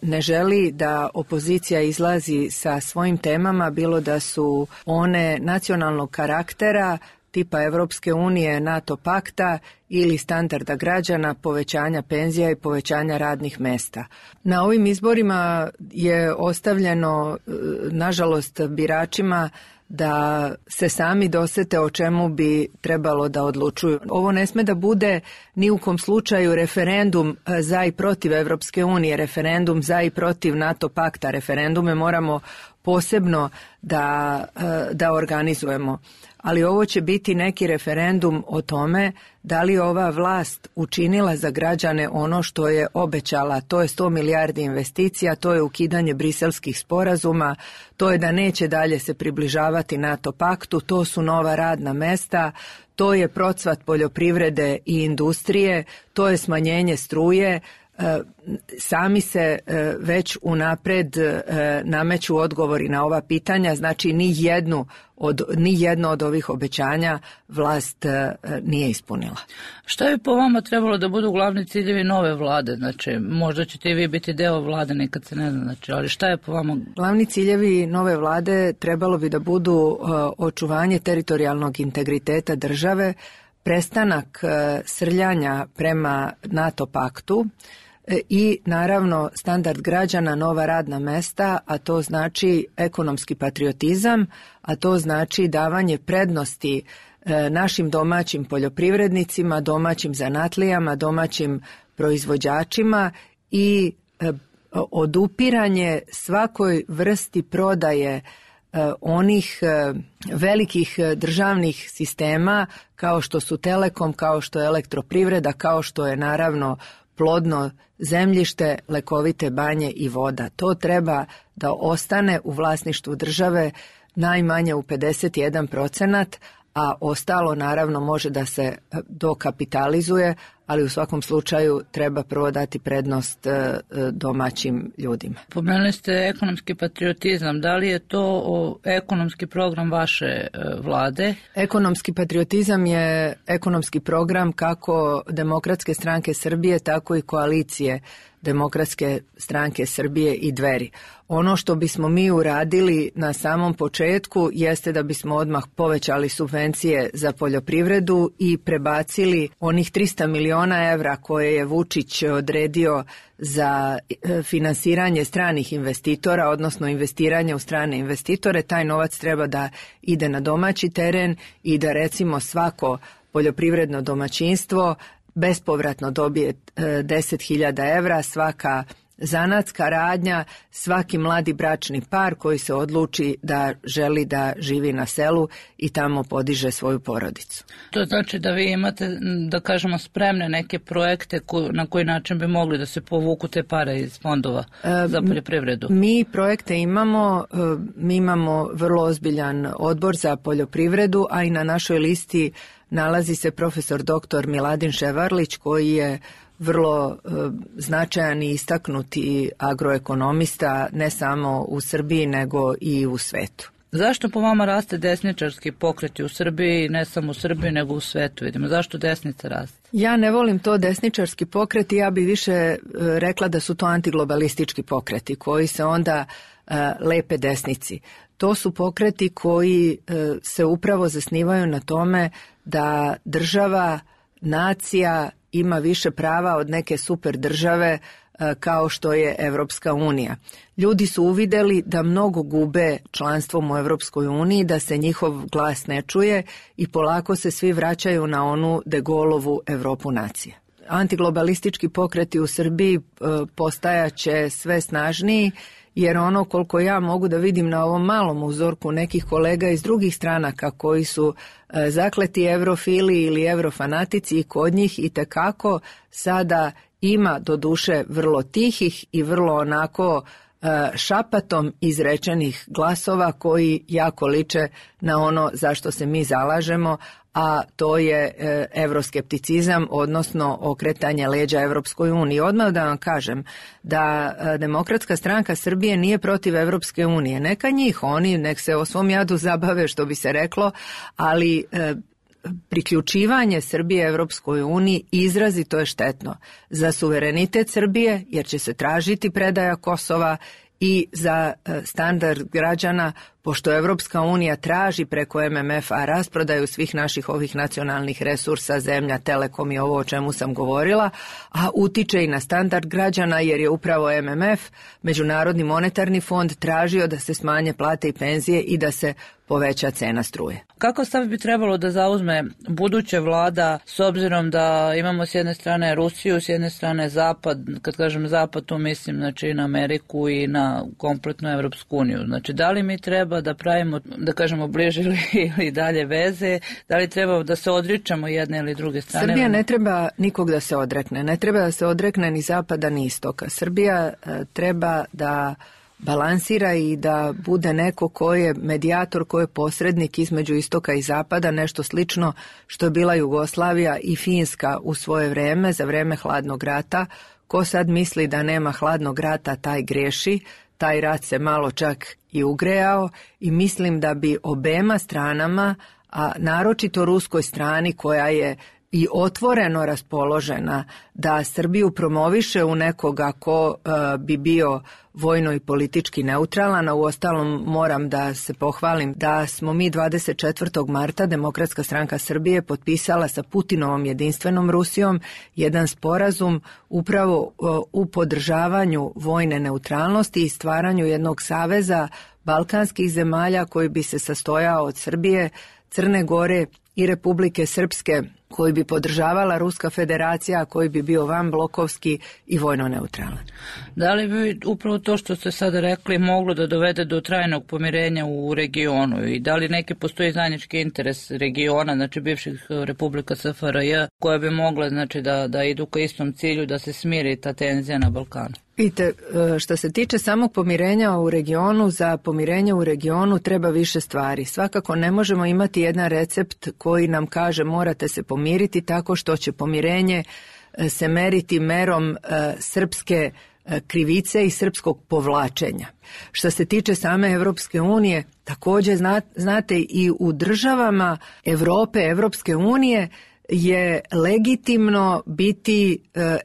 ne želi da opozicija izlazi sa svojim temama, bilo da su one nacionalnog karaktera, tipa Evropske unije, NATO pakta ili standarda građana, povećanja penzija i povećanja radnih mesta. Na ovim izborima je ostavljeno, nažalost, biračima da se sami dosete o čemu bi trebalo da odlučuju. Ovo ne sme da bude ni u kom slučaju referendum za i protiv Evropske unije, referendum za i protiv NATO pakta. Referendume moramo posebno da organizujemo. Ali ovo će biti neki referendum o tome da li ova vlast učinila za građane ono što je obećala. To je 100 milijardi investicija, to je ukidanje briselskih sporazuma, to je da neće dalje se približavati NATO paktu, to su nova radna mesta, to je procvat poljoprivrede i industrije, to je smanjenje struje. Sami se već unapred nameću odgovori na ova pitanja, znači ni jedno od ovih obećanja vlast nije ispunila. Šta bi po vama trebalo da budu glavni ciljevi nove vlade? Znači, možda ćete i vi biti deo vlade, nekad se ne zna, znači, ali šta je po vama? Glavni ciljevi nove vlade trebalo bi da budu očuvanje teritorijalnog integriteta države, prestanak srljanja prema NATO paktu, i naravno standard građana, nova radna mesta, a to znači ekonomski patriotizam, a to znači davanje prednosti našim domaćim poljoprivrednicima, domaćim zanatlijama, domaćim proizvođačima i odupiranje svakoj vrsti prodaje onih velikih državnih sistema kao što su Telekom, kao što je Elektroprivreda, kao što je naravno plodno zemljište, lekovite banje i voda. To treba da ostane u vlasništvu države najmanje u 51%, a ostalo naravno može da se dokapitalizuje, ali u svakom slučaju treba prvo dati prednost domaćim ljudima. Pomenuli ste ekonomski patriotizam. Da li je to ekonomski program vaše vlade? Ekonomski patriotizam je ekonomski program kako Demokratske stranke Srbije, tako i koalicije Demokratske stranke Srbije i Dveri. Ono što bismo mi uradili na samom početku jeste da bismo odmah povećali subvencije za poljoprivredu i prebacili onih 300 miliona evra koje je Vučić odredio za finansiranje stranih investitora, odnosno investiranje u strane investitore. Taj novac treba da ide na domaći teren i da recimo svako poljoprivredno domaćinstvo bespovratno dobije 10.000 evra, svaka zanatska radnja, svaki mladi bračni par koji se odluči da želi da živi na selu i tamo podiže svoju porodicu. To znači da vi imate, da kažemo, spremne neke projekte na koji način bi mogli da se povuku te pare iz fondova za poljoprivredu? Mi projekte imamo, mi imamo vrlo ozbiljan odbor za poljoprivredu, a i na našoj listi nalazi se profesor dr. Miladin Ševarlić koji je vrlo značajan i istaknuti agroekonomista ne samo u Srbiji nego i u svetu. Zašto po vama raste desničarski pokreti u Srbiji, ne samo u Srbiji nego u svetu? Vidimo, zašto desnica raste? Ja ne volim to desničarski pokreti, ja bi više rekla da su to antiglobalistički pokreti koji se onda lepe desnici. to su pokreti koji se upravo zasnivaju na tome da država, nacija ima više prava od neke super države kao što je Evropska unija. Ljudi su uvideli da mnogo gube članstvom u Evropskoj uniji, da se njihov glas ne čuje i polako se svi vraćaju na onu De Gaulleovu Evropu nacije. Antiglobalistički pokreti u Srbiji postajaće sve snažniji, jer ono koliko ja mogu da vidim na ovom malom uzorku nekih kolega iz drugih stranaka koji su zakleti evrofili ili evrofanatici i kod njih itekako sada ima doduše vrlo tihih i vrlo onako šapatom izrečenih glasova koji jako liče na ono za što se mi zalažemo, a to je evroskepticizam, odnosno okretanje leđa Evropskoj uniji. Odmah da vam kažem da Demokratska stranka Srbije nije protiv Evropske unije. Neka njih, oni nek se o svom jadu zabave, što bi se reklo, ali priključivanje Srbije Evropskoj uniji izrazito je štetno za suverenitet Srbije, jer će se tražiti predaja Kosova, i za standard građana, pošto Evropska unija traži preko MMF-a rasprodaju svih naših ovih nacionalnih resursa, zemlja, telekom i ovo o čemu sam govorila, a utiče i na standard građana, jer je upravo MMF, Međunarodni monetarni fond, tražio da se smanje plate i penzije i da se poveća cena struje. Kakav stav bi trebalo da zauzme buduća vlada, s obzirom da imamo s jedne strane Rusiju, s jedne strane Zapad, kad kažem Zapad, tu mislim znači na Ameriku i na kompletnu Evropsku uniju. Znači, da li mi treba da pravimo, da kažemo, bliže ili dalje veze, da li treba da se odričemo jedne ili druge strane? Srbija ne treba nikog da se odrekne, ne treba da se odrekne ni Zapada ni Istoka. Srbija treba da balansira i da bude neko ko je medijator, ko je posrednik između Istoka i Zapada, nešto slično što je bila Jugoslavija i Finska u svoje vreme, za vreme hladnog rata. Ko sad misli da nema hladnog rata, taj greši, taj rat se malo čak i ugrejao i mislim da bi obema stranama, a naročito ruskoj strani koja je i otvoreno raspoložena da Srbiju promoviše u nekoga ko bi bio vojno i politički neutralan, a uostalom moram da se pohvalim da smo mi 24. marta Demokratska stranka Srbije potpisala sa Putinovom jedinstvenom Rusijom jedan sporazum upravo u podržavanju vojne neutralnosti i stvaranju jednog saveza balkanskih zemalja koji bi se sastojao od Srbije, Crne Gore i Republike Srpske, koji bi podržavala Ruska federacija, koji bi bio vanblokovski i vojno neutralan. Da li bi upravo to što ste sada rekli moglo da dovede do trajnog pomirenja u regionu i da li neki postoji zajednički interes regiona, znači bivših republika SFRJ, koja bi mogla znači da idu ka istom cilju, da se smiri ta tenzija na Balkanu? Vidite, što se tiče samog pomirenja u regionu, za pomirenje u regionu treba više stvari. Svakako ne možemo imati jedan recept koji nam kaže morate se pomiriti tako što će pomirenje se meriti merom srpske krivice i srpskog povlačenja. Što se tiče same Evropske unije, također znate i u državama Evrope, Evropske unije je legitimno biti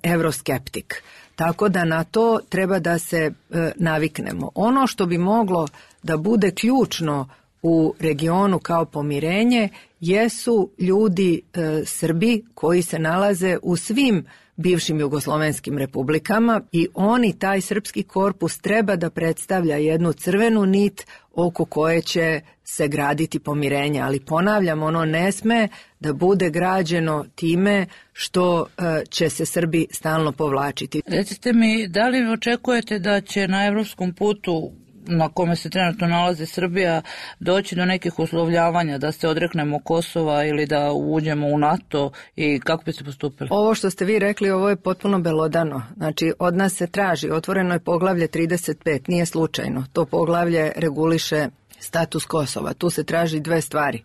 evroskeptik. Tako da na to treba da se naviknemo. Ono što bi moglo da bude ključno u regionu kao pomirenje jesu ljudi Srbi koji se nalaze u svim bivšim jugoslovenskim republikama i oni, taj srpski korpus, treba da predstavlja jednu crvenu nit oko koje će se graditi pomirenje. Ali ponavljam, ono ne sme da bude građeno time što će se Srbi stalno povlačiti. Recite mi, da li očekujete da će na evropskom putu na kome se trenutno nalazi Srbija doći do nekih uslovljavanja, da se odreknemo Kosova ili da uđemo u NATO i kako bi se postupili? Ovo što ste vi rekli, ovo je potpuno belodano. Znači, od nas se traži, otvoreno je poglavlje 35, nije slučajno. To poglavlje reguliše status Kosova. Tu se traži dve stvari.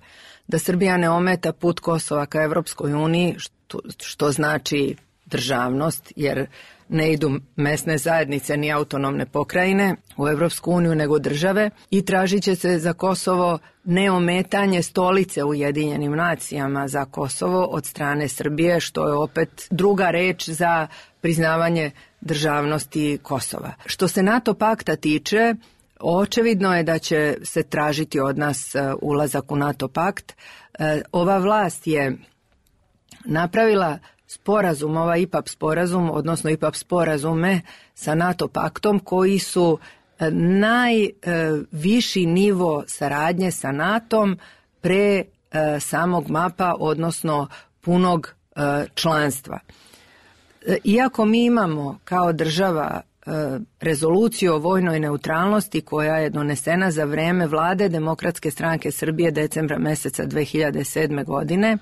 Da Srbija ne ometa put Kosova ka Evropskoj uniji, što znači državnost, jer ne idu mesne zajednice ni autonomne pokrajine u Evropsku uniju nego države, i tražit će se za Kosovo neometanje stolice u Ujedinjenim nacijama za Kosovo od strane Srbije, što je opet druga reč za priznavanje državnosti Kosova. Što se NATO pakta tiče, Očevidno je da će se tražiti od nas ulazak u NATO pakt. Ova vlast je napravila sporazum, ovaj IPAP sporazum, odnosno IPAP sporazume sa NATO paktom koji su najviši nivo saradnje sa NATO-om pre samog MAP-a, odnosno punog članstva. Iako mi imamo kao država rezoluciju o vojnoj neutralnosti koja je donesena za vreme vlade Demokratske stranke Srbije decembra meseca 2007. godine,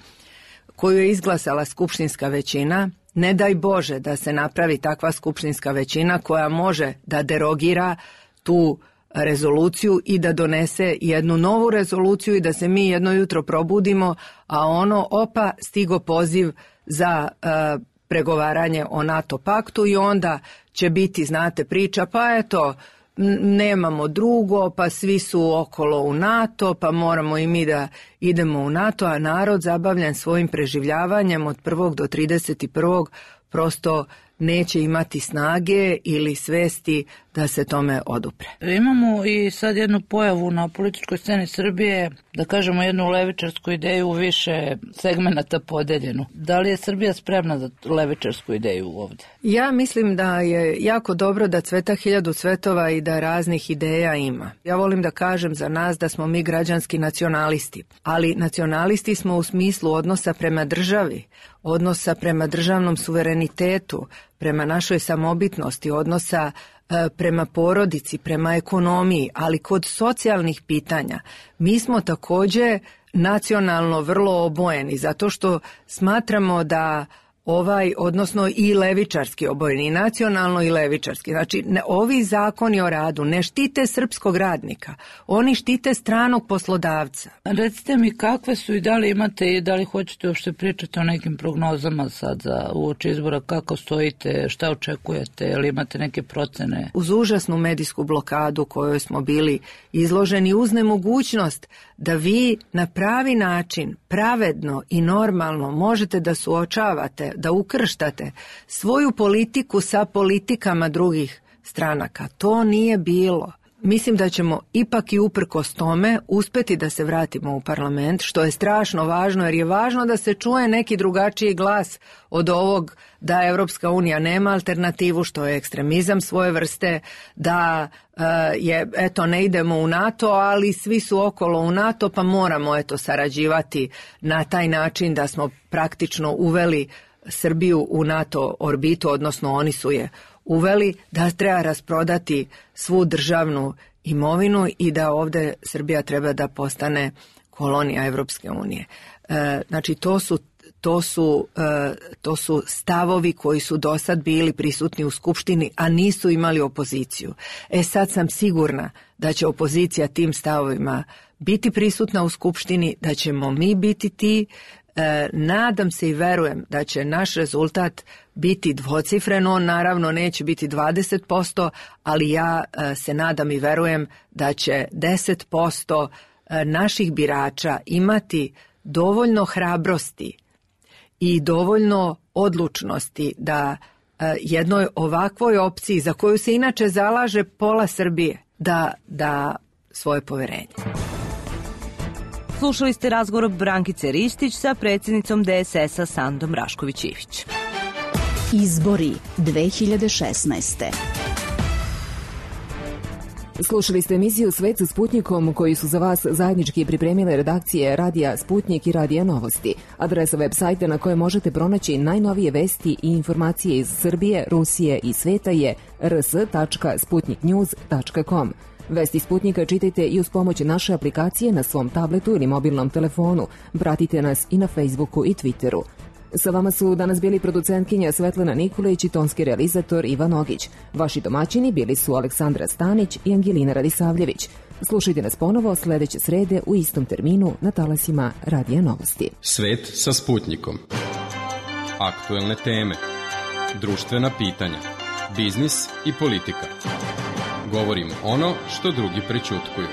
koju je izglasala skupštinska većina, ne daj Bože da se napravi takva skupštinska većina koja može da derogira tu rezoluciju i da donese jednu novu rezoluciju i da se mi jedno jutro probudimo, a stigo poziv za pregovaranje o NATO paktu i onda će biti, znate, priča, pa eto, nemamo drugo, pa svi su okolo u NATO, pa moramo i mi da idemo u NATO, a narod zabavljen svojim preživljavanjem od 1. do 31. prosto neće imati snage ili svesti da se tome odupre. Imamo i sad jednu pojavu na političkoj sceni Srbije, da kažemo jednu levičarsku ideju u više segmenata podeljenu. Da li je Srbija spremna za levičarsku ideju ovdje? Ja mislim da je jako dobro da cveta 1000 cvetova i da raznih ideja ima. Ja volim da kažem za nas da smo mi građanski nacionalisti, ali nacionalisti smo u smislu odnosa prema državi, odnosa prema državnom suverenitetu, prema našoj samobitnosti, odnosa prema porodici, prema ekonomiji, ali kod socijalnih pitanja mi smo također nacionalno vrlo obojeni, zato što smatramo da odnosno i levičarski obojeni, nacionalno i levičarski. Znači, ovi zakoni o radu ne štite srpskog radnika, oni štite stranog poslodavca. Recite mi kakve su i da li imate i da li hoćete uopšte pričati o nekim prognozama sad za uoči izbora, kako stojite, šta očekujete, ili imate neke procene? Uz užasnu medijsku blokadu kojoj smo bili izloženi, uz nemogućnost da vi na pravi način, pravedno i normalno možete da suočavate, da ukrštate svoju politiku sa politikama drugih stranaka. To nije bilo. Mislim da ćemo ipak i uprkos tome uspeti da se vratimo u parlament, što je strašno važno, jer je važno da se čuje neki drugačiji glas od ovog da Evropska unija nema alternativu, što je ekstremizam svoje vrste, da ne idemo u NATO, ali svi su okolo u NATO, pa moramo sarađivati na taj način da smo praktično uveli Srbiju u NATO orbitu, odnosno oni su je uveli, da treba rasprodati svu državnu imovinu i da ovdje Srbija treba da postane kolonija Evropske unije. Znači to su stavovi koji su do sad bili prisutni u Skupštini, a nisu imali opoziciju. Sad sam sigurna da će opozicija tim stavovima biti prisutna u Skupštini, da ćemo mi biti ti. Nadam se i verujem da će naš rezultat biti dvocifren, on naravno neće biti 20%, ali ja se nadam i verujem da će 10% naših birača imati dovoljno hrabrosti i dovoljno odlučnosti da jednoj ovakvoj opciji, za koju se inače zalaže pola Srbije, da svoje poverenje. Slušali ste razgovor Brankice Ristić sa predsjednicom DSS-a Sandom Rašković-Ivić. Izbori 2016. Slušali ste emisiju Svet sa Sputnjikom koju su za vas zajednički pripremile redakcije Radija Sputnjik i Radija Novosti. Adresa web sajta na kojoj možete pronaći najnovije vesti i informacije iz Srbije, Rusije i sveta je rs.sputniknews.com. Vesti Sputnika čitajte i uz pomoć naše aplikacije na svom tabletu ili mobilnom telefonu. Pratite nas i na Facebooku i Twitteru. Sa vama su danas bili producentkinja Svetlana Nikolić i tonski realizator Ivan Ogić. Vaši domaćini bili su Aleksandra Stanić i Angelina Radisavljević. Slušajte nas ponovo sljedeće srede u istom terminu na talasima Radija Novosti. Svet sa Sputnikom. Aktuelne teme, društvena pitanja, biznis i politika. Govorimo ono što drugi prećutkuju.